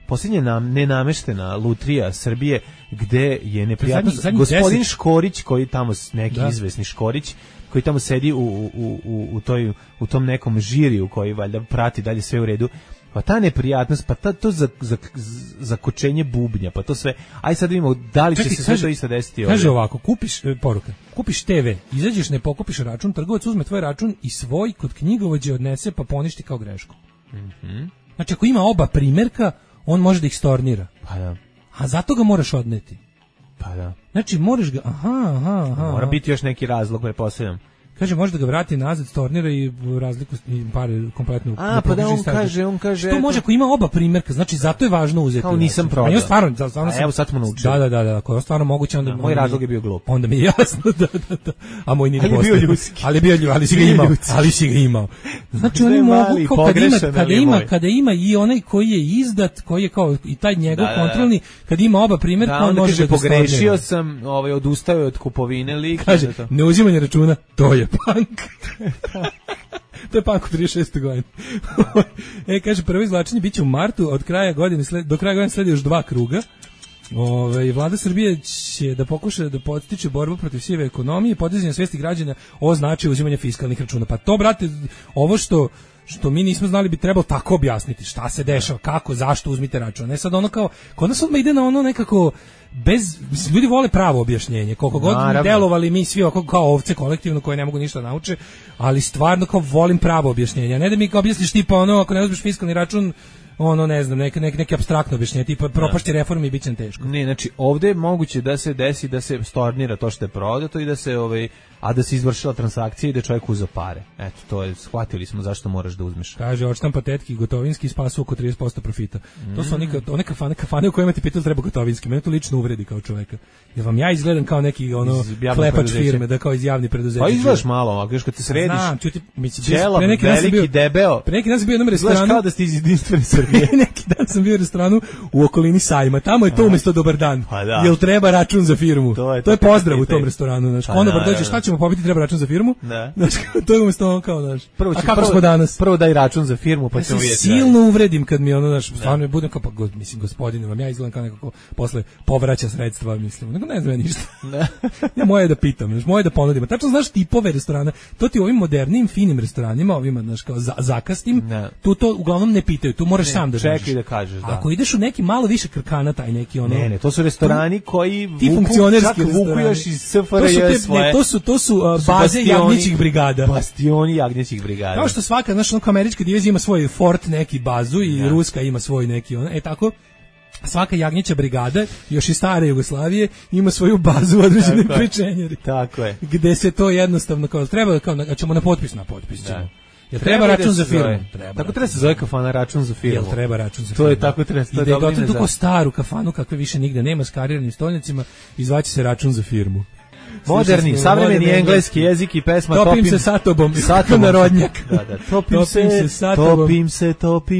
Posljednje nenameštena lutrija Srbije, gde je neprijatno gospodin Škorić, koji tamo, neki izvesni Škorić, koji tamo sedi u tom nekom žiriju koji valjda prati dalje sve u redu. Pa ta neprijatnost, pa to zakočenje bubnja, pa to sve. Aj sad vidimo da li će se sve to isto desiti. Kaže ovako, kupiš TV, izađeš, ne pokupiš račun, trgovac uzme tvoj račun i svoj kod knjigovođe odnese pa poništi kao grešku. Znači ako ima oba primjerka, on može da ih stornira. Pa da. A zato ga moraš odneti. Pa da. Znači moraš ga, Mora biti još neki razlog, pretpostavljam. Kaže, može da ga vrati nazad, stornira i razliku i pare kompletno. Pa da on kaže. To može ako ima oba primjerka, znači zato je važno uzeti. Kao nisam prodao. A ja stvarno evo sad smo naučili. Da, ako je stvarno moguće onda moj razlog je bio glup. Onda mi je jasno da. A moj nije bio ljudski. Ali si ga imao. Znači oni mogu kada ima i onaj koji je izdat, koji je kao i taj njegov kontrolni, kad ima oba primjerka, on može da pogrešio sam, odustao od kupovine lik. Kaže, neuzimanje računa, to je punk. To je punk u 36. godini. Kaže, prvo izvlačenje biće u martu, do kraja godine sledi još 2 kruga. Vlada Srbije će da pokuša da podstiče borbu protiv sive ekonomije i podizanje svesti građana o značaju uzimanja fiskalnih računa. Pa to, brate, ovo što mi nismo znali bi trebalo tako objasniti šta se dešava, kako, zašto uzmite račun. Ne sad ono kao, kod nas odmah ide na ono nekako ljudi vole pravo objašnjenje, koliko god delovali mi svi kao ovce kolektivno koje ne mogu ništa nauče, ali stvarno kao volim pravo objašnjenje, ne da mi kao objasniš tipa ono, ako ne uzmeš fiskalni račun, ono ne znam, neke apstraktno objašnjenje, tipa propašće reforme i bit će nam teško. Ne, znači ovdje je moguće da se desi da se stornira to što je prodato i da se a da se izvršila transakcija i da čovjek uzeo pare. Eto, to je, shvatili smo zašto moraš da uzmeš. Kaže, odštampa tetki gotovinski spasu oko 30% profita. To su one kafane u kojima ti pitali treba gotovinski. Mene to lično uvredi kao čovjeka. Jer vam ja izgledam kao neki klepač firme, da kao iz javnih preduzeća. Pa izgledaš malo, ako kad te središ. Znam, Čela, veliki, debeo. Pre neki dan sam bio u jednom restoranu. Izgledaš kao da ste iz Jedinstvene Srbije. Neki dan sam bio u restoranu u okolini Sajma. Tamo je to umjesto dobar dan. Jel treba račun za firmu? To je pozdrav u tom restoranu. Znači, konobar dođe, šta ćemo popiti, treba račun za firmu? Znači, to je umjesto kao, znaš. A kako smo danas? Prvo daj račun za firmu, pa ćemo vidjeti. Silno uvredim kad mi ono, znaš, stvarno budem kao, mislim, gospodine, vam ja izgledam kao nekako posle povraća sredstva, mislim. Nego ne znam ja ništa. Ja moje da pitam, znaš, moje da ponudim. Tačno znaš tipove restorana. To ti u ovim modernim, finim restoranima, ovima, znaš, kao zakastim, tu to uglavnom ne pitaju, tu moraš sam da znaš. Čekaj da kažeš, da. Ako ideš u neki malo više krkana, taj neki ono. Ne, to su restorani koji vuku još iz SFRJ svoje. To su baze jagnjećih brigada. Bastioni jagnjećih brigada. Kao što svaka, znaš, američka divizija ima svoj fort, neki bazu i ruska ima svoj neki ono. Tako svaka jagnjeća brigada, još i stare Jugoslavije, ima svoju bazu u određenoj pečenjeri. Tako je. Gde se to jednostavno kao treba ćemo na potpis ćemo. Jel treba račun za firmu? Tako treba se zove kafana račun za firmu. Jel treba račun za firmu? To je tako treba. I da je gotovo tako staru kafanu kakve više nigde nema s kariranim stolnicima, izvaće se račun za firmu. Moderni, savremeni engleski jezik i pesma Topim se sa tobom, narodnjak. Da, topim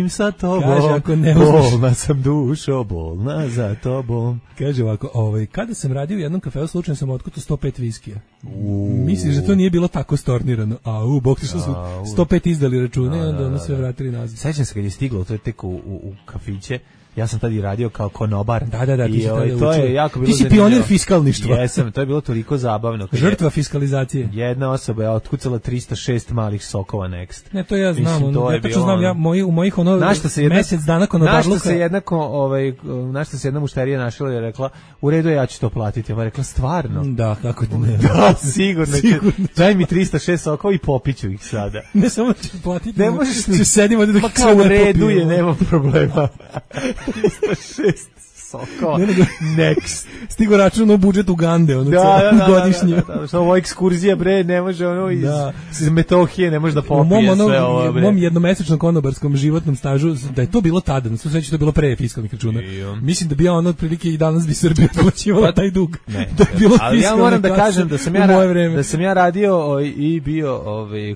sa tobom. Kaže, ako ne uzmeš. Bolna sam dušo, bolna za tobom. Kaže ovako, kada sam radio u jednom kafeu, slučajno sam otkutao 105 viskija. Misliš da to nije bilo tako stornirano? Bog ti što su 105 izdali račune i onda sve vratili nazad. Sećam se kad je stiglo, to je tek u kafiće. Ja sam tad i radio kao konobar. Da, i to je jako bilo. Ti si pionir fiskalništva. Jesam, to je bilo toliko zabavno. Žrtva fiskalizacije. Jedna osoba je otkucala 306 malih sokova Next. Ne, to ja znam. Ja tačno znam, u mojih mjesec dana konobarluka. Našta se jedna mušterija našla i rekla, u redu ja ću to platiti. Ona rekla, stvarno? Da, kako ti ne. Da, sigurno. Daj mi 306 sokova i popiću ih sada. Ne samo da ću platiti. Ne možeš ni. Sedim ovdje dok kao u redu je, nema problema. 306 sokova. Next. Stigo račun u budžet Ugande, godišnje. Ovo ekskurzija, bre, ne može iz Metohije ne može da popije sve ovo, bre. U mom jednomesečnom konobarskom životnom stažu, da je to bilo tada, na sve to je bilo pre fiskalnih računa. Mislim da bi ja otprilike i danas bi Srbija plaćivala taj dug. Ali ja moram da kažem da sam ja radio i bio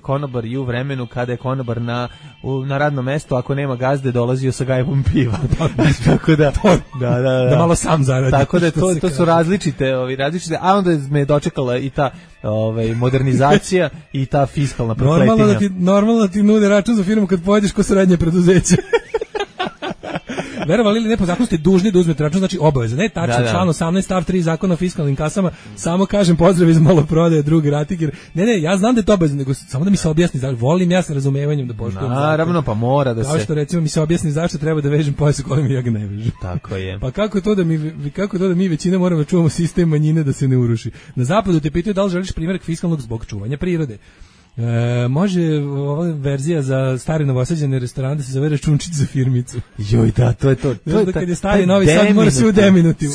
konobar i u vremenu kada je konobar na radnom mestu, ako nema gazde, dolazio sa gajbom piva. Tako da da malo sam zaradi. Tako da to su različite, a onda me je dočekala i ta modernizacija i ta fiskalna prokletina. Normalno da ti nude račun za firmu kad pojedeš ko srednje preduzeće. Verovali ili ne, po zakonu ste dužni da uzmete račun, znači obaveza. Ne, tačno, član 18 stav 3 zakona o fiskalnim kasama, samo kažem pozdrav iz maloprodaje, drugi ratiger. Ne, ja znam da je to obaveza, nego samo da mi se objasni, volim ja sa razumevanjem da poštujem. Naravno, pa mora da se. Kao što recimo mi se objasni zašto treba da vežem pojas u kojem ja ga ne vežem. Tako je. Pa kako to da mi većina moramo čuvamo sistem manjine da se ne uruši. Na zapadu te pitaju da li želiš primjerak fiskalnog zbog čuvanja prirode. Može ova verzija za stari novosađeni restoran da se zove računčić za firmicu. Joj, da, to je to. To je kad je stari Novi Sad mora sve u deminutivu.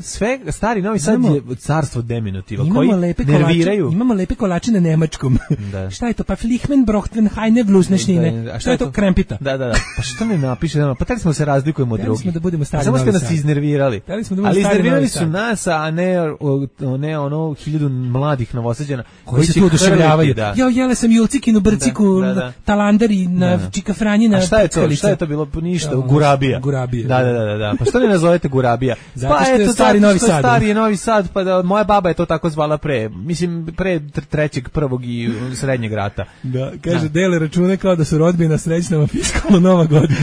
Sve stari Novi Sad je carstvo deminutiva koji lepe nerviraju. Imamo lepe kolače na nemačkom. Da. Šta je to? Pa Flihmen Brochten Heine Vlusnešnine. A šta je to? Krempita. Da. Pa što ne napiše? Pa tako smo se razlikujemo od drugih. Smo da budemo stari Samo Novi ste Sad. nas iznervirali. Ali iznervirali su nas, a ne ono 1000 mladih Novosađana koji se tu oduševljavaju. Da. Ja jele sam julcikinu, brciku, talandari, na Čika Franjina. A šta je to bilo? Ništa, Gurabija. Da. Pa što ne nazovete Gurabija? Pa eto, stari Novi Sad. Stari je Novi Sad, pa da, moja baba je to tako zvala pre 3. i srednjeg rata. Da, kaže, dele račune kao da su rodbina, srećna fiskalna nova godina.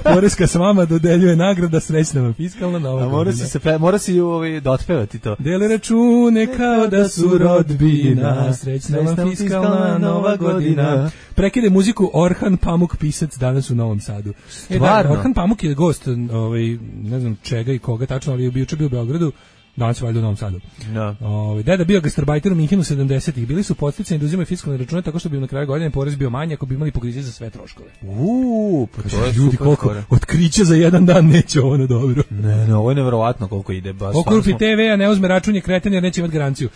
Poreska s vama dodeljuje nagrada, srećna fiskalna nova godina. Mora si da otpevati to. Dele račune kao da su rodbina, srećna fiskalna nova godina. Prekide muziku Orhan Pamuk, pisac, danas u Novom Sadu. Stvarno? Orhan Pamuk je gost, ne znam čega i koga tačno, ali je bio u Beogradu. Danas je valjda u Novom Sadu. No. Deda bio gastarbajter u Minhenu 70-ih. Bili su podsticani da uzimaju fiskalne račune tako što bi im na kraju godine porez bio manji ako bi imali pokriće za sve troškove. Pa to je ljudi, koliko otkriće za jedan dan neće ovo na dobro. Ne, ovo je neverovatno koliko ide. Okupi TV, a ne uzme račun je kreten jer neće imati garanciju.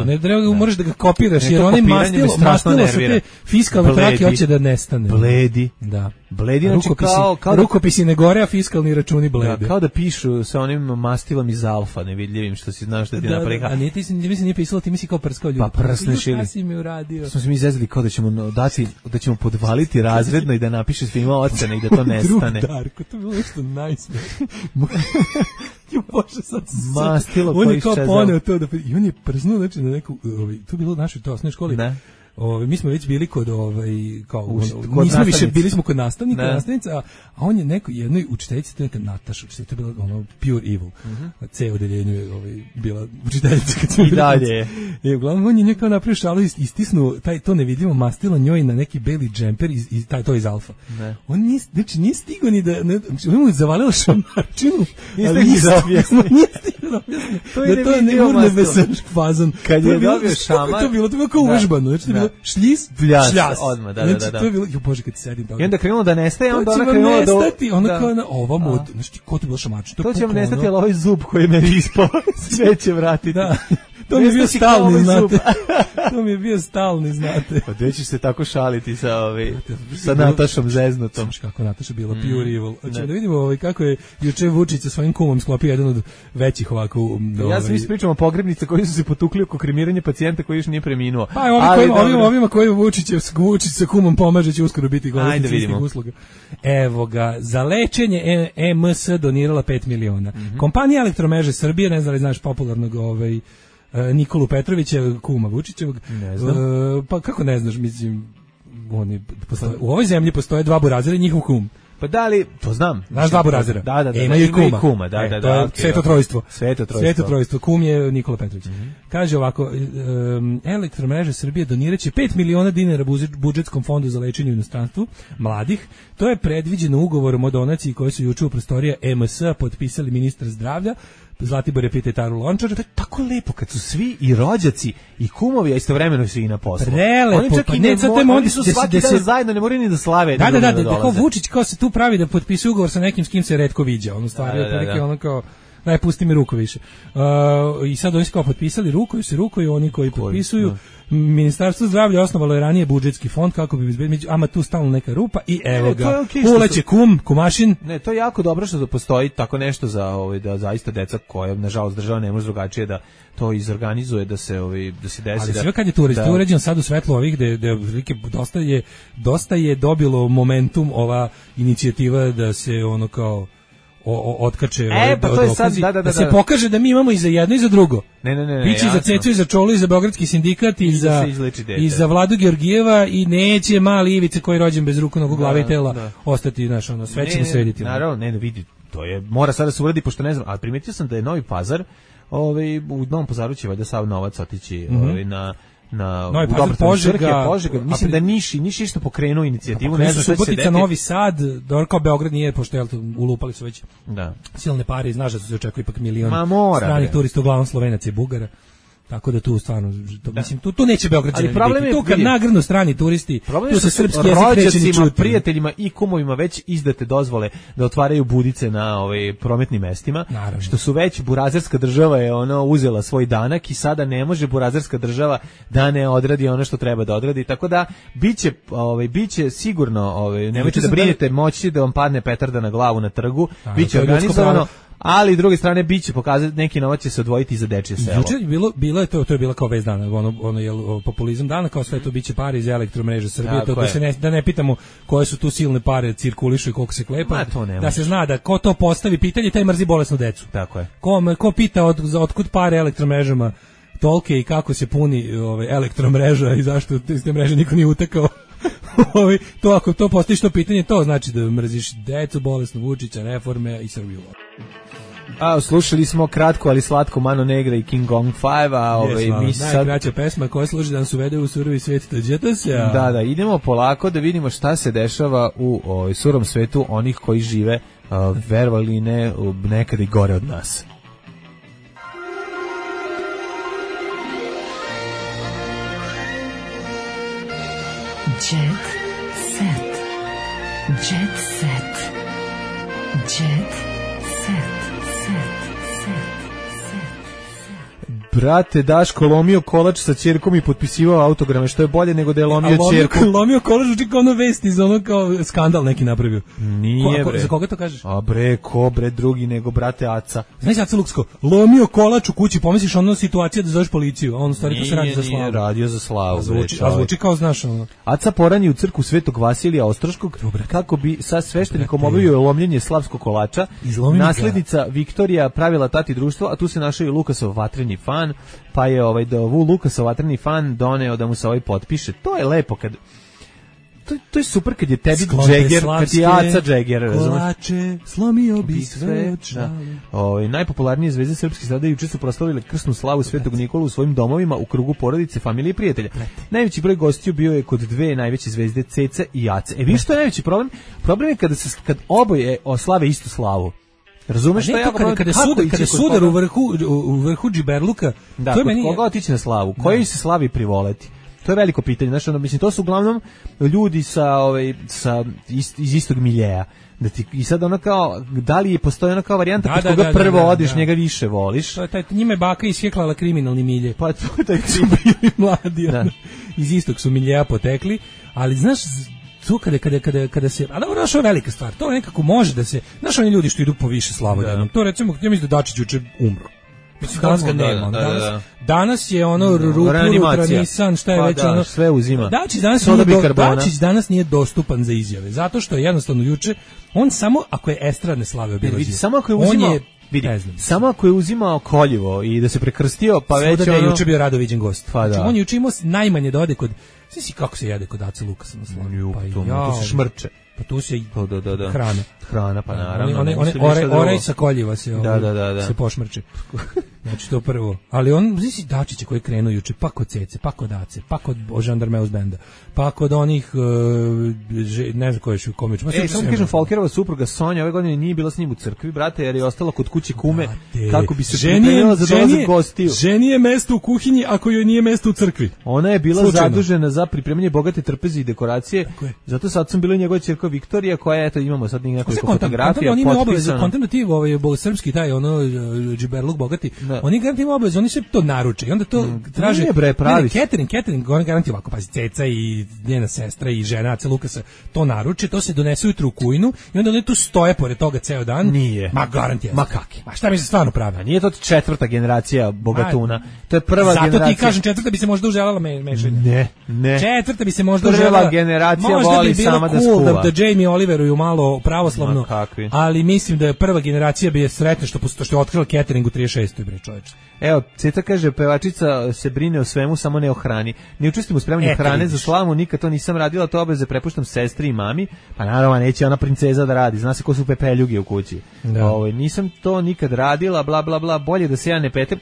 Ne treba, moraš da ga kopiraš jer onaj mastilo sa te fiskalne trake hoće da nestane. Bledi. Da. Bledi, znači kao rukopisi ne gore, a fiskalni računi blede. Da, kao da pišu sa onim mastilom iz alfa, nevidljivim što si znao što ti napravi. A nije pisalo, ti misli kao prskao ljudi. Pa prsneš ili. Si mi uradio. Smo se mi izvezili kao da ćemo dati, da ćemo podvaliti razredno i da napiše svima ocene i da to nestane. Darko, to je bilo nešto najsmešnije. Bože, sad mastilo on je kao poneo to da i on je prznuo znači na neku to je bilo u našoj osnovnoj školi. Ne. Mi smo već bili kod nismo više bili smo kod nastavnica, a on je jednoj učiteljici, to je Nataša, to je bilo pure evil. C odeljenju je bila učiteljica kad smo bili. Dalje. I uglavnom on je nekako napravio šalu, istisnuo to nevidljivo mastilo njoj na neki beli džemper to iz alfa. On nije stigao ni da on mu zavalila šamarčinu. Nije stigao to je neurnebesan fazon. Kad je dobio šamar, to je bilo kao uvežbano, znači bilo šljis, šljas. Odmah, da. To je bilo, bože, kad ti sedim toga. I onda krenulo da nestaje, onda ona krenula da nestati, ona kao ova mod, znači ko ti bilo šamač. To će vam nestati, ali ovaj zub koji me ispao, sve će vratiti. Da. To mi je bio stalni, znate. To mi je bio stalni, znate. Pa gde ćeš se tako šaliti sa Natašom zeznutom? Kako Nataša bila pure evil. Hoćemo da vidimo kako je juče Vučić sa svojim kumom sklopio jedan od većih ovako. Ja sam ispričao o pogrebnice koji su se potukli oko kremiranja pacijenta koji još nije preminuo. Pa ovima koji Vučić sa kumom pomaže će uskoro biti govornici usluga. Evo ga, za lečenje EMS donirala 5 miliona. Kompanija Elektromreže Srbije, ne znam li znaš popularnog Nikolu Petrovića, kuma Vučićevog. Ne znam. Pa kako ne znaš, mislim, u ovoj zemlji postoje dva burazera i njihov kum. Pa da li, to znam. Znaš dva burazera? Da. Imaju i kuma. Da. To je sveto trojstvo. Sveto trojstvo. Kum je Nikola Petrović. Kaže ovako, Elektromreže Srbije doniraće 5 miliona dinara budžetskom fondu za lečenje u inostranstvu mladih. To je predviđeno ugovorom o donaciji koji su juče u prostorija EMS potpisali ministar zdravlja Zlatibor je pita Taru Lončar. To je tako lepo kad su svi i rođaci i kumovi, a istovremeno su i na poslu. Prelepo, oni su svaki dan zajedno, ne moraju ni da slave. Da, kao Vučić kao se tu pravi da potpisuje ugovor sa nekim s kim se retko viđa. Ono stvari otprilike ono kao daj pusti mi ruku više. I sad oni su kao potpisali rukuju oni koji potpisuju. Ministarstvo zdravlja osnovalo je ranije budžetski fond kako bi izbegli, ama tu stalno neka rupa i evo ga. Uleće kumašin. Ne, to je jako dobro što postoji tako nešto za da zaista deca koja nažalost država ne može drugačije da to izorganizuje da se desi. Ali sve kad je tu uređeno sad u svetlu ovih gde dosta je dobilo momentum ova inicijativa da se ono kao otkače pa to je sad, da se pokaže da mi imamo i za jedno i za drugo. Ne. Biće i za Cecu i za Čolu i za Beogradski sindikat i za Vladu Georgijeva i neće mali Ivice koji je rođen bez ruku, nogu, glave i tela ostati sve ćemo srediti. Naravno, ne vidi, to je mora sada se uradi pošto ne znam, ali primetio sam da je Novi Pazar, u Novom Pazaru će valjda sav novac otići na Novi Pazar, Požega, mislim da Niš isto pokrenuo inicijativu, ne znam šta će se desiti. Novi Sad, kao Beograd nije, pošto je ulupali su već silne pare i znaš da se očekuje ipak milion stranih turista, uglavnom Slovenaca i Bugara. Tako da tu stvarno, mislim, tu neće Beograđani. Ali problem je tu kad nagrnu strani turisti, tu se srpski jezik neće ni čuti. Prijateljima i kumovima već izdate dozvole da otvaraju budice na prometnim mestima, naravno. Što su već burazerska država je uzela svoj danak i sada ne može burazerska država da ne odradi ono što treba da odradi, tako da biće sigurno, nemojte da brinete, moći da vam padne petarda na glavu na trgu, biće organizovano. Ali s druge strane biće pokazati neki novac će se odvojiti za dečije selo. Juče bilo je to je bila kao vez dana, ono je populizam dana, kao sve to biće pare iz Elektromreže Srbije, to da ne pitamo koje su tu silne pare cirkulišu i koliko se klepa. Da se zna da ko to postavi pitanje, taj mrzi bolesnu decu. Tako je. Ko pita otkud pare Elektromrežama tolke i kako se puni elektromreža i zašto iz te mreže niko nije utekao. To ako to postaviš to pitanje, to znači da mrziš decu, bolesnu, Vučića, reforme i Srbiju. Slušali smo kratko ali slatko Mano Negra i King Kong 5, mi sad najkraća pesma koja služi da nas uvede u surovi svijet tađeta se. Da, idemo polako da vidimo šta se dešava u surom svetu onih koji žive, verovali ne, nekada i gore od nas. Jet set. Jet set. Jet set. Brate, Daško lomio kolač sa ćerkom i potpisivao autograme, što je bolje nego da je lomio ćerku. Lomio kolač, uči kao ono vesti, za ono kao skandal neki napravio. Nije, bre. Za koga to kažeš? A bre, ko bre drugi nego brate Aca. Znaš Aca Luksko, lomio kolač u kući, pomisliš ono situacija da zoveš policiju, a on stvari to se radi za slavu. Nije radio za slavu. A zvuči kao znaš ono. Aca porani u crkvu Svetog Vasilija Ostroškog, kako bi sa sveštenikom obavio lomljenje slavskog kolača. Naslednica Viktorija pravila tati društvo, a tu se našao i Lukasov vatreni fan, pa je Lukasov vatreni fan doneo da mu se potpiše. To je lepo kad to je super kad je tebi Jagger, kad je Aca Jagger, kolače, slomio bi sve očale. Najpopularnije zvezde srpskih strada juče su proslavile krsnu slavu Svetog Nikolu u svojim domovima u krugu porodice, familije i prijatelja. Najveći broj gostiju bio je kod dve najveće zvezde Ceca i Ace. Vi što je najveći problem? Problem je kad oboje oslave istu slavu. Razumeš što ja kada sudar u vrhu džiberluka, da, to je meni koga otići na slavu, koji se slavi privoleti. To je veliko pitanje, znači mislim to su uglavnom ljudi iz istog miljeja. I sad ono kao, da li postoji ona kao varijanta kod koga prvo odeš, njega više voliš? To je njime baka isjeklala kriminalni milje. Pa to je taj su bili mladi, iz istog su miljeja potekli, ali znaš, tu kada se, a dobro, što je velika stvar, to nekako može da se, znaš oni ljudi što idu po više slavodjednom, to recimo, ja mislim da Dačić juče umro. Mislim, danas ga nema. Danas je ono Rutranisan, šta je već ono. Sve uzima. Dačić danas nije dostupan za izjave, zato što je jednostavno juče, on samo, ako je estradne slave obilazio, samo ako je uzimao, samo ako je uzimao koljevo i da se prekrstio, pa već ono... juče bio rado viđen gost. Pa znači, on je juče imao najmanje da ode kod... Svi kako se jede kod Ace Lukasa na slavu? Tu se šmrče. Pa tu se hrana. Hrana, pa naravno. Orej sa koljiva se se pošmrče. Znači to prvo. Ali on, znaš Dačića koji je krenuo juče, pa kod Cece, pa kod Ace, pa kod Žandarmeus benda, pa kod onih, ne znam ko je komič. Samo kažem, Folkerova supruga Sonja ove godine nije bila s njim u crkvi, brate, jer je ostala kod kuće kume, kako bi se pripremila za dolazak gostiju. Ženi je mesto u kuhinji, ako joj nije mesto u crkvi. Ona je bila zadužena za pripremanje bogate trpeze i dekoracije, zato sad sam bila njegova ćerka Viktorija, koja, eto, imamo sad nekoliko fotografija potpisana. Kontent ti srpski taj, džiberluk bogati, oni garanti imaju obavezu, oni se to naruče i onda to traže. Catering, oni garanti ovako, pazi, Ceca i njena sestra i žena Ace Lukasa to naruče, to se donese ujutru u kujnu i onda oni tu stoje pored toga ceo dan. Nije. Ma garanti. Ma kaki. Ma šta mi se stvarno pravi? Nije to četvrta generacija bogatuna. To je prva generacija. Zato ti kažem, četvrta bi se možda uželjala mešanja. Ne. Četvrta bi se možda uželjala. Prva generacija voli sama da skuva. Možda bi da Jamie Oliveruju malo pravoslavno, ali mislim da je prva generacija bi je sretna što je otkrila catering u 36. bre čoveče. Evo, Ceta kaže, pevačica se brine o svemu, samo ne o hrani. Ne učestvujem u spremanju hrane za slavu, nikad to nisam radila, to obaveze prepuštam sestri i mami, pa naravno neće ona princeza da radi, zna se ko su pepeljuge u kući. Nisam to nikad radila, bla bla bla, bolje da se ja ne petem.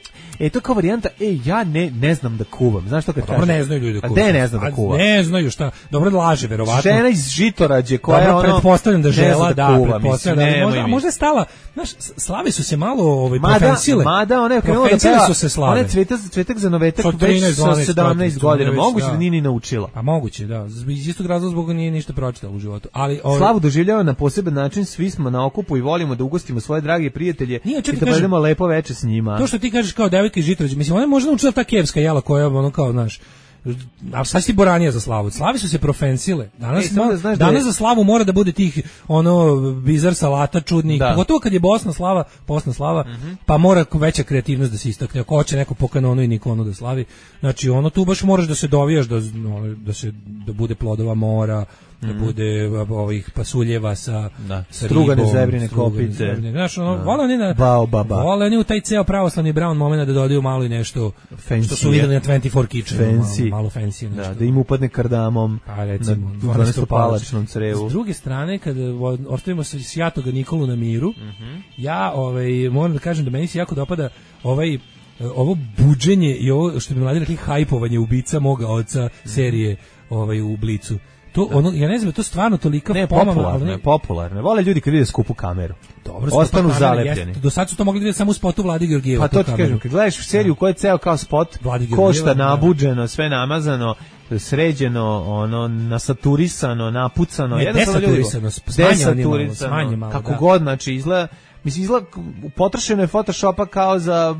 To kao varijanta, ja ne znam da kuvam, znaš što kad kaže? Dobro, ne znaju ljudi da kuvam. A ne znam da kuvam? Ne znaju šta, dobro da laže, verovatno. Žena iz Žitorađe, koja je ono... pretpostavljam da žela, da, pretpostavljam da možda je stala, znaš, slave su se malo prefensile. Mada ona je krenula da Profencile peva, su se slave. ona je cvetak za novetak Sa već 13, sa 12, 17 godina, već, moguće da. da nije ni naučila. Pa moguće, da. Iz istog razloga zbog nije ništa pročitala u životu. Ali Slavu doživljava na poseban način, svi smo na okupu i volimo da ugostimo svoje drage prijatelje Nije, i čekaj, da kažem, provedemo lepo veče s njima. to što ti kažeš kao devojka iz Žitorađa, mislim, ona je možda naučila ta kevska jela koja je ono kao, znaš, a sad si boranija za slavu. Slavi su se profensile. Danas, samo da znaš da danas je- za slavu mora da bude tih ono bizar salata čudnih. Da. Pogotovo kad je posna slava, pa mora veća kreativnost da se istakne. Ako hoće neko po kanonu i niko ono da slavi. Znači ono tu baš moraš da se dovijaš da bude plodova mora, da bude ovih pasuljeva sa Strugane ribom, zebrine strugane kopice. zebrine. Znaš, ono, vole oni na Baobaba. vole oni u taj ceo pravoslavni brown moment da dodaju malo i nešto Fancy što su je. videli na 24 Kitchen, Fancy. malo fancy nešto. Da im upadne kardamom Pa recimo, na 12-palačnom crevu. S druge strane, kada ostavimo Sjatoga Nikolu na miru, ja moram da kažem da meni se jako dopada ovo buđenje i ovo što bi mladi rekli hajpovanje ubica moga oca serije u Blicu. To ono, ja ne znam, to stvarno tolika Ne, popularno. Vole ljudi kad vide skupu kameru. Dobro, ostanu skupa kamera, zalepljeni. jeste. Do sad su to mogli vidjeti samo u spotu Vlade Georgijeva. Pa to ti kažem, kad gledaš seriju koja je ceo kao spot, Vladi Georgijeva, košta da. nabuđeno, sve namazano, sređeno, ono, nasaturisano, napucano. Ne, jednostavno ljudi- desaturisano, smanje malo, kako da. god, znači izgleda, potrošeno je Photoshopa kao za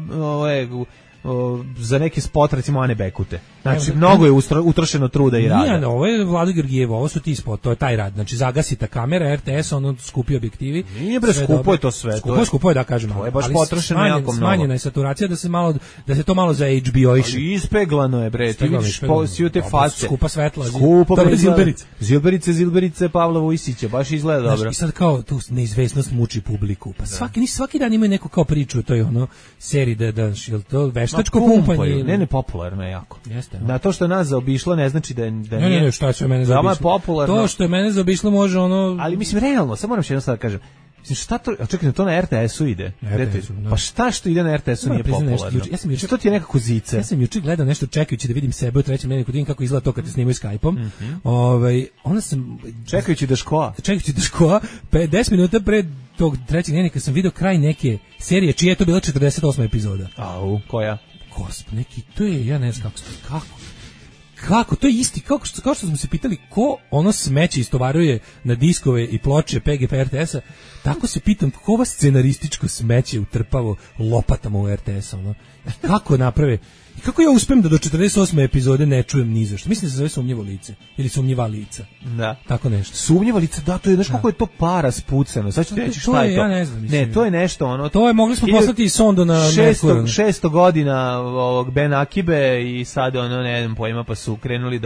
neki spot, recimo Ane Bekute. Znači, mnogo je utrošeno truda i rada. Nije, ovo je Vlada Georgijeva, ovo su ti spot, to je taj rad. Znači, zagasi ta kamera, RTS, ono skupi objektivi. Nije bre, sve skupo dobro. je to sve. Skupo je, da kažem. To je baš ali potrošeno jako mnogo. Smanjena je saturacija da se to malo za HBO-iše. Ali ispeglano je, bre, ti vidiš Ispeglano. svi te Dobro, face. skupa svetla. Skupo, Dobre bre, zilberice. Zilberice Pavla Vujsića, baš izgleda dobro. Znaš, i sad kao tu neizvesnost muči publiku. Pa svaki dan imaju neku kao priču o toj ono seriji da jel to veštačko pumpanje. Ne, popularno je jako. Jeste. Na to što je nas zaobišlo ne znači da nije. Ne, šta je sve mene Veoma zaobišlo? je popularno. To što je mene zaobišlo može ono... Ali mislim realno, samo moram še jedno sad da kažem. Mislim, šta to, a čekaj, to na RTS-u ide. RTS-u, da. Pa šta što ide na RTS-u nije Moram priznati popularno? nešto, ja sam juče- To ti je nekako zice. Ja sam juče gledao nešto čekajući da vidim sebe u trećem dnevniku, da vidim kako izgleda to kad te snimaju Skype-om. Onda sam Čekajući da škola. čekajući da škola, 10 minuta pred tog trećeg dnevnika sam video kraj neke serije čija je to bila 48. epizoda. Au, koja? Gospod, neki, to je, ja ne znam kako, to je isti, kao što smo se pitali ko ono smeće istovaruje na diskove i ploče PGP RTS-a, tako se pitam ko ova scenarističko smeće utrpavo lopatama u RTS-a, ono, i kako naprave, i kako ja uspem da do 48. epizode ne čujem ni za što. Mislim da se zove sumnjivo lice, ili sumnjiva lica, Da. tako nešto. Sumnjiva lica, da, to je, znaš kako je to para spucano. Sad ću ti reći To šta je, je to. ja ne znam, mislim. Ne, to je nešto, ono... To je, mogli smo poslati i sondu na Merkur. 600 godina ovog Ben Akibe i sad ono, ne znam pojma, pa su krenuli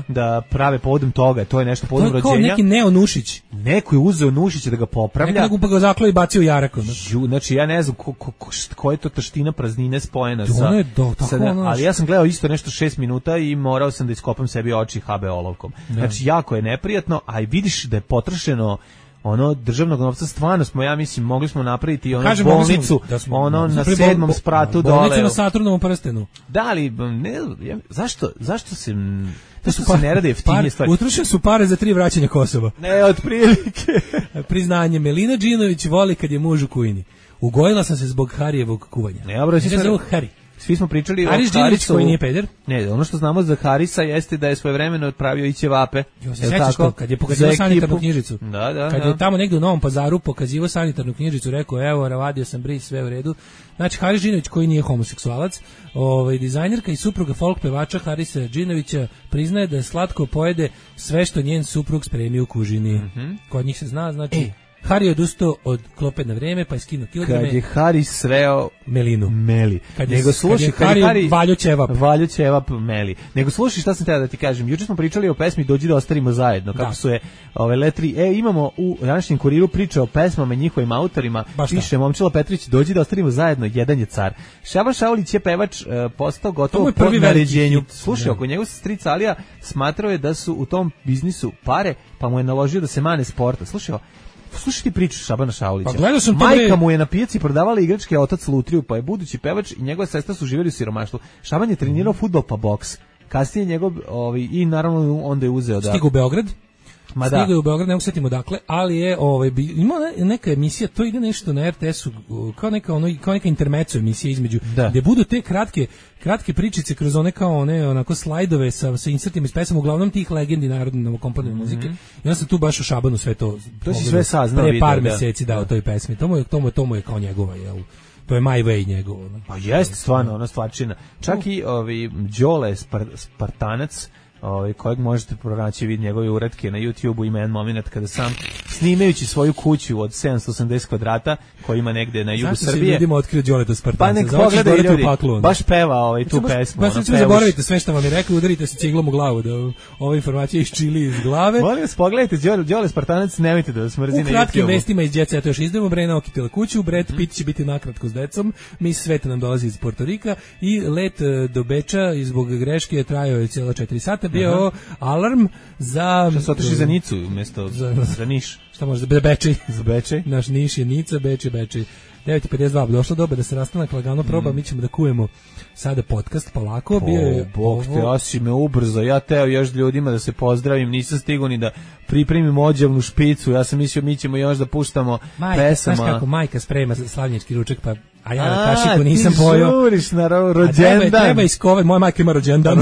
da prave povodom toga. To je nešto povodom To je kao rođenja. neki neonušić. Neko je uzeo Nušića da ga popravlja. Neko pa ga zaklao i bacio u Jarak. ono. Znači, ja ne znam ko je to taština praznine spojena sa... Ono je tako, sa ono, ali ja sam gledao isto nešto 6 minuta i morao sam da iskopam sebi oči HB olovkom. Znači, jako je neprijatno, a i vidiš da je potrošeno ono državnog novca, stvarno smo, ja mislim, mogli smo napraviti ono Kažem, bolnicu, da smo ono na napravili 7. spratu dole. Bolnicu na Saturnovom prstenu. Da, ali ne, zašto se... Zašto se ne rade jeftinije stvari? Utrošene su pare za 3 vraćanja Kosova. Ne, otprilike. Priznanje, Melina Đinović voli kad je muž u kujini. Ugojila sam se zbog Harijevog kuvanja. Ne, dobro, Ja ga zovu Hari. Svi smo pričali Haris o Đinović Harisu. koji nije peder. Ne, ono što znamo za Harisa jeste da je svojevremeno otpravio i ćevape. Se sećaš to, kad je pokazivao sanitarnu knjižicu. Da. Kad je tamo negdje u Novom Pazaru pokazivao sanitarnu knjižicu, rekao, evo, ravadio sam bris, sve u redu. Znači, Haris Đinović koji nije homoseksualac, dizajnerka i supruga folk pevača Harisa Đinovića priznaje da je slatko pojede sve što njen suprug spremi u kužini. Kod njih se zna, znači... Hari je odustao od klope na vreme, pa je skinuo kilograme. Kad je Haris sreo Melinu. Meli. Kad Nego slušaj, kad je Hari Valjo ćevap. Valjo ćevap Meli. Nego slušaj šta sam htio da ti kažem. Juče smo pričali o pesmi Dođi da ostarimo zajedno. Kako su je ove letri. Imamo u današnjem kuriru priče o pesmama i njihovim autorima. Piše Momčilo Petrić, Dođi da ostarimo zajedno, jedan je car. Šaban Šaulić je pevač postao gotovo po naređenju. Slušaj, oko njegov stric Alija smatrao je da su u tom biznisu pare, pa mu je naložio da se mane sporta. Slušaj ti priču Šabana Šaulića. Pa gledao sam to. Majka mu je na pijaci prodavala igračke, otac lutriju, pa je budući pevač i njegova sestra su živjeli u siromaštvu. Šaban je trenirao fudbal pa boks. Kasnije njegov i naravno onda je uzeo da stigu u Beograd. Stigao je u Beograd, ne mogu setimo dakle, ali je imao neka emisija, to ide nešto na RTS-u, kao neka intermezzo emisija između, gde budu te kratke pričice kroz one kao one onako slajdove sa insertima iz pesama, uglavnom tih legendi narodne novokomponovane muzike. I onda sam tu baš u Šabanu sve to si sve saznao pre par meseci dao toj pesmi. To mu je kao njegova, jel? To je My Way njegovo. Pa jeste stvarno, ona stvarčina. Čak i Đole Spartanac, kojeg možete pronaći vid njegove uratke na YouTubeu, ima jedan moment kada sam snimajući svoju kuću od 780 kvadrata koji ima negde na jugu Srbije. Zašto se ljudima otkrio Đoleta Spartanca? Pa nek pogledaju ljudi, baš peva tu pesmu. Baš zaboravite sve što vam je rekao, udarite se ciglom u glavu da ova informacija iščili iz glave. Molim vas, pogledajte Đole Spartanac, nemojte da vas mrzi na YouTubeu. U kratkim vestima iz Jet Seta još izdemo, Brena okitila kuću, Brad Pitt će biti nakratko s decom, Miss Sveta nam dolazi iz Porto Rika i let do Beča zbog greške je trajao je cijela 4 sata. Bio alarm za... Šta se otišli za Nicu umjesto za Niš? Šta može, za Bečej. Za Bečej? Naš Niš je Nica, Bečej. 9:52, došlo doba da se rastanak lagano proba, mi ćemo da kujemo sada podcast polako. Bio je Bog te, ja si me ubrzo, ja teo još ljudima da se pozdravim, nisam stigao ni da pripremim ođevnu špicu, ja sam mislio mi ćemo još da puštamo pesama. Znaš kako majka sprema slavnjački ručak, pa a ja na kašiku nisam pojao. Ti žuriš na rođendan. Treba iskovati, moja majka ima rođendan.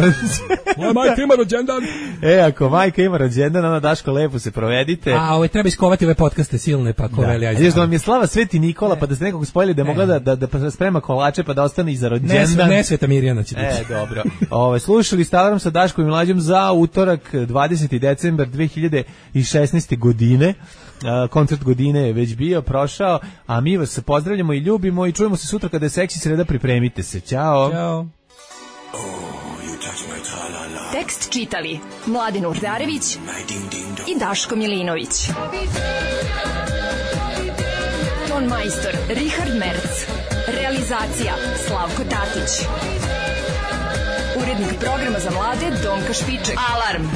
Moja majka ima rođendan. Ako majka ima rođendan, onda Daško lepo se provedite. A treba iskovati ove podcaste silne, pa ko veli ajde. Znaš da vam je slava Sveti Nikola, pa da ste nekog spojili da je mogla da sprema kolače, pa da ostane i za rođendan. Ne Sveta Mirjana će biti. Dobro. Slušali ste Alarm sa Daškom i Mlađom za utorak 20. decembar 2016. godine. Koncert godine je već bio, prošao, a mi vas pozdravljamo i ljubimo i čujemo se sutra kada je seksi sreda, pripremite se. Ćao. Ćao. Tekst čitali Mladin Urdarević i Daško Milinović. Ton majstor Richard Merc. Realizacija Slavko Tatić. Urednik programa za mlade Donka Špiček. Alarm!